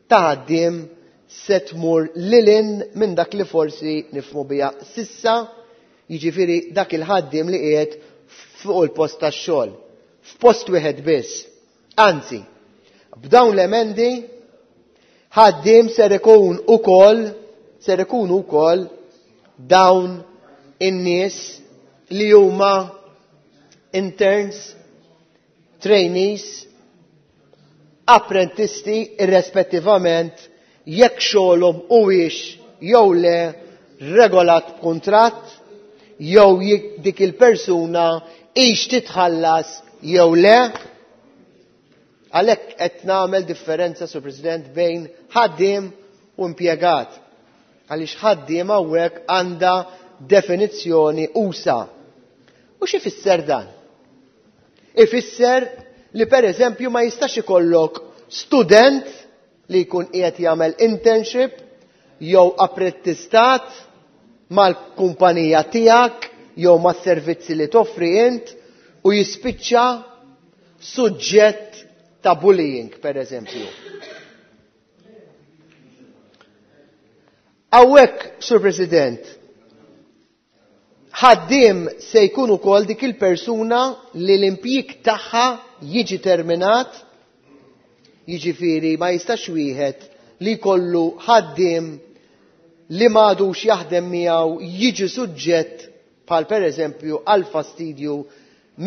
[SPEAKER 19] ta' ħaddiem se tmur lilin minn dak li forsi nifhmu biha sissa, jiġifieri dak il-ħaddiem li qiegħed fuq il-post tax-xogħol, f'post wieħed biss. Anzi, b'dawn l-emendi ħaddiem ser ikun ukoll, ser ikunu wkoll dawn in-nies li huma interns, trainees, apprentisti, irrespettivament jekk xogħolhom huwiex jew le regolat b'kuntratt jew jekk dik il-persuna hix titħallas jew le. Għalhekk qed nagħmel differenza, Sur President, bejn ħaddiem u impjegat. Għaliex ħaddiem hawnhekk għandha definizzjoni usa. U x'ifisser dan? Ifisser li per eżempju ma jistax ikollok student li jkun qiegħed jagħmel internship jew apprettistat mal-kumpanija tiegħek jew mas-servizzi li toffri int u jispiċċa suġġett ta' bullying, per eżempju. Hawnhekk, Sur President, ħaddiem se jkun ukoll dik il-persuna li l-impjieg tagħha jiġi terminat, jiġifieri ma jistax wieħed li jkollu ħaddiem li m'għadux jaħdem miegħu jiġi suġġett bħal pereżempju għal fastidju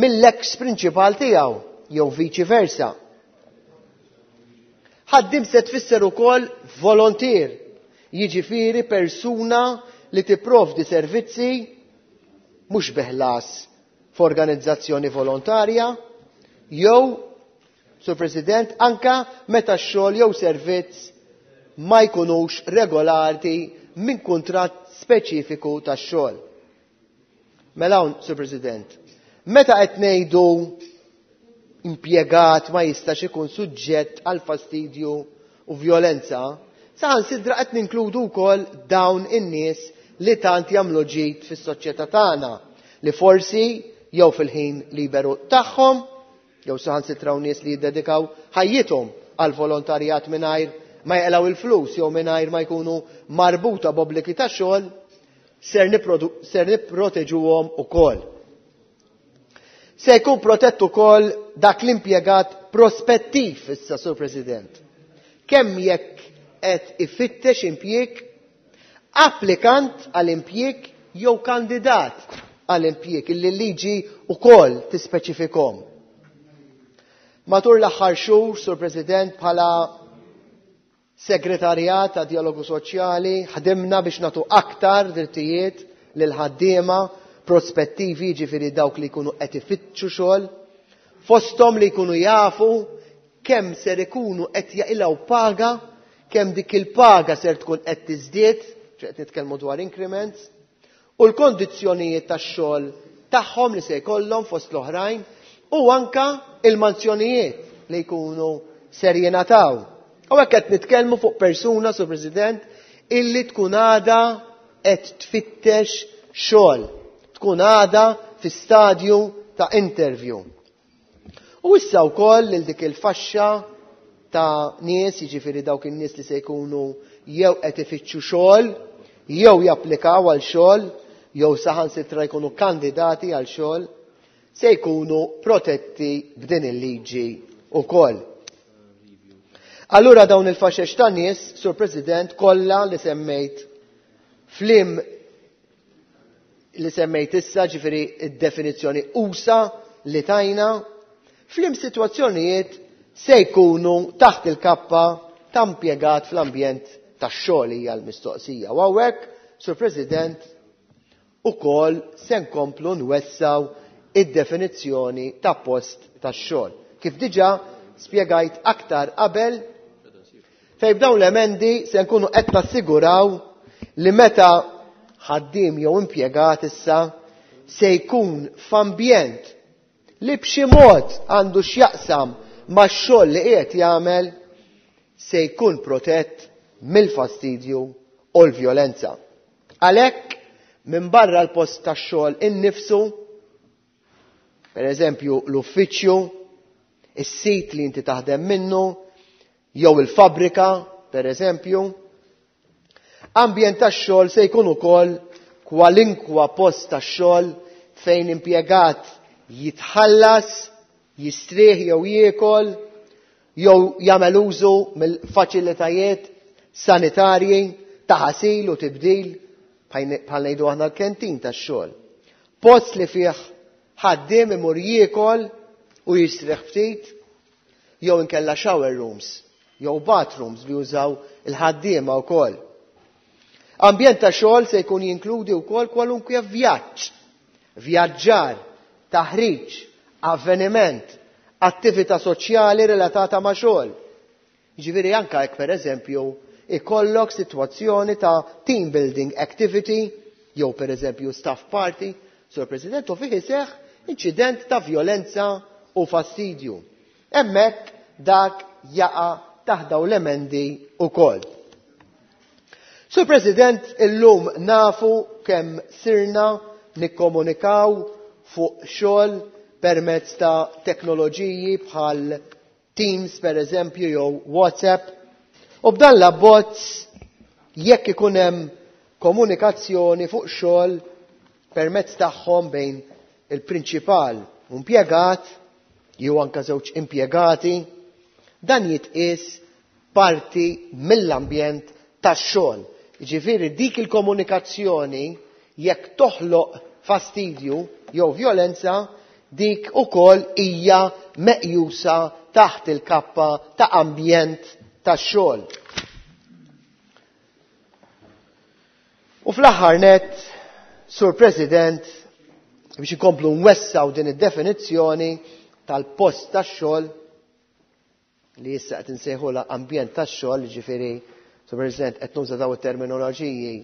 [SPEAKER 19] mill-eks prinċipal tiegħu jew viċi versa. Ħaddiem se tfisser ukoll volontier, jiġifieri persuna li tipprovdi servizzi mhux bi ħlas f'organizzazzjoni volontarja jew, Sur President, anka meta x-xogħol jew servizz ma jkunux regolati minn kuntratt speċifiku tax-xogħol. Mela hawn, Sur President, meta qed ngħidu impjegat ma jistax ikun suġġett għal fastidju u vjolenza, saħansitra qed ninkludu wkoll dawn in-nies li tant jagħmlu ġid fis-soċjetà tagħna, li forsi jew fil-ħin liberu tagħhom, jew saħansitra nies li jiddedikaw ħajjithom għal volontarjat mingħajr ma jaqilgħu il-flus jew mingħajr ma jkunu marbuta b'obbligi ta' xogħol, ser nipproteġuhom ukoll. Se jkun protett ukoll dak l-impjegat prospettiv issa, Sur President. Kemm jekk qed ifittex impjieg, applikant għal impjieg jew kandidat għal impjieg illi l-liġi ukoll tispeċifikhom. Matul l-aħħar xhur, Sur President, bħala Segretarjat ta' Dialogu Soċjali ħdimna biex nagħtu aktar drittijiet lil ħaddiema prospettivi, jiġifieri dawk li jkunu qed ifittxu xogħol, fosthom li jkunu jafu kemm ser ikunu qed jaqilgħu paga, kemm dik il-paga ser tkun qed tiżdied, qed nitkellmu dwar increments, u l-kondizzjonijiet tax-xogħol tagħhom li se jkollhom fost l-oħrajn, u anka il-manzjonijiet li jkunu ser jingħataw. U hekk qed nitkellmu fuq persuna, Sur President, illi tkun għadha qed tfittex xogħol, tkun għadha fi stadju ta' interview. U issa wkoll lil dik il-faxxa ta' nies, jiġifieri dawk in-nies li se jkunu jew qed ifittxu xogħol, jew japplikaw għal xogħol, jew saħansitra jkunu kandidati għal xogħol, se jkunu protetti b'din il-liġi wkoll. Allura dawn il-faxex ta' nies, Sur President, kollha li semmejt flim li semmejt issa, ġifieri id-definizzjoni usa li tajna, flim sitwazzjonijiet se jkunu taħt il-kappa ta' impjegat fl-ambjent tax-xogħol hija l-mistoqsija. U hawnhekk, Sur President, ukoll se nkomplu nwessaw id-definizzjoni ta' post tax-xogħol. Kif diġà spjegajt aktar qabel, fejn b'dawn l-emendi se nkunu qed nassiguraw li meta ħaddiem jew impjegat issa se jkun f'ambjent li b'xi mod għandu x'jaqsam max-xogħol li qiegħed jagħmel, se jkun protett mill-fastidju u l-vjolenza. Għalhekk, minn barra l-post tax-xogħol innifsu, per eżempju l-uffiċċju, is-sit li inti taħdem minnu, jew il-fabrika, per eżempju, ambjent tax-xogħol se jkun ukoll kwalinkwa post tax-xogħol fejn impjegat jitħallas, jistrieħ jew jiekol, jew jagħmel użu mill-faċilitajiet sanitarji ta' ħasil u tibdil bħal ngħidu aħna l-kentin tax-xogħol. Post li fih ħaddiem imur jiekol u jistrieħ ftit, jew inkella shower rooms, jew bathrooms li jużaw il-ħaddiema wkoll. Ambjent ta' xogħol se jkun jinkludi wkoll kwalunkwe vjaġġ, vjaġġar, taħriġ, avveniment, attività soċjali relatata ma' xogħol. Jiġifieri anke jekk pereżempju ikollok sitwazzjoni ta' team building activity jew pereżempju staff party, Sur President, u fih iseħħ inċident ta' vjolenza u fastidju. Hemmhekk dak jaqa' taħt dawn l-emendi wkoll. Sur President, illum nafu kemm sirna nikkomunikaw fuq xogħol permezz ta' teknoloġiji bħal Teams per eżempju jew WhatsApp. U b'dan l-abbozz jekk ikun hemm komunikazzjoni fuq xogħol permezz tagħhom bejn il-prinċipal u impjegat jew anke żewġ impjegati, dan jitqies parti mill-ambjent tax-xogħol. Jiġifieri dik il-komunikazzjoni jekk toħloq fastidju jew vjolenza, dik ukoll hija meqjusa taħt il-kappa ta' ambjent tax-xogħol. U fl-aħħar nett, Sur President, biex inkomplu nwessaw din id-definizzjoni tal-post tax-xogħol li issa qed insejħulha ambjent tax-xogħol, jiġifieri, Sur President, qed nuża dawn it-terminoloġiji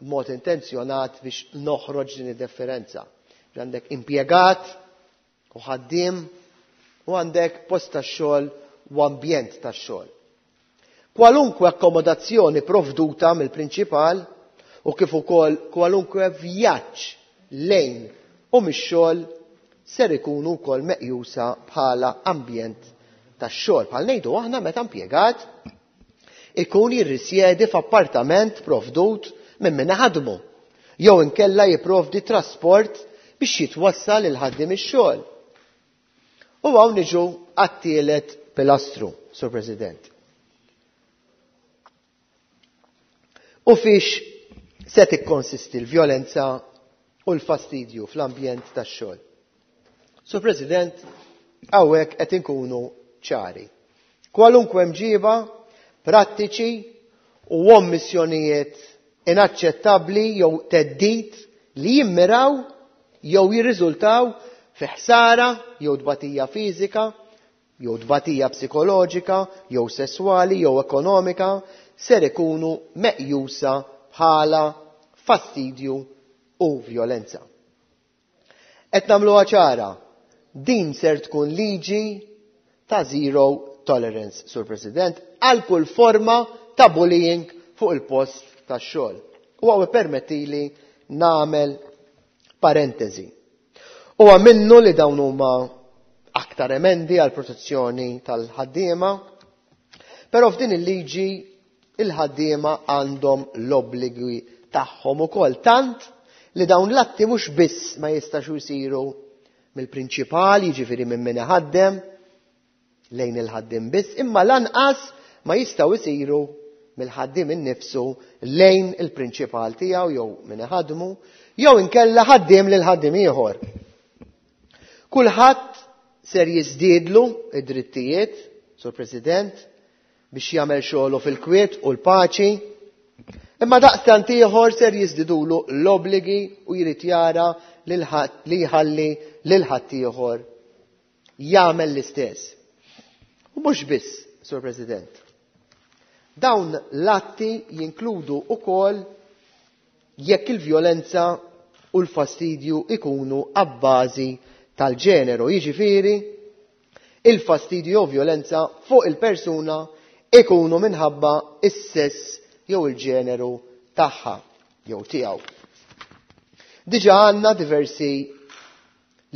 [SPEAKER 19] b'mod intenzjonat biex noħroġ din id-differenza. Għandek impjegat u ħaddiem u għandek post tax-xogħol u ambjent tax-xogħol. Kwalunkwe akkomodazzjoni provduta mill-prinċipal u kif ukoll kwalunkwe vjaġġ lejn u mix-xogħol ser ikunu wkoll meqjusa bħala ambjent tax-xogħol. Bħal ngħidu aħna meta impjegat ikun jirrisjedi f'appartament provdut minn min iħaddmu jew inkella jipprovdi trasport biex jitwassal il-ħaddiem ix-xogħol. U hawn niġu għat-tielet pilastru, Sur President. U fiex se tikkonsisti l-vjolenza u l-fastidju fl-ambjent tax-xogħol. Sur President, hawnhekk qed inkunu ċari. Kwalunkwe mġiba, prattiċi u ommissjonijiet inaċċettabbli jew theddid li jimmiraw jew jirriżultaw fi ħsara jew tbatija fiżika jew tbatija psikoloġika jew sesswali jew ekonomika ser ikunu meqjusa bħala fastidju u vjolenza. Qed nagħmluha ċara, din ser tkun liġi ta' zero tolerance, Sur President, għal kull forma ta' bullying fuq il-post tax-xogħol. U hawn ippermettili nagħmel parentesi. Huwa minnu li dawn huma aktar emendi għal protezzjoni tal-ħaddiema, però f'din il-liġi il-ħaddiema għandhom l-obbligi tagħhom ukoll, tant li dawn l-atti mhux biss ma jistax jsiru mill-prinċipal, jiġifieri minn min iħaddem, lejn il-ħaddiem biss, imma lanqas ma jistgħu jsiru mill-ħaddiem innifsu lejn il-prinċipal tiegħu jew min iħaddmu, jew inkella ħaddiem lil ħaddiem ieħor. Kulħadd ser jiżdiedlu id-drittijiet, Sur President, biex jagħmel xogħlu fil-kwiet u l-paċi, imma daqstant ieħor ser jiżdidulu l-obbligi u jrid jara li jħalli lil ħaddieħor jagħmel l-istess. U mhux biss, Sur President. Dawn l-atti jinkludu wkoll jekk il-vjolenza u l-fastidju ikunu abbażi tal-ġeneru, jiġifieri il-fastidju jew vjolenza fuq il-persuna ikunu minħabba is-sess jew il-ġeneru tagħha jew tiegħu. Diġà għandna diversi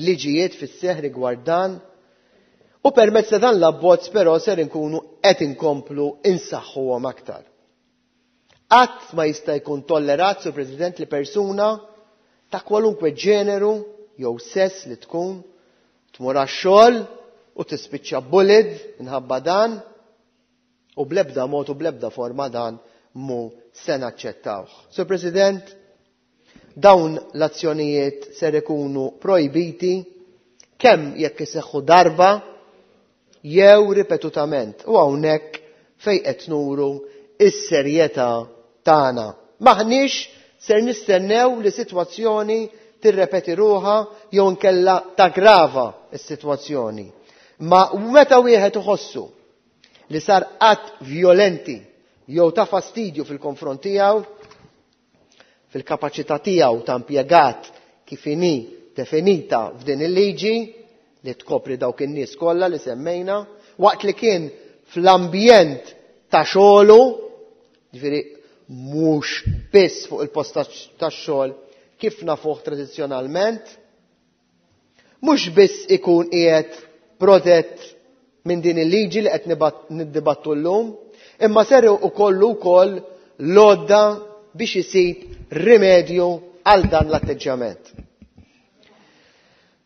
[SPEAKER 19] liġijiet fis-seħħ rigward dan u permezz ta' dan l-abbozz però ser inkunu qed inkomplu insaħħuhom aktar. Qatt ma jista' jkun tollerat, Sur President, li persuna ta' kwalunkwe ġeneru jew sess li tkun tmur għax-xogħol u tispiċċa bullied minħabba dan u bl-ebda mod u bl-ebda forma dan mu se naċċettawh. Sur President, dawn l-azzjonijiet ser ikunu projbiti kemm jekk iseħħu darba jew ripetutament u hawnhekk fejn qed nuru is-serjetà tagħna. M'aħniex ser nistennew li sitwazzjoni tirrepeti ruħha jew inkella taggrava s-sitwazzjoni. Ma meta wieħed iħossu li sar att vjolenti jew ta' fastidju fil-konfront tiegħu, fil-kapaċità tiegħu ta' impjegat kif inhi definita f'din il-liġi li tkopri dawk in-nies kollha li semmejna, waqt li kien fl-ambjent ta' xogħlu, ġifieri mhux biss fuq il-post tax-xogħol kif nafuh tradizzjonalment, mhux biss ikun qiegħed protett minn din il-liġi li qed niddibattu llum, imma ser ukollu wkoll l-għodda biex isib rimedju għal dan l-atteġġjament.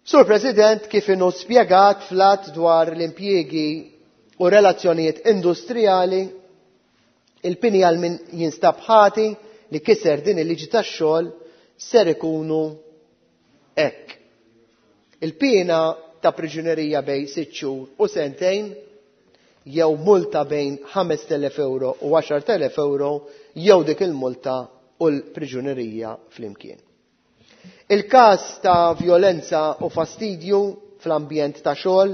[SPEAKER 19] Sur President, kif inhu spjegat fl-att dwar l-impjiegi u relazzjonijiet industrijali, il-pini għal min jinstab ħati li kiser din il-liġi tax-xogħol ser ikunu hekk. Il-piena ta' priġunerija bejn 6 xhur u sentejn, jew multa bejn 5,000 euro u 10,000 euro, jew dik il-multa u l-priġunerija flimkien. Il-każ ta' vjolenza u fastidju fl-ambjent ta' xogħol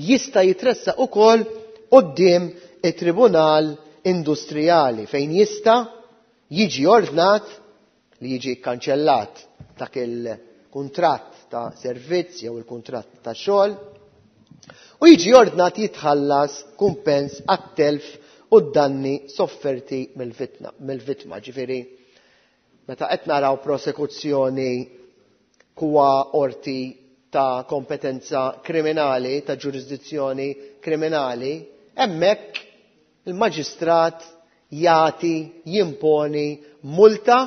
[SPEAKER 19] jista' jitressaq ukoll quddiem it-Tribunal Industrijali fejn jista' jiġi ordnat li jiġi kkanċellat dak il-kuntratt ta' servizz jew il-kuntratt ta' xogħol u jiġi ordnat jitħallas kumpens għat-telf u d-danni sofferti mill-vittma. Ġifieri, meta qed naraw prosekuzzjoni kwa qorti ta' kompetenza kriminali, ta' ġurisdizzjoni kriminali, hemmhekk il-maġistrat jagħti jimponi multa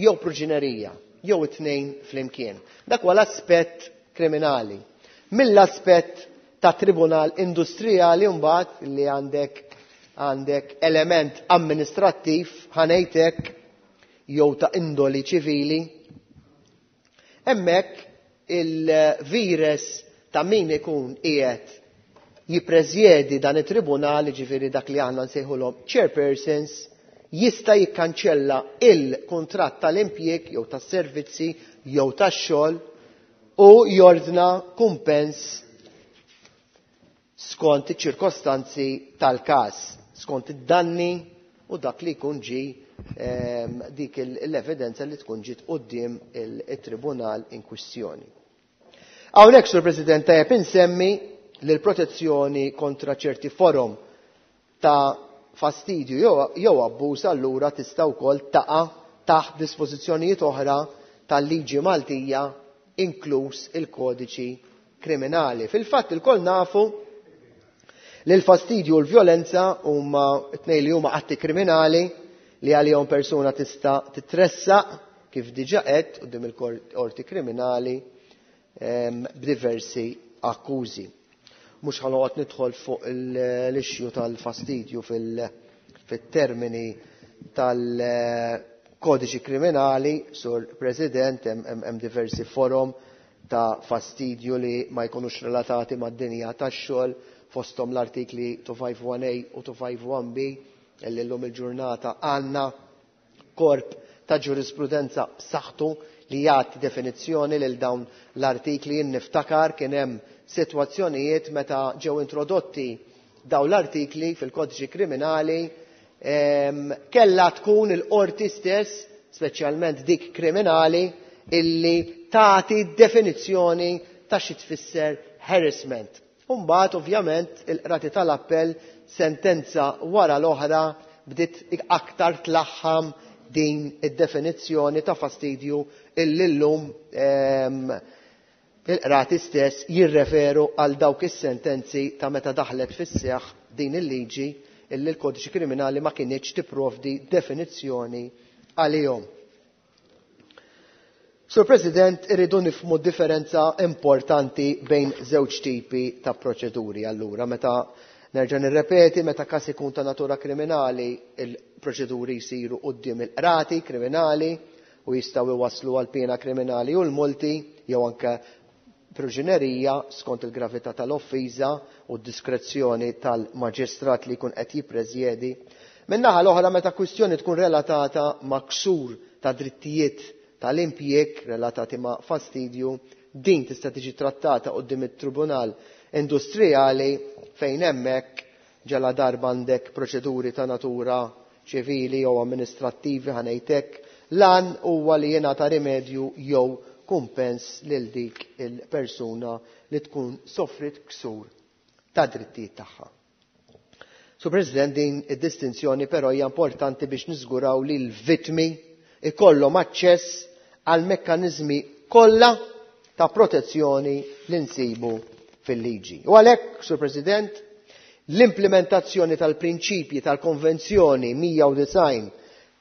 [SPEAKER 19] jew pruġinerija, jew it-tnejn flimkien. Dak huwa l-aspett kriminali. Mill-aspett ta' tribunal industrijali mbagħad li għandek element amministrattiv ħanejtek jew ta' indoli ċivili, hemmhekk il-vires ta' min ikun qiegħed jippreżjedi dan it-tribunal, jiġifieri dak li aħna nsejħulhom chairpersons, jista' jikkanċella il-kuntratt tal-impjieg jew tas-servizzi jew tax-xogħol u jordna kumpens skont iċ-ċirkostanzi tal-każ, skont id-danni u dak li jkun ġie dik l-evidenza li tkun ġiet quddiem it-tribunal in kwistjoni. Hawnhekk, Sur President, tajjeb insemmi li l-protezzjoni kontra ċerti forom ta' fastidju jew abbuż allura tista' wkoll taqa' taħt dispożizzjonijiet oħra tal-liġi Maltija, inkluż il-kodiċi kriminali. Fil-fatt ilkoll nafu li l-fastidju u l-vjolenza huma t-tnejn li huma atti kriminali li għalihom persuna tista' titressaq kif diġà għedt quddiem il-qorti kriminali b'diversi akkużi. Mhux ħa noqgħod nidħol fuq l-issue tal-fastidju fit-termini tal-kodiċi kriminali, Sur President, hemm diversi forom ta' fastidju li ma jkunux relatati mad-dinja tax-xogħol, fosthom l-artikli 251A u 251B, illi llum il-ġurnata għandna korp ta' ġurisprudenza b'saħħtu li jagħti definizzjoni lil dawn l-artikli. Jien niftakar kien hemm sitwazzjonijiet meta ġew introdotti dawn l-artikli fil-kodiċi kriminali, kellha tkun il-qorti stess, speċjalment dik kriminali, illi tagħti definizzjoni ta' xi tfisser harassment. U mbagħad ovvjament il-qrati tal-appell sentenza wara l-oħra bdiet aktar tlaħħam din id-definizzjoni ta' fastidju illi llum il-qrati stess jirreferu għal dawk is-sentenzi ta' meta daħlet fis-seħħ din il-liġi illi l-kodiċi kriminali ma kinitx tipprovdi definizzjoni għalihom. Sur President, irridu nifhmu differenza importanti bejn żewġ tipi ta' proċeduri. Allura, meta nerġa' nirrepeti, meta każ ikun ta' natura kriminali, il-proċeduri jsiru quddiem il-qrati kriminali u jistgħu iwasslu għal piena kriminali u l-multi jew anke priġunerija skont il-gravità tal-offiża u d-diskrezzjoni tal-maġistrat li jkun qed jippreżjedi. Min-naħa l-oħra, meta kwistjoni tkun relatata ma' ksur ta' drittijiet tal-impjieg relatati ma' fastidju, din tista' tiġi trattata quddiem it-Tribunal Industrijali fejn hemmhekk ġala darba għandek proċeduri ta' natura ċivili jew amministrattivi ħanejtek, lan huwa li jingħata rimedju jew kumpens lil dik il-persuna li tkun soffrit ksur ta' drittijiet tagħha. Sur President, din id-distinzjoni però hija importanti biex niżguraw li l-vittmi ikollhom aċċess għal mekkaniżmi kollha ta' protezzjoni li nsibu fil-liġi. U għalhekk, Sur President, l-implementazzjoni tal-prinċipji tal-Konvenzjoni 190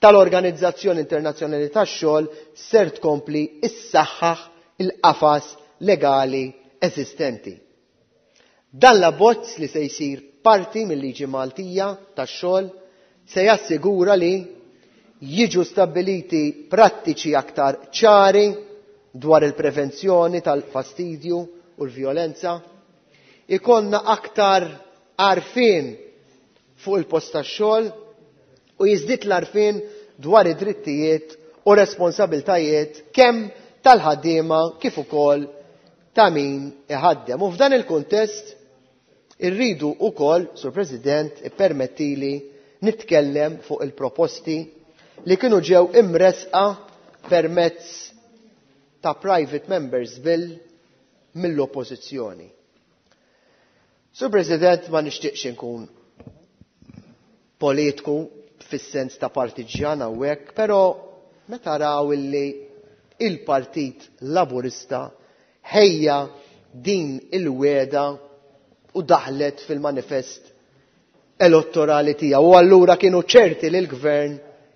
[SPEAKER 19] tal-Organizzazzjoni Internazzjonali tax-Xogħol ser tkompli issaħħaħ il-qafas legali eżistenti. Dan l-abbozz li se jsir parti mill-liġi Maltija tax-xogħol se jassigura li jiġu stabbiliti prattiċi aktar ċari dwar il-prevenzjoni tal-fastidju u l-vjolenza, ikollna aktar għarfien fuq il-post tax-xogħol u jiżdied l-għarfien dwar id-drittijiet u responsabiltajiet kemm tal-ħaddiema kif ukoll ta' min iħaddem. U f'dan il-kuntest irridu ukoll, Sur President, ippermettili nitkellem fuq il-proposti li kienu ġew imresqa permezz ta' Private Members Bill mill-Oppożizzjoni. Sur President, ma nixtieqx inkun politiku fis-sens ta' partiġjan hawnhekk, però meta raw illi il-Partit Laburista ħejja din il-wegħda u daħlet fil-manifest elettorali tiegħu u allura kienu ċerti li l-gvern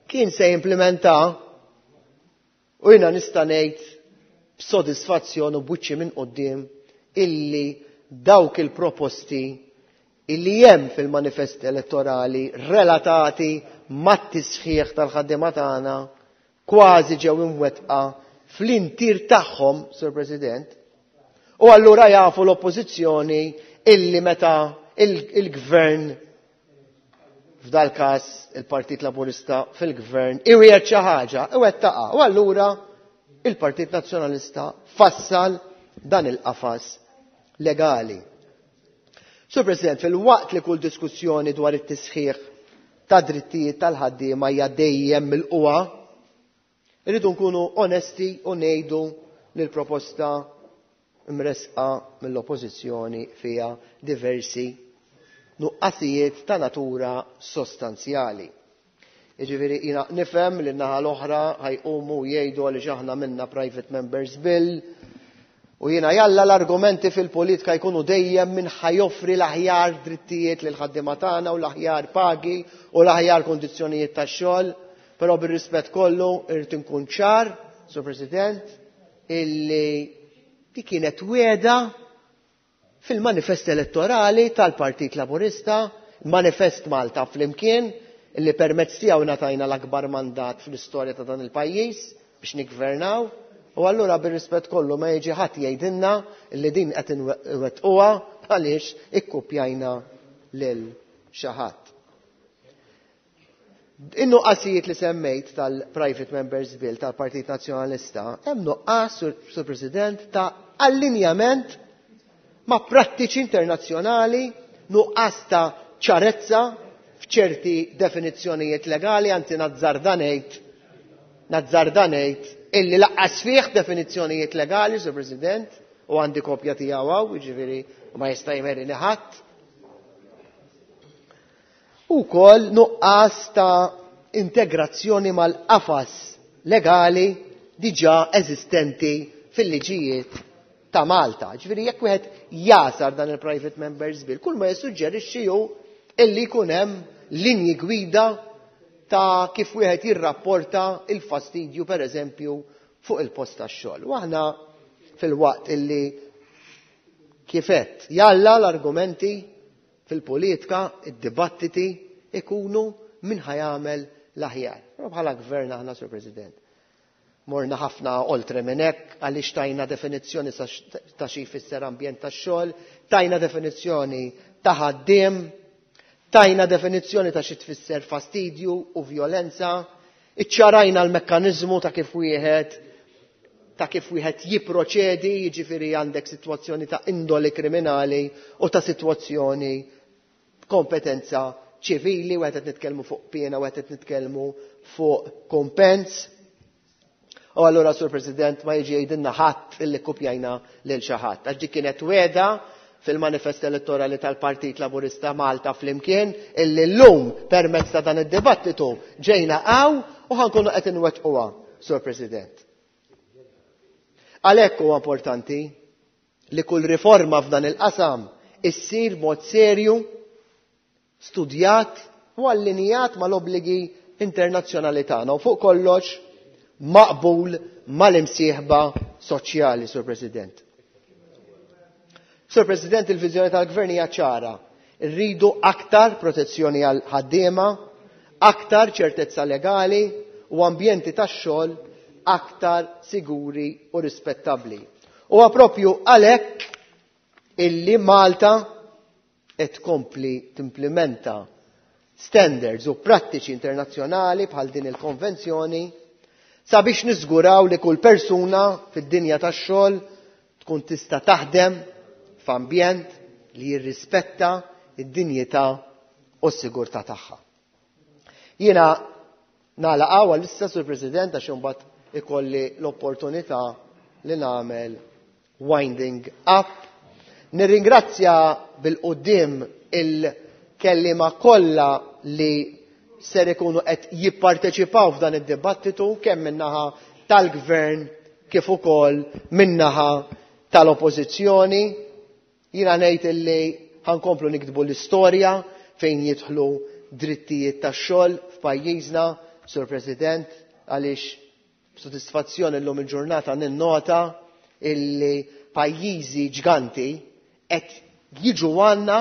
[SPEAKER 19] kien se jimplementa u jiena nista' ngħid b'sodisfazzjon u b'wiċċi minn quddiem illi dawk il-proposti illi hemm fil-manifest elettorali relatati mat-tisħiħ tal-ħaddiema tagħna kważi ġew imwettqa fl-intier tagħhom, Sur President, u allura jafu l-oppożizzjoni illi meta il-gvern f'dal każ il-Partit Laburista fil-gvern iwiegħed xi ħaġa, iwettaqha. U allura il-Partit Nazzjonalista fassal dan il-qafas legali. Sur President, fil-waqt li kull diskussjoni dwar it-tisħiħ ta' drittijiet tal-ħaddiema hija dejjem milquha, irridu nkunu onesti u ngħidu li l-proposta mresqa mill-Oppożizzjoni fiha diversi nuqqasijiet ta' natura sostanzjali. Jiġifieri jiena nifhem li n-naħa l-oħra ħajqumu jgħidu għaliex aħna minna Private Members Bill u jiena jalla l-argumenti fil-politika jkunu dejjem min ħajoffri l-aħjar drittijiet lil ħaddiema tagħna u l-aħjar pagi u l-aħjar kondizzjonijiet tax-xogħol, però bir-rispett kollu irrid inkun ċar, Sur President, illi di kienet wiegħda fil-manifest elettorali tal-Partit Laburista, manifest Malta Flimkien, illi permezz tiegħu ngħatajna l-akbar mandat fl-istorja ta' dan il-pajjiż biex niggvernaw, u allura bir-rispett kollu ma jiġi ħadd jgħidilna illi din qed inwettquha għaliex ikkupjajna lil xi ħadd. In-nuqqasijiet li semmejt tal-Private Members Bill tal-Partit Nazzjonalista, hemm nuqqas, Sur President, ta' allinjament ma' prattiċi internazzjonali, nuqqas ta' ċarezza f'ċerti definizzjonijiet legali, anzi nazzarda ngħid, nazzarda ngħid illi laqqas fih definizzjonijiet legali, Sur President, u għandi kopja tiegħu hawn, jiġifieri ma jista' jmerini ħadd. U wkoll nuqqas ta' integrazzjoni mal-qafas legali diġà eżistenti fil-liġijiet ta' Malta. Ġifieri jekk wieħed jasar dan il-Private Members Bill, kull ma jissuġġerixxi hu illi jkun hemm linji gwida ta' kif wieħed jirrapporta il-fastidju pereżempju fuq il-post tax-xogħol. U aħna fil-waqt illi kifet jalla l-argumenti fil-politika, id-dibattiti ikunu min ħajamel l-aħjar. Però bħala gvern aħna, Sur President, morna ħafna oltre minn hekk għaliex tajna definizzjoni ta' xi jfisser ambjent tax-xogħol, tajna definizzjoni ta' ħaddiem, tajna definizzjoni ta' xi tfisser fastidju u vjolenza, iċċarajna l-mekkaniżmu ta' kif wieħed ta' kif wieħed jipproċedi, jiġifieri għandek sitwazzjoni ta' indoli kriminali u ta' sitwazzjoni kompetenza ċivili, u qed nitkellmu fuq piena u qed nitkellmu fuq kompens. U allura, Sur President, ma jiġi jgħidilna ħadd illi kopjajna lil xi ħadd. Għax dik kienet wegħda fil-manifest elettorali tal-Partit Laburista Malta Flimkien illi llum permezz ta' dan id-dibattitu ġejna hawn u ħa nkunu qed inwettquha, Sur President. Għalhekk huwa importanti li kull riforma f'dan il-qasam issir b'mod serju, studjat u allinjat mal-obbligi internazzjonali tagħna u fuq kollox maqbul mal-imsieħba soċjali, Sur President. Sur President, il-viżjoni tal-Gvern hija ċara. Irridu aktar protezzjoni għal ħaddiema, aktar ċertezza legali u ambjenti tax-xogħol aktar siguri u rispettabbli. Huwa proprju għalhekk illi Malta qed tkompli timplimenta standards u prattiċi internazzjonali bħal din il-konvenzjoni sabiex niżguraw li kull persuna fid-dinja tax-xogħol tkun tista' taħdem f'ambjent li jirrispetta d-dinjità u s-sigurtà tagħha. Jiena nagħlaq hawn għalissa, Sur President, għax imbagħad ikolli l-opportunità li nagħmel winding up. Nirringrazzja bil-quddiem il-kelliema kollha li ser ikunu qed jipparteċipaw f'dan id-dibattitu kemm min-naħa tal-Gvern kif ukoll min-naħa tal-Oppożizzjoni. Jiena ngħid illi ħankomplu niktbu l-istorja fejn jidħlu drittijiet tax-xogħol f'pajjiżna, Sur President, għaliex b'sodisfazzjon illum il-ġurnata ninnota illi pajjiżi ġganti qed jiġu għandna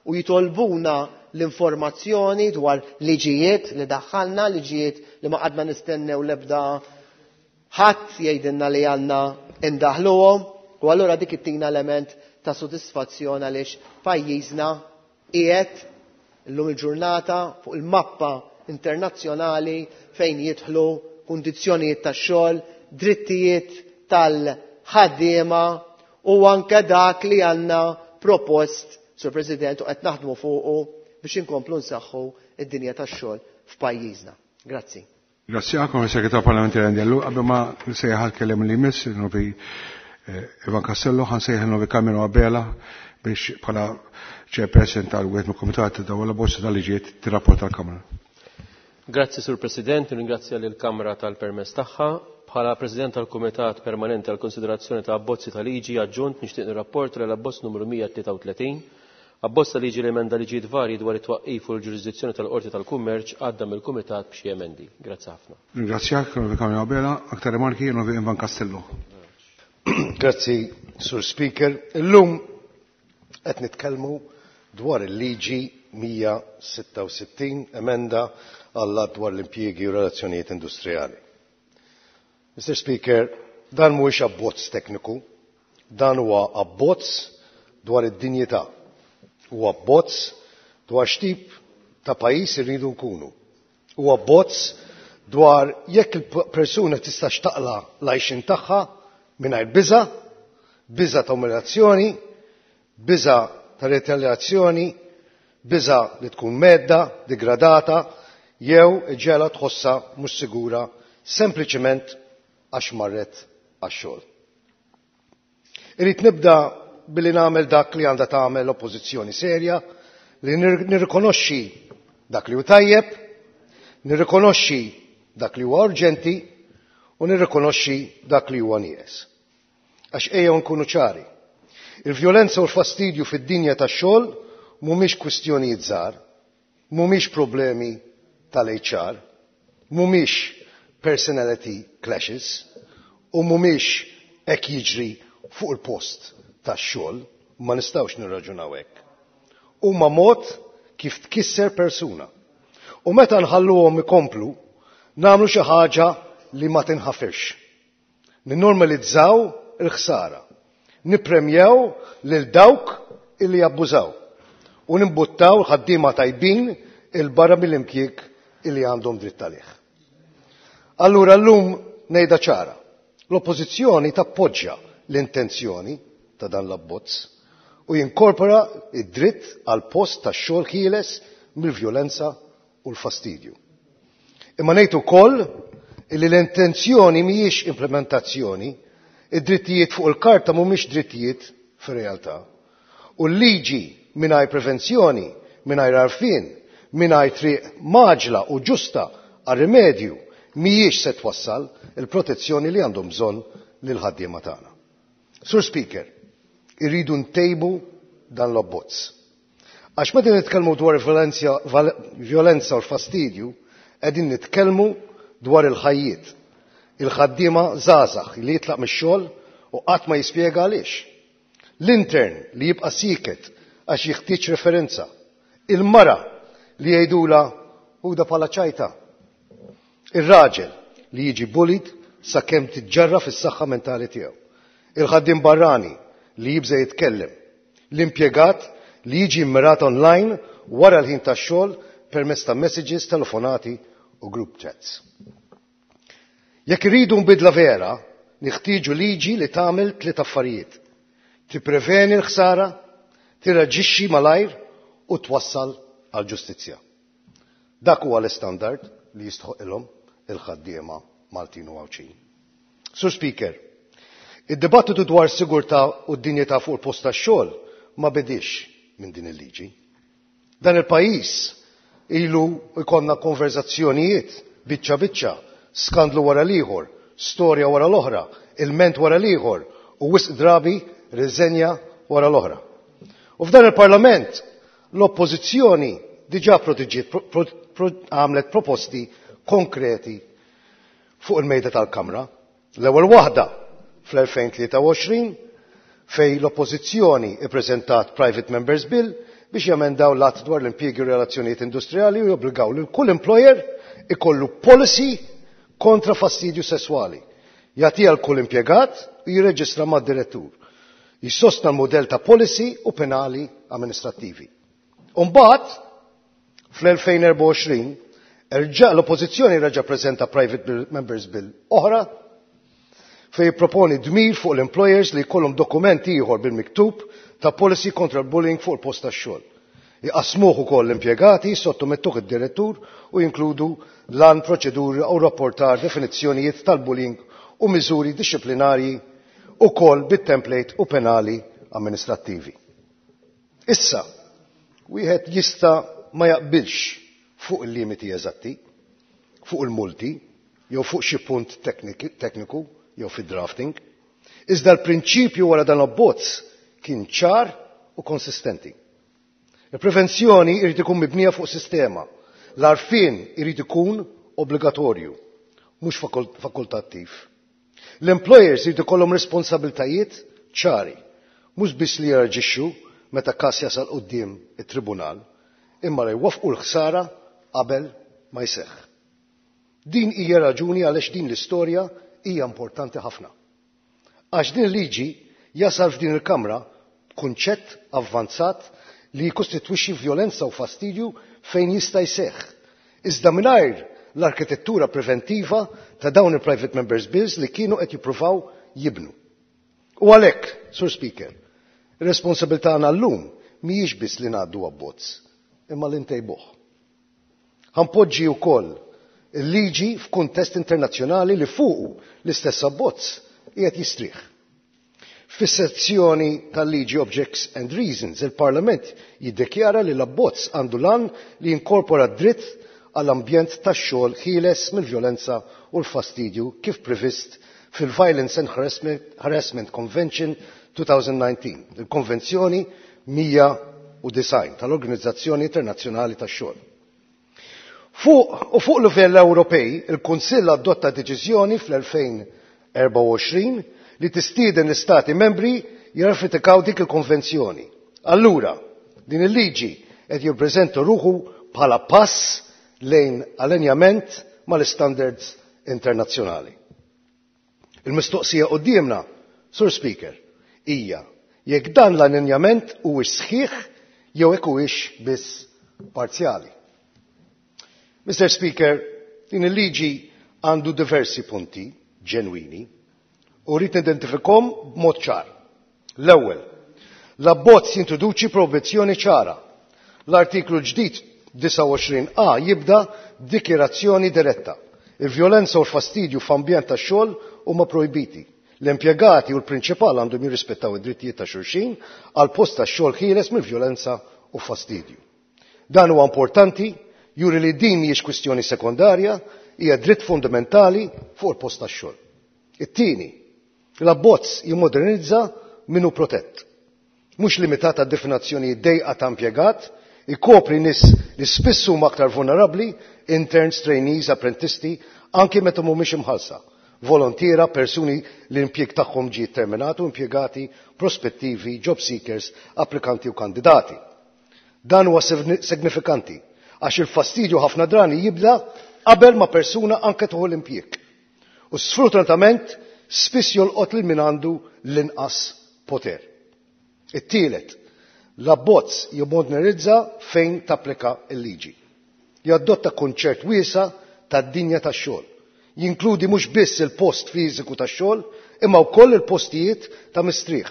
[SPEAKER 19] u jitolbuna l-informazzjoni dwar liġijiet li daħħalna, liġijiet li ma qadna nistennew l-ebda ħadd jgħidilna li għandna indaħluhom, u allura dik ittina element ta' sodisfazzjon għaliex pajjiżna qiegħed illum il-ġurnata fuq il-mappa internazzjonali fejn jidħlu kundizzjonijiet tax-xogħol, drittijiet tal-ħaddiema u anke dak li għandna propost, Sur President, u qed naħdmu fuqu biex inkomplu nsaħħu id-dinja tax-xogħol f'pajjiżna. Grazzi.
[SPEAKER 1] Grazzi għakom, Segretar Parlamentari Andellu. Qabel ma nsejjaħ għall-kelliem li jmiss, il-Novi Ivan Castello, ħansejjaħ il-Novi Carmelo Abela biex bħala chairperson tal-wieħed mill-Kumitat ta' wara bozza tal-liġijiet tirrapporta l-Kamra.
[SPEAKER 8] Grazzi, Sur President, ringrazzja lill-Kamra tal-permess tagħha. Bħala President tal-Kumitat Permanenti għall-Konsiderazzjoni ta' Abbozzi ta' Liġi Aġġunt nixtieq nirrapporta li l-abbozz numru 133, abbozz ta' liġi li emenda liġijiet varji dwar it-twaqqif u l-ġurisdizzjoni tal-Qorti tal-Kummerċ għadda mill-Kumitat b'xi emendi. Grazzi ħafna.
[SPEAKER 1] Ringrazzjak, Onorevoli Carmelo Abela. Aktar rimarki, Onorevoli Ivan Castello.
[SPEAKER 17] Grazzi, Sur Speaker. Illum qed nitkellmu dwar il-liġi 166 emenda għall-Att dwar l-impjiegi u relazzjonijiet industrijali. Mister Speaker, dan mhuwiex abbozz tekniku, dan huwa abbozz dwar id-dinjità, huwa abbozz dwar x'tip ta' pajjiż irridu nkunu. Huwa abbozz dwar jekk il-persuna tistax taqla' l-għajxien tagħha mingħajr biża', biża' ta' umiljazzjoni, biża' ta' retaljazzjoni, biża' li tkun medda, degradata, jew iġegħla tħossha mhux sigura sempliċement għax marret għax-xogħol. Irrid nibda billi nagħmel dak li għandha tagħmel l-oppożizzjoni serja, li nirrikonoxxi dak li hu tajjeb, nirrikonoxxi dak li huwa urġenti u nirrikonoxxi dak li huwa nieqes. Għax ejjew nkunu ċari. Il-vjolenza u l-fastidju fid-dinja tax-xogħol mhumiex kwistjonijiet żgħar, mhumiex problemi tal-HR, mhumiex personality clashes u mhumiex hekk jiġri fuq il-post tax-xogħol, ma nistgħux nirraġunaw hekk. Huma mod kif tkisser persuna. U meta nħalluhom ikomplu, nagħmlu xi ħaġa li ma tinħafirx. Ninnormalizzaw il-ħsara, nippremjaw lil dawk illi jabbużaw u nimbuttaw l-ħaddiema tajbin il-barra mill-impjieg illi għandhom dritt għalih. Allura llum ngħidha ċara, l-Oppożizzjoni tappoġġja l-intenzjoni ta' dan l-abbozz u jinkorpora id-dritt għal post ta' xogħol ħieles mill-vjolenza u l-fastidju. Imma ngħid ukoll illi l-intenzjoni mhijiex implementazzjoni, id-drittijiet fuq il-karta mhumiex drittijiet fir-realtà. U l-liġi mingħajr prevenzjoni, mingħajr għarfien, mingħajr triq mgħaġġla u ġusta għar-rimedju mhijiex se twassal il-protezzjoni li għandhom bżonn lill-ħaddiema tagħna. Sur Speaker, irridu ntejbu dan l-abbozz. Għax meta nitkellmu dwar violenza u l-fastidju, qegħdin nitkellmu dwar il-ħajjiet. Il-ħaddiema żgħażagħ li jitlaq mix-xogħol u qatt ma jispjega għaliex. L-intern li jibqa' sieket għax jeħtieġ referenza. Il-mara li jgħidula ħuda bħala ċajta. Ir-raġel li jiġi bullied sakemm tiġġarraf is-saħħa mentali tiegħu. Il-ħaddiem barrani li jibża' jitkellem. L-impjegat li jiġi mmirat online wara l-ħin tax-xogħol permezz ta' messages, telefonati u group chats. Jekk irridu nbidla vera, neħtieġu liġi li tagħmel tliet affarijiet. Tippreveni l-ħsara, tirreaġixxi malajr u twassal għal ġustizzja. Dak huwa l-istandard li jistħoqilhom il-ħaddiema Maltin u Għawdxin. Sur Speaker, id-dibattitu dwar sigurtà u d-dinjità fuq il-post tax-xogħol ma bedix minn din il-liġi. Dan il-pajjiż ilu jkollna konverzazzjonijiet biċċa biċċa, skandlu wara l-ieħor, storja wara l-oħra, ilment wara l-ieħor u wisq drabi riżenja wara l-oħra. U f'dan il-Parlament l-Oppożizzjoni diġà għamlet proposti konkreti fuq il-mejda tal-Kamra. L-ewwel waħda fl-2023 fejn l-Oppożizzjoni ippreżentat Private Members Bill biex jemendaw l-att dwar l-impjiegi u relazzjonijiet industrijali u jobbligaw lil kull employer ikollu policy kontra fastidju sesswali. Jagħtiha l kull impjegat u jirreġistra mad-direttur. Jissostna l-modell ta' policy u penali amministrattivi. Umbagħad, fl-2024, erġa' l-Oppożizzjoni reġa' preżenta Private Members Bill oħra fejn jipproponi dmir fuq l-employers li jkollhom dokument ieħor bil-miktub ta' policy kontra l-bullying fuq il-post tax-xogħol. Iqassmuh ukoll l-impjegati, sottomettuh id-direttur u jinkludu lan proċeduri u rapportar definizzjonijiet tal-bullying u miżuri dixxiplinarji ukoll bit-template u penali amministrattivi. Issa, wieħed jista' ma jaqbilx fuq il-limiti eżatti, fuq il-multi, jew fuq xi punt tekniku jew fid-drafting, iżda l-prinċipju wara dan abbozz kien ċar u konsistenti. Il-prevenzjoni irid ikun mibnija fuq sistema. L-għarfien irid ikun obbligatorju, mhux fakultattiv. L-employers irid ikollhom responsabiltajiet ċari, mhux biss li jirreaġixxu meta każ jasal quddiem it-tribunal, imma li jwaffqu l-ħsara qabel ma jseħħ. Din hija raġuni għaliex din l-istorja hija importanti ħafna. Għax din il-liġi jasal f'din il-Kamra b'kunċett avvanzat li jikkostitwixxi vjolenza u fastidju fejn jista' jseħħ. Iżda mingħajr l-arkitettura preventiva ta' dawn il-Private Members Bills li kienu qed jippruvaw jibnu. U għalhekk, Sur Speaker, ir-responsabilità tagħna llum mhijiex biss li ngħaddu abbozz, imma li ntejbuh. Ħa npoġġi wkoll il-liġi f'kuntest internazzjonali li fuqu l-istess abbozz qiegħed jistrieħ. Fis-sezzjoni tal-liġi Objects and Reasons, il-Parlament jiddikjara li l-abbozz għandu l-għan li jinkorpora dritt għall-ambjent tax-xogħol ħieles mill-vjolenza u l-fastidju kif previst fil-Violence and Harassment Convention 2019, il-Konvenzjoni 109 tal-Organizzazzjoni Internazzjonali tax-Xogħol. Fuq u fuq livell Ewropej, il-Kunsill adotta deċiżjoni fl-2024 li tistieden l-Istati membri jirratifikaw dik il-konvenzjoni. Allura, din il-liġi qed jippreżenta ruħu bħala pass lejn allinjament mal-standards internazzjonali. Il-mistoqsija quddiemna, Sur Speaker, hija jekk dan l-allinjament huwiex sħiħ jew hekk huwiex biss parzjali. Mr. Speaker, din il-liġi għandu diversi punti ġenwini u rrid nidentifikhom b'mod ċar. L-ewwel, l-abbozz jintroduċi proibizzjoni ċara. L-artiklu ġdid 29a jibda dikjerazzjoni diretta. Il-vjolenza u l-fastidju f'ambjent tax-xogħol huma projbiti. L-impjegati u l-prinċipal għandhom jirrispettaw id-drittijiet ta' xulxin għal post ta' xogħol ħieles mill-vjolenza u fastidju. Dan huwa importanti juri li din mhijiex kwistjoni sekondarja, hija dritt fundamentali fuq il-post tax-xogħol. It-tieni, l-abbozz jimmodernizza min hu protett. Mhux limitat għad definizzjoni dejqa ta' impjegat, ikopri nies li spiss huma aktar vulnerabbli, interns, trainees, apprentisti, anki meta mhumiex imħallsa, volontiera, persuni li l-impjieg tagħhom ġie terminatu, impjegati, prospettivi, job seekers, applikanti u kandidati. Dan huwa signifikanti għax il-fastidju ħafna drani jibda qabel ma persuna anke tieħu l-impjieg. U sfortunatament spiss jolqot lil min għandu l-inqas poter. It-tielet, l-abbozz jimmodernizza fejn tapplika l-liġi. Jadotta kunċett wiesa' tad-dinja tax-xogħol. Jinkludi mhux biss il-post fiżiku tax-xogħol, imma wkoll il-postijiet ta' mistrieħ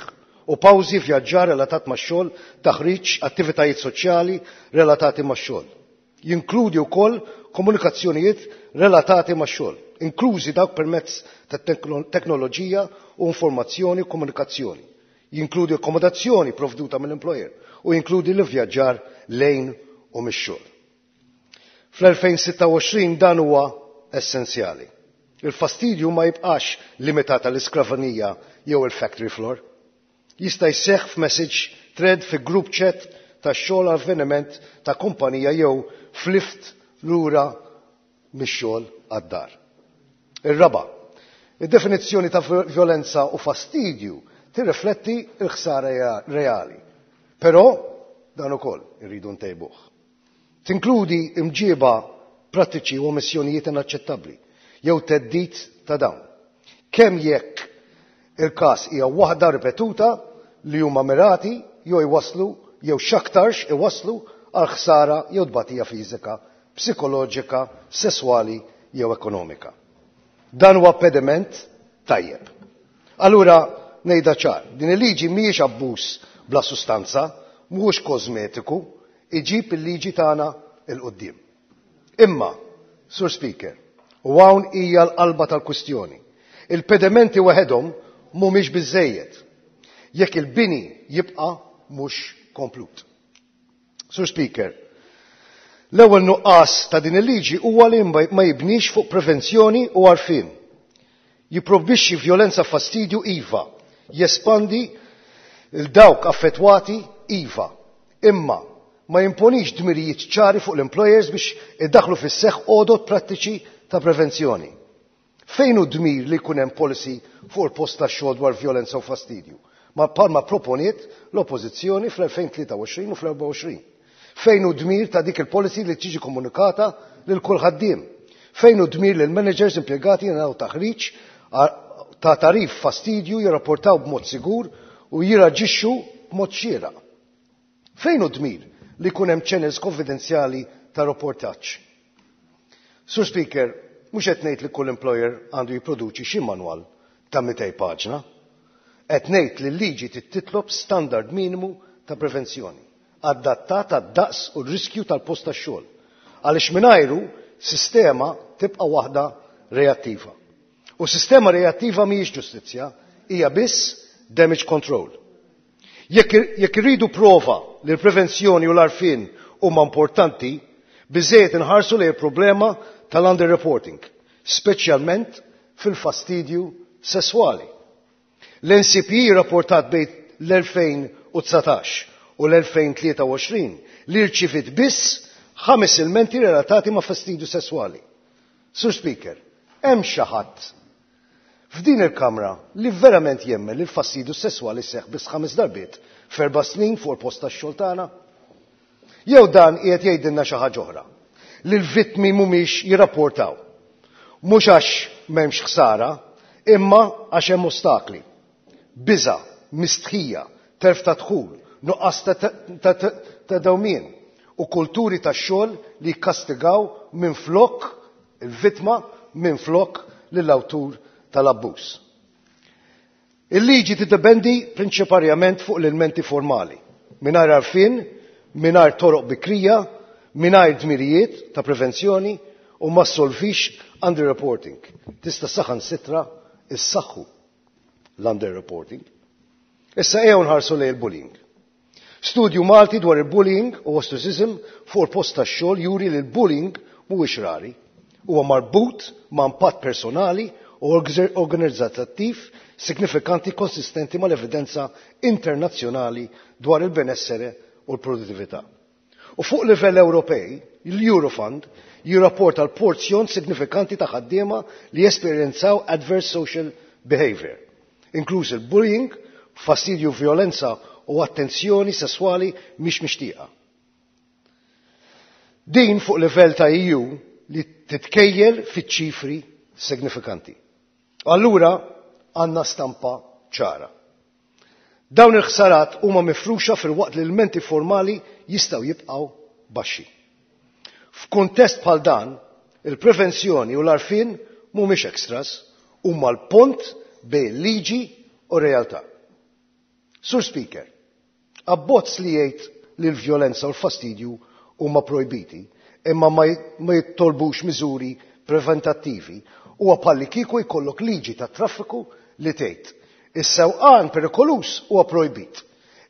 [SPEAKER 17] u pawżi, vjaġġar relatat max-xogħol, taħriġ, attivitajiet soċjali relatati max-xogħol. Jinkludi wkoll komunikazzjonijiet relatati max-xogħol, inklużi dawk permezz ta' teknoloġija u informazzjoni u komunikazzjoni. Jinkludi akkomodazzjoni provduta mill-employer u jinkludi l-vjaġġar lejn u mix-xogħol. Fl-2026 dan huwa essenzjali. Il-fastidju ma jibqax limitat għall-iskrivanija jew il-factory floor. Jista' jseħħ f'message thread, fi group chat ta' xogħol, avveniment ta' kumpanija jew f'lift lura mix-xogħol għad-dar. Ir-raba', id-definizzjoni ta' violenza u fastidju tirrifletti l-ħsara reali. Però dan ukoll irridu ntejbuh. Tinkludi imġiba prattiċi u omissjonijiet inaċċettabbli jew theddid ta' dawn. Kemm jekk il-każ hija waħda ripetuta li huma mirati jew jwaslu jew x'aktarx iwasslu għal ħsara jew tbatija fiżika, psikoloġika, sesswali jew ekonomika. Dan huwa pediment tajjeb. Allura ngħidha ċar, din il-liġi mhijiex abbuż bla sustanza, mhuwiex kosmetiku, iġib il-liġi tagħna 'l quddiem. Imma, Sur Speaker, u hawn hija l-qalba tal-kwistjoni, il-pedamenti waħedhom mhumiex biżejjed jekk il-bini jibqa' mhux komplut. Sur Speaker, l-ewwel nuqqas ta' din il-liġi huwa li ma jibnix fuq prevenzjoni u għarfien. Jipprojbixxi vjolenza, fastidju iva, jespandi 'l dawk affettwati iva, imma ma jimponix dmirijiet ċari fuq l-employers biex iddaħlu fis-seħħ għodot prattiċi ta' prevenzjoni. Fejn hu dmir li jkun hemm policy fuq il-post tax-xogħol dwar vjolenza u fastidju? Ma bħalma proponiet l-Oppożizzjoni fl-2023 u fl-24. Fejn hu dmir ta' dik il-policy li tiġi komunikata lil kull ħaddiem? Fejn hu dmir li l-managers impjegati jingħataw taħriġ ta' tagħrif fastidju, jirrapportaw b'mod sigur u jirraġixxu b'mod xieraq? Fejn hu dmir li jkun hemm channels konfidenzjali ta' rapportaġġ? Sur Speaker, mhux qed ngħid li kull employer għandu jipproduċi xi manwal ta' 200 paġna. Qed ngħid li l-liġi titlob standard minimu ta' prevenzjoni adattat għad-daqs u r-riskju tal-post tax-xogħol. Għaliex mingħajru sistema tibqa' waħda reattiva. U sistema reattiva mhijiex ġustizzja, hija biss damage control. Jekk irridu prova li l-prevenzjoni u l-għarfien huma importanti, biżejjed inħarsu lejn il-problema tal-underreporting, speċjalment fil-fastidju sesswali. L-NCPE rapportat bejn l-2019 u l-2023 li rċivit biss 5 ilmenti relatati ma' fastidju sesswali. Sur Speaker, hemm xi ħadd f'din il-Kamra li verament jemmen li l-fastidju sesswali seħħ biss 5 darbiet f'4 snin fuq il-post tax-xogħol tagħna? Jew dan qiegħed jgħidilna xi ħaġa oħra, li l-vittmi mhumiex jirrapportaw? Mhux għax m'hemmx ħsara, imma għax hemm ostakli. Biża, mistħija, telf ta' dħul, nuqqas ta' dewmien u kulturi ta' xogħol li jikkastigaw minn flok il-vittma minn flok lill-awtur tal-abbuż. Il-liġi tiddependi prinċiparjament fuq l-elementi formali, mingħajr għarfien, mingħajr toroq bikrija, mingħajr dmirijiet ta' prevenzjoni u ma solvix underreporting. Tista' saħansitra issaħħu. l-underreporting. Issa ejjew nħarsu lejn il-bullying. Studju Malti dwar il-bullying u ostracism fuq il-post tax-xogħol juri li l-bullying mhuwiex rari. Huwa marbut ma' impatt personali u organizzattiv signifikanti konsistenti mal-evidenza internazzjonali dwar il-benessere u l-produttività. U fuq livell Ewropej, l-Eurofund jirrapporta l-porzjon signifikanti ta' ħaddiema li jesperjenzaw adverse social behavior, inkluż il-bullying, fastidju, violenza u attenzjoni sesswali mhix mixtieqa. Din fuq livell ta' EU li titkejjel fiċ-ċifri signifikanti. Allura għandna stampa ċara. Dawn il-ħsarat huma mifruxa filwaqt li l-menti formali jistgħu jibqgħu baxxi. F'kuntest bħal dan, il-prevenzjoni u l-għarfien mhumiex extras, huma l-pont bejn liġi u realtà. Sur Speaker, abbozz li jgħid li l-vjolenza u l-fastidju huma projbiti, imma ma jittolbux miżuri preventattivi, huwa bħalli kieku jkollok liġi ta' traffiku li tgħid is-sewqan perikoluż huwa projbit.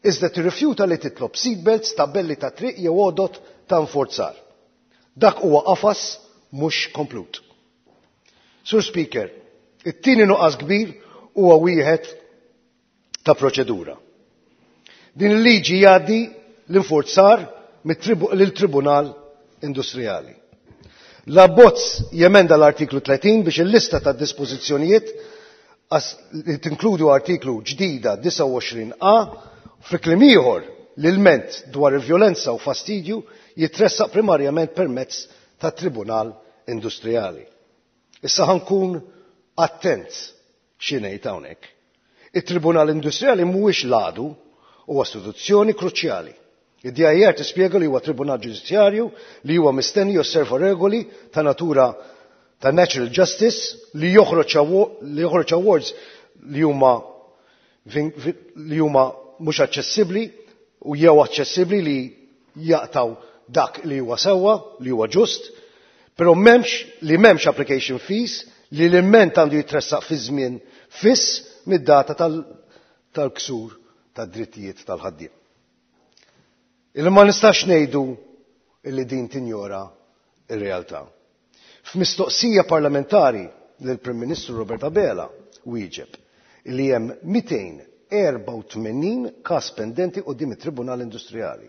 [SPEAKER 17] Iżda tirrifjuta li titlob seatbelts, tabelli ta' triq jew għodot ta' nforzar. Dak huwa qafas mhux komplut. Sur Speaker, it-tieni nuqqas kbir huwa wieħed ta' proċedura. Din il-liġi jgħaddi l-infurzar lil-Tribunal Industrijali. L-abbozz jemenda l-artiklu 30 biex il-lista ta' dispożizzjonijiet li tinkludu artiklu ġdida 29a fi kliem ieħor l-ilment dwar il-vjolenza u fastidju jitressaq primarjament permezz ta' Tribunal Industrijali. Issa ħankun attent xi ngħid hawnhekk. It-Tribunal Industrijali mhuwiex l-għadu huwa istituzzjoni kruċjali. Id-DIR tispjega li huwa tribunal ġudizzjarju li huwa mistenni josserva regoli ta' natura ta' natural justice li joħroġ li joħroġ awards li huma li huma mhux aċċessibbli u jew aċċessibbli li jaqtaw dak li huwa sewwa, li huwa ġust, però m'hemmx li m'hemmx application fees li l-ilment għandu jitressaq fi żmien fiss mid-data tal-ksur tad-drittijiet tal-ħaddiem. Illi ma nistax ngħidu illi din tinjora ir-realtà. F'mistoqsija parlamentari lill-Prim Ministru Robert Abela wieġeb li hemm 284 każ pendenti quddiem it-Tribunal Industrijali.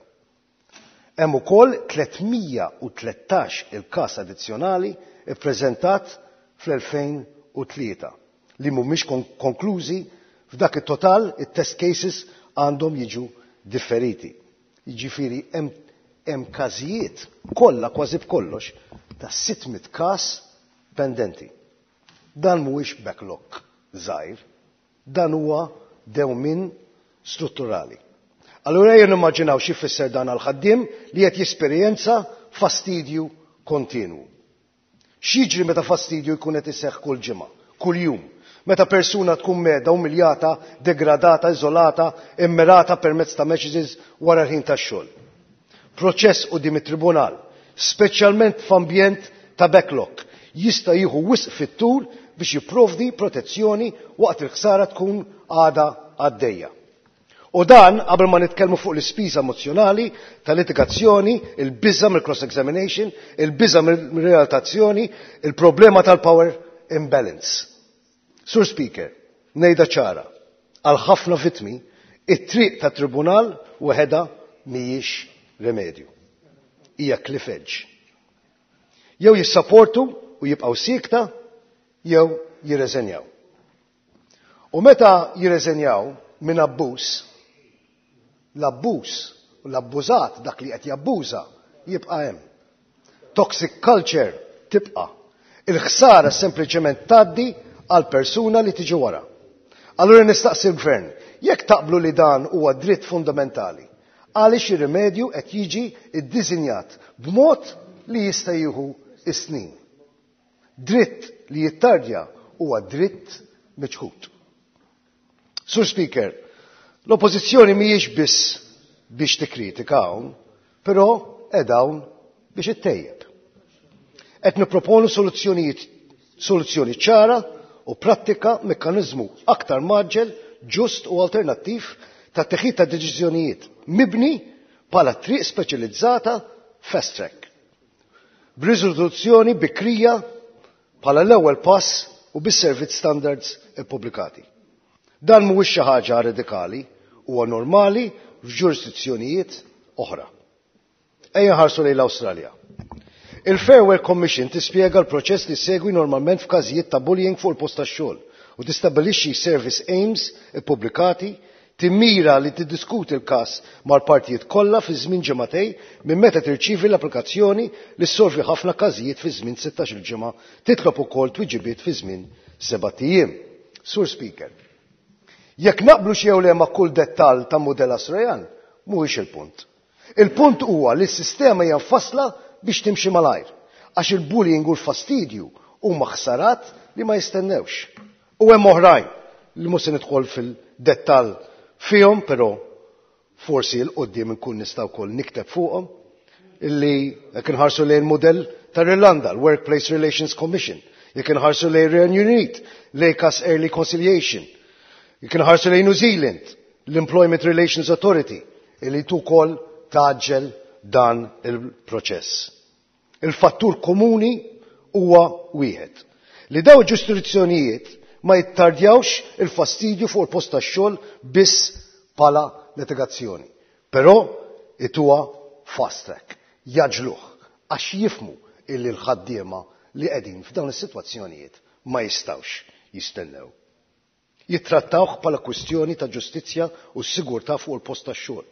[SPEAKER 17] Hemm ukoll 313 il-każ addizzjonali ppreżentat fl-2003 li mhumiex konklużi f'dak it-total it-test cases għandhom jiġu differiti. Jiġifieri hemm każijiet kollha kważi b'kollox ta' 600 każ pendenti. Dan mhuwiex backlog żgħir, dan huwa dewmin strutturali. Allura ejja nimmaġinaw xi jfisser dan għal ħaddiem li qed jesperjenza fastidju kontinwu. X'jiġri meta fastidju jkun qed iseħħ kull ġimgħa, kuljum, meta persuna tkun mehda, umiljata, degradata, iżolata, immirata permezz ta' messages wara l-ħin tax-xogħol. Proċess quddiem it-tribunal, speċjalment f'ambjent ta' backlog, jista' jieħu wisq fit-tul biex jipprovdi protezzjoni waqt il-ħsara tkun għadha għaddejja. U dan qabel ma nitkellmu fuq l-ispiża emozjonali tal-litigazzjoni, il-biża mill-cross examination, il-biża mill-realtazzjoni, il-problema tal-power imbalance. Sur Speaker, ngħidha ċara, għal ħafna vittmi, it-triq ta' tribunal waħedha mhijiex remedju. Hija cliff edge. Jew jissapportu u jibqgħu siekta, jew jirreżenjaw. U meta jirreżenjaw minn abbuż, l-abbuż u l-abbużat dak li qed jabbuża jibqa' hemm. Toxic culture tibqa'. Il-ħsara sempliċement tgħaddi għal persuna li tiġi wara. Allura nistaqsi l-gvern, jekk taqblu li dan huwa dritt fundamentali, għaliex ir-rimedju qed jiġi ddisinjat b'mod li jista' jieħu is-snin. Dritt li jittardja huwa dritt miċħud. Sur Speaker, l-oppożizzjoni mhijiex biss biex tikkritika hawn, però qed hawn biex ittejjeb. Qed nipproponu soluzzjonijiet soluzzjoni ċara u prattika mekkaniżmu aktar mgħaġġel, ġust u alternattiv ta' teħid ta' deċiżjonijiet mibni bħala triq speċjalizzata fast track. B'riżoluzzjoni bikrija bħala l-ewwel pass u bis-servizz standards ippubblikati. Dan mhuwiex xi ħaġa radikali, huwa normali f'ġurisdizzjonijiet oħra. Ejja nħarsu lejn l-Awstralja. Il-Fair Work Commission tispjega l-proċess li segwi normalment f'każijiet ta' bullying fuq il-post tax-xogħol u tistabbilixxi service aims ippubblikati, timmira li tiddiskuti l-każ mal-partijiet kollha fi żmien ġimagħtejn minn meta tirċievi l-applikazzjoni li ssolvi ħafna każijiet fi żmien 16-il ġimgħa, titlob ukoll twiġibiet fi żmien sebat ijiem. Sur Speaker, jekk naqblux jew le ma' kull dettall ta' mudell Australjan, mhuwiex il-punt. Il-punt huwa li s-sistema hija mfassla biex timxi malajr, għax il-bullying u l-fastidju huma ħsarat li ma jistennewx. U hemm oħrajn li mhux se nidħol fil-dettall fihom, però forsi 'l quddiem inkun nista' wkoll nikteb fuqhom, illi jekk inħarsu lejn mudell tal-Irlanda, l-Workplace Relations Commission, jekk inħarsu lejn Renju Unit, l-ACAS Early Conciliation, jekk inħarsu lejn New Zealand, l-Employment Relations Authority, illi ukoll tgħaġġel dan il-proċess. Il-fattur komuni huwa wieħed, li daw ġurisdizzjonijiet ma jittardjawx il-fastidju fuq il-post tax-xogħol biss bħala litigazzjoni. Però ituha fast track, jaġluh għax jifmu illi l-ħaddiema li qegħdin f'dawn is-sitwazzjonijiet ma jistgħux jistennew. Jittrattawh bħala kwistjoni ta' ġustizzja u sigurtà fuq il-post tax-xogħol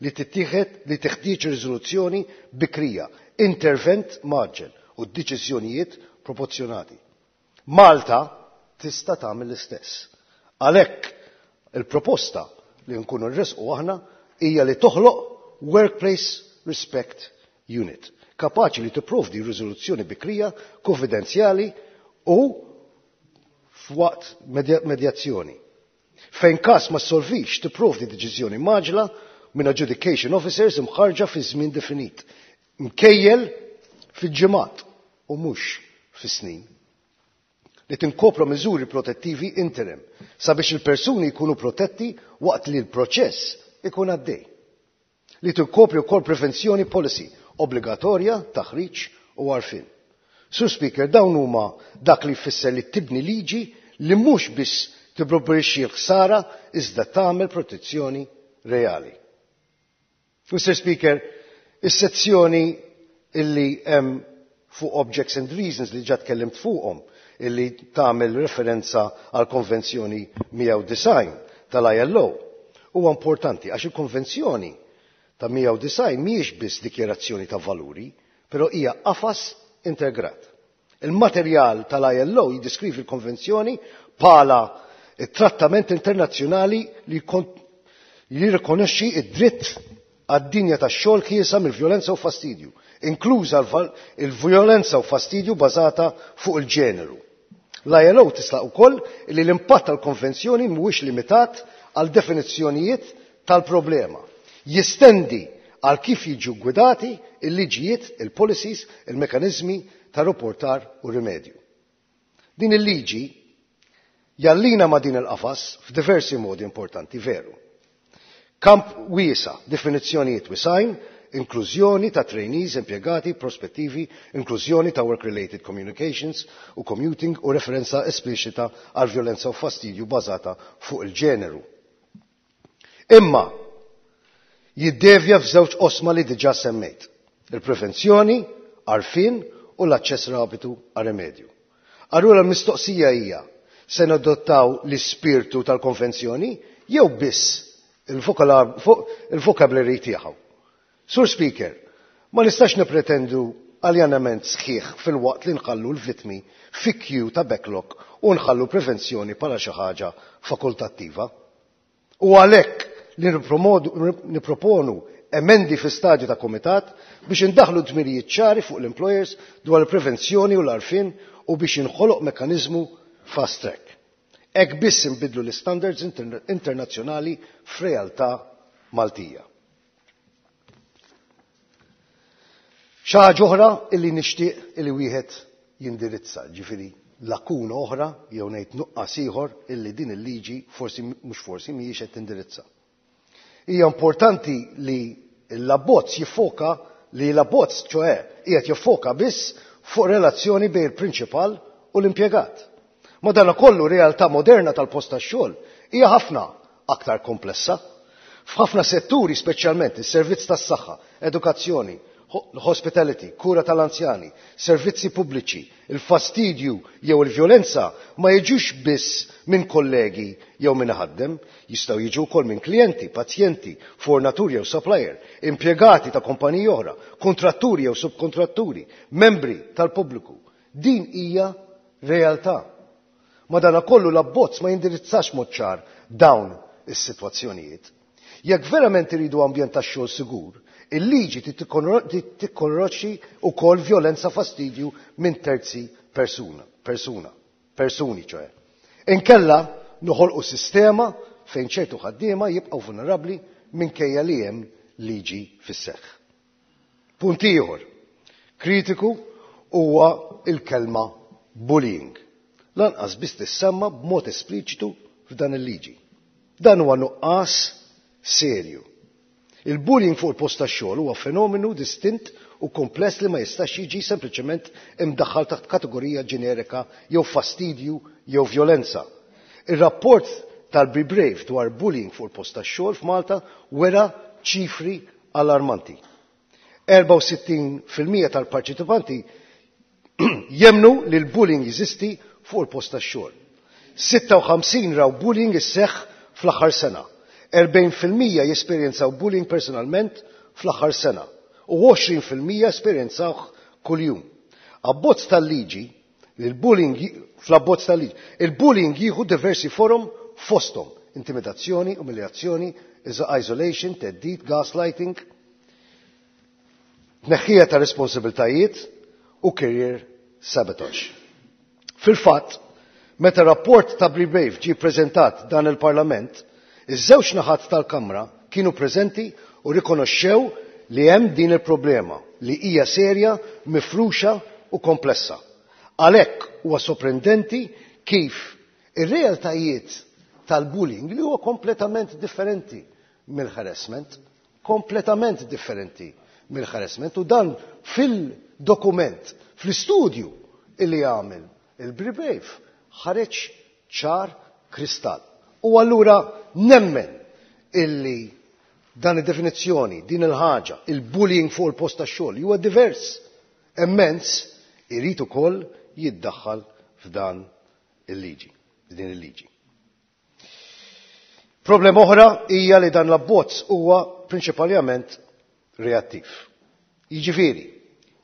[SPEAKER 17] li tittieħed li teħtieġ riżoluzzjoni bikrija, intervent mgħaġġel u deċiżjonijiet proporzjonati. Malta tista' tagħmel l-istess. Għalhekk il-proposta li nkunu nresqu aħna hija li toħloq Workplace Respect Unit, kapaċi li tipprovdi riżoluzzjoni bikrija, konfidenzjali u f'waqt medjazzjoni. Fejn każ ma solvix tipprovdi deċiżjoni mgħaġġla minn adjudication officers imħarġa fi żmien definit, mkejjel fil-ġimgħat u mhux fis-snin. Li tinkopra miżuri protettivi interim sabiex il-persuni jkunu protetti waqt li l-proċess ikun għaddej. Li tinkopri wkoll prevenzjoni policy obbligatorja, taħriġ u għarfien. Sur Speaker, dawn huma dak li jfisser li tibni liġi li mhux biss tipprobixxi l-ħsara iżda tagħmel protezzjoni reali. Mr. Speaker, is-sezzjoni illi hemm fuq Objects and Reasons li ġa tkellimt fuqhom, illi tagħmel referenza għal Konvenzjoni 190 tal-ILO, huwa importanti għax il-Konvenzjoni ta' 190 mhijiex biss dikjerazzjoni ta' valuri, però hija qafas integrat. Il-materjal tal-ILO jiddeskrivi l-Konvenzjoni bħala it-trattament internazzjonali li jirrikonoxxi id-dritt għad-dinja tax-xogħol ħielsa mill-vjolenza u fastidju, inkluża il-vjolenza u fastidju bażata fuq il-ġeneru. L-ILO tislaq ukoll li l-impatt tal-konvenzjoni mhuwiex limitat għal definizzjonijiet tal-problema. Jistendi għal kif jiġu gwidati il-liġijiet, il-policies, il-mekanizmi ta' rapportar u rimedju. Din il-liġi jallina ma' din il-qafas f'diversi modi importanti, veru. Kamp wiesa, definizzjonijiet wisajn, inklużjoni ta' trainees, impjegati, prospettivi, inklużjoni ta' work-related communications u commuting u referenza espliċita għal violenza u fastidju bażata fuq il-ġeneru. Imma jiddevja f'żewġ osma li diġà semmejt: il-prevenzjoni, għarfien u l-aċċess rapidu għal rimedju. Allura l-mistoqsija hija: se nadottaw l-ispirtu tal-konvenzjoni jew biss il-vocabulary tiegħu? Sur Speaker, ma nistax nipretendu aljanament sħiħ fil-waqt li nħallu l-vitmi fi queue ta' backlog u nħallu prevenzjoni bħala xi ħaġa fakultattiva. U għalhekk li niproponu emendi fi stadju ta' komitat biex indaħlu dmirijiet ċari fuq l-employers dwar il-prevenzjoni u l-għarfien u biex jinħoloq mekanizmu fast track. Hekk biss inbidlu l-standards internazzjonali f'realtà Maltija. Xi ħaġa oħra illi nixtieq illi wieħed jindirizza, ġifieri lakuna oħra jew ngħid nuqqas ieħor illi din il-liġi forsi mhux forsi mhijiex qed tindirizza. Hija importanti li l-abbozz jiffoka li l-abbozz ċoè qiegħed jiffoka biss fuq relazzjoni bejn il-prinċipal u l-impjegat. Madankollu realtà moderna tal-post tax-xogħol hija ħafna aktar komplessa. F'ħafna setturi, speċjalment is-servizz tas-saħħa, edukazzjoni, hospitality, kura tal-anzjani, servizzi pubbliċi, il-fastidju jew il-vjolenza ma jiġux biss minn kollegi jew minn ħaddem, jistgħu jiġu wkoll minn klijenti, pazjenti, fornaturi jew supplier, impjegati ta' kumpaniji oħra, kontratturi jew subkontratturi, membri tal-pubbliku. Din hija realtà. Madanakollu l-abbozz ma jindirizzax mod ċar dawn is-sitwazzjonijiet. Jekk verament iridu ambjent tax-xogħol sigur, il-liġi tikkorroċi wkoll vjolenza fastidju minn terzi persuna, persuna, persuni ċoè. Inkella noħolqu sistema fejn ċertu ħaddiema jibqgħu vulnerabbli minkejja li hemm liġi fis-seħħ. Punt ieħor kritiku huwa il-kelma bullying. Lanqas biss tissemma b'mod espliċitu f'dan il-liġi. Dan huwa nuqqas serju. Il-bullying fuq il-post tax-xogħol huwa fenomenu distint u kompless li ma jistax jiġi sempliċement imdaħħal taħt kategorija ġenerika jew fastidju jew vjolenza. Ir-rapport tal-Be Brave dwar bullying fuq il-post tax-xogħol f'Malta wera ċifri allarmanti. 64% tal-parċipanti jemnu li l-bullying jeżisti fuq il-post tax-xogħol. 56 raw bullying isseħħ fl-aħħar sena. 40% jesperjenzaw bullying personalment fl-aħħar sena u 20% esperjenzawh kuljum. Abbozz tal-liġi, il-bullying fl-abbozz tal-liġi, il-bullying jieħu diversi forom fosthom intimidazzjoni, umiljazzjoni, isolation, theddid, gaslighting, tneħħija ta' responsabiltajiet u career sabotage. Fil-fatt, meta rapport ta' Be Brave ġie preżentat dan il-Parlament, iż-żewġ naħat tal-Kamra kienu preżenti u rikonoxxew li hemm din il-problema li hija serja, mifruxa u komplessa. Għalhekk huwa sorprendenti kif ir-realtajiet tal-bullying li huwa kompletament differenti mill-harassment, kompletament differenti mill-harassment u dan fil-dokument, fl-istudju illi għamel il-Be Brave ħareġ ċar kristall. U allura nemmen illi dan id-definizzjoni, din il-ħaġa, il-bullying fuq il-post tax-xogħol huwa divers, immens, irid ukoll jiddaħħal f'dan il-liġi, f'din il-liġi. Problema oħra hija li dan l-abbozz huwa prinċipalment reattiv. Jiġifieri,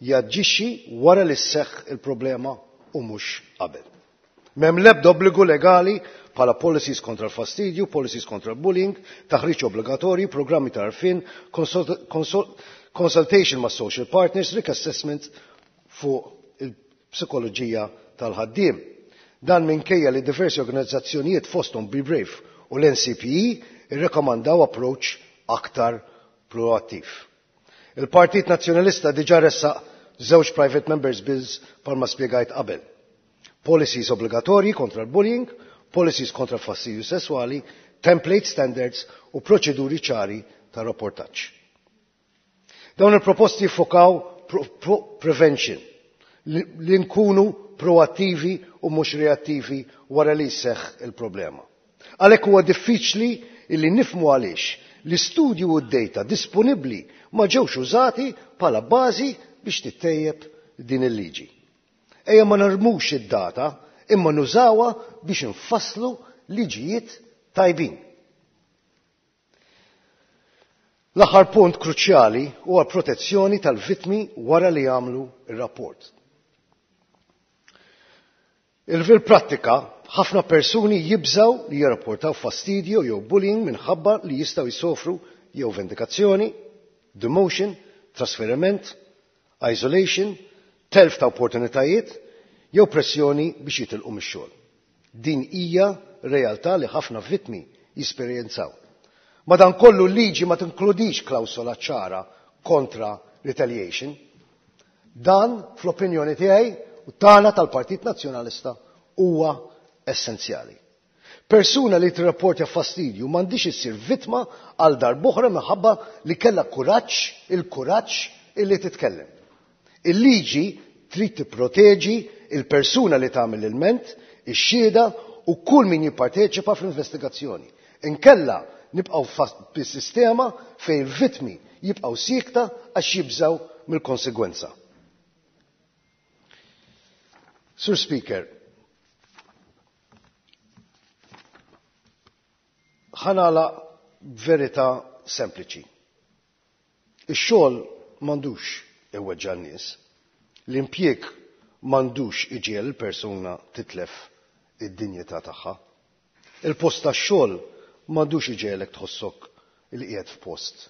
[SPEAKER 17] jaġixxi wara li sseħħ il-problema u mhux qabel. M'hemm l-ebda obbligu legali bħala policies kontra l-fastidju, policies kontra l-bullying, taħriġ obbligatorju, programmi ta' għarfien, consultation ma' social partners, risk assessment fuq il-psikoloġija tal-ħaddiem. Dan minkejja li diversi organizzazzjonijiet fosthom Be Brave u l-NCPE irrekomandaw approach aktar proattiv. Il-Partit Nazzjonalista diġà ressaq żewġ private members bills bħalma spjegajt qabel. Policies obbligatorji kontra l-bullying, policies kontra l-fastidju sesswali, template standards u proċeduri ċari ta' rapportaġġ. Dawn il-proposti jiffokaw pro prevention, li nkunu proattivi u mhux reattivi wara li jseħħ il-problema. Għalhekk huwa diffiċli illi nifhmu għaliex l-istudju u d-data disponibbli ma ġewx użati bħala bażi biex tittejjeb din il-liġi. Ejja ma narmux id-data imma nużawha biex nfasslu liġijiet tajbin. L-aħħar punt kruċjali huwa protezzjoni tal-vittmi wara li jagħmlu ir-rapport. Fil-prattika, ħafna persuni jibżaw li jirrapportaw fastidju jew bullying minħabba li jistgħu jsofru jew vendikazzjoni, demotion, trasferiment, isolation, telf ta' opportunitajiet jew pressjoni biex jitilqu mix-xogħol. Din hija realtà li ħafna vittmi jesperjenzaw. Madankollu l-liġi ma tinkludix klawsola ċara kontra retaliation. Dan, fl-opinjoni tiegħi, u tagħna tal-Partit Nazzjonalista huwa essenzjali. Persuna li tirrapportja fastidju m'għandhiex issir vittma għal darb'oħra minħabba li kellha kuraġġ, il-kuraġġ illi titkellem. Il-liġi trid tipproteġi il-persuna li tagħmel l-ilment, ix-xhieda u kull min jipparteċipa fl-investigazzjoni. Inkella nibqgħu fis-sistema fejn il-vittmi jibqgħu siekta għax jibżgħu mill-konsegwenza. Sur Speaker, ħa nagħlaq b'verità sempliċi. Ix-xogħol m'għandux iweġġa' n-nies. L-impjieg m'għandux iġiegħel il-persuna titlef id-dinjità tagħha. Il-post tax-xogħol m'għandux iġegħelek tħossok li qiegħed f'post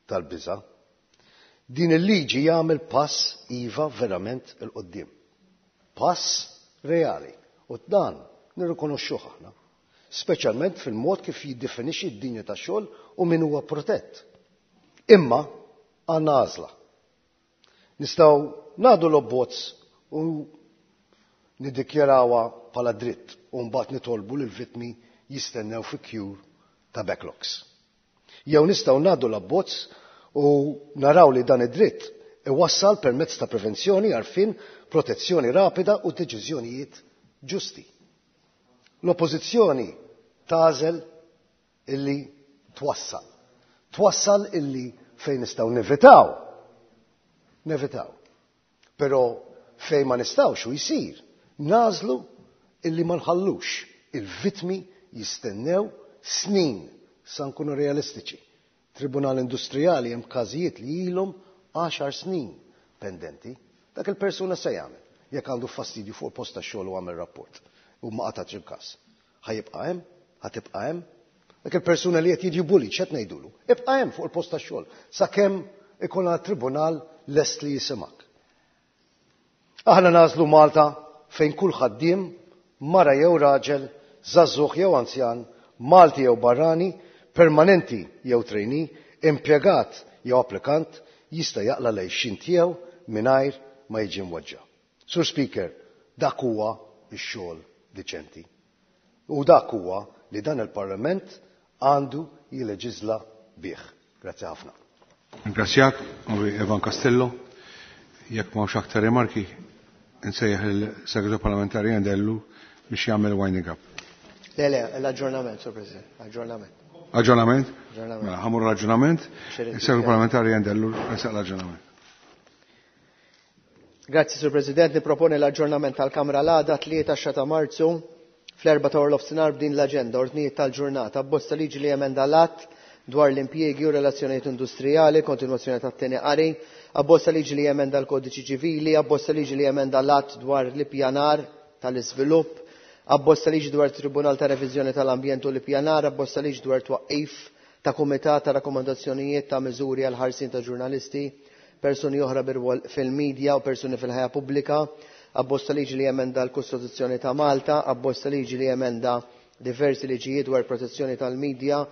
[SPEAKER 17] tal-biża'. Din il-liġi jagħmel pass iva verament 'il quddiem. Pass reali. U dan nirrikonoxxuh aħna. Speċjalment fil-mod kif jiddefinixxi d-dinja tax-xogħol u min huwa protett. Imma għandna għażla. Nistgħu ngħaddu l-abbozz u niddikjarawha bħala dritt u mbagħad nitolbu lill-vittmi jistennew fi queue ta' backlogs. Jew nistgħu ngħaddu l-abbozz u naraw li dan id-dritt iwassal permezz ta' prevenzjoni, għarfien, protezzjoni rapida u deċiżjonijiet ġusti. L-Oppożizzjoni tagħżel illi twassal. Twassal illi fejn nistgħu nevitaw, nevitaw. Però fejn ma nistgħux u jsir, nagħżlu illi ma nħallux il-vittmi jistennew snin sa nkunu realistiċi. Tribunal Industrijali hemm każijiet li ilhom għaxar snin pendenti. Dak il-persuna se jagħmel jekk għandu fastidju fuq il-post tax-xogħol u għamel rapport u ma qatax il-każ. Ħa jibqa' hemm? Ħa tibqa' hemm? Dak il-persuna li qed jiġi bullied x'qed ngħidulu? Ibqa' hemm fuq il-post tax-xogħol sakemm ikun għat-tribunal lest li jisimgħek. Aħna nagħżlu Malta fejn kull ħaddiem, mara jew raġel, żagħżugħ jew anzjan, Malti jew barrani, permanenti jew trainee, impjegat jew applikant jista' jaqla' l-għixien tiegħu mingħajr ma jiġi mweġġa'. Sur Speaker, dak huwa x-xogħol diċenti. U dak huwa li dan il-Parlament għandu jilleġiżla bih. Grazzi ħafna.
[SPEAKER 1] Ringrazzjak, Onorevoli Evan Castello. Jekk m'hawnx aktar rimarki, insejjaħ il-Segretarju Parlamentari Endellu biex jagħmel winding up.
[SPEAKER 19] Le, le, l-aġġornament, Sur President, aġġornament.
[SPEAKER 1] Aġġornament?
[SPEAKER 19] Aġġornament.
[SPEAKER 1] Mela, ħamur l-aġġornament. Il-Segretarju Parlamentari Endellu resaq l-aġġornament.
[SPEAKER 19] Grazzi, Sur President. Niproponi l-aġġornament tal-Kamra l-għada 3 ta' Marzu fl-4 ta' nofsinhar b'din l-aġenda ordnijiet tal-ġurnata abbozz ta' liġi li jemenda l-att dwar l-impjiegi u relazzjonijiet industrijali, kontinwazzjoni tat-tieni qari, abbozz ta' liġi li jemenda l-kodiċi ċivili, abbozz ta' liġi li jemenda l-att dwar l-ippjanar tal-iżvilupp, abbozz ta' liġi dwar Tribunal ta' Reviżjoni tal-Ambjent u l-Ippjanar, abbozz ta' liġi dwar twaqqif ta' Kumitat ta' Rakkomandazzjonijiet ta' Miżuri għal ħarsien ta' ġurnalisti, persuni oħra bir-rwol fil-medja u persuni fil-ħajja pubblika, abbozz ta' liġi li jemenda l-Kostituzzjoni ta' Malta, abbozz ta' liġi li jemenda diversi liġijiet dwar protezzjoni tal-medja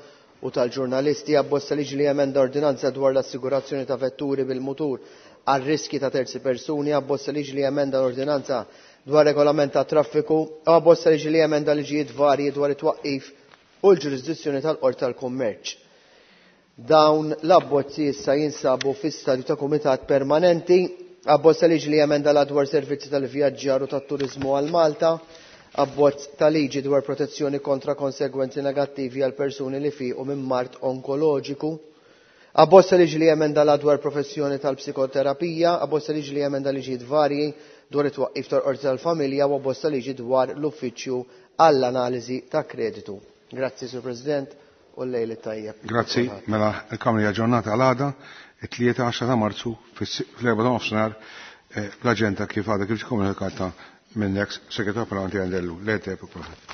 [SPEAKER 19] u tal-ġurnalisti, abbozz ta' liġi li jemenda ordinanza dwar l-assigurazzjoni ta' vetturi bil-mutur għal riski ta' terzi persuni, abbozz ta' liġi li jemenda l-ordinanza dwar regolament ta' traffiku, u abbozz ta' liġi li jemenda liġijiet varji dwar it-twaqqif u l-ġurisdizzjoni tal-Qorti tal-Kummerċ. Dawn l-abbozzi issa jinsabu fi stadju ta' kumitat permanenti. Abbozz ta' liġi li jemenda la dwar servizzi tal-vjaġġar u tat-turiżmu għal Malta, abbozz ta' liġi dwar protezzjoni kontra konsegwenzi negattivi għal persuni li fiqu minn mard onkoloġiku, abbozz ta' liġi li jemenda la dwar professjoni tal-psikoterapija, abbozz ta' liġi li jemenda liġijiet varji dwar it-twaqqif tal-Qorti tal-Familja u abbozz ta' liġi dwar l-Uffiċċju għall-Analiżi ta' Kreditu. Grazzi, Sur President, u l-lejl it-tajjeb.
[SPEAKER 1] Grazzi, mela l-Kamra hija aġġornata għal għada, it-tlieta 10 ta' Marzu fl-4 ta' nofsinhar bl-aġenda kif għadha kif komunikata minn ex segretarju parlamentari Endellu. Lejl tajjeb kulħadd.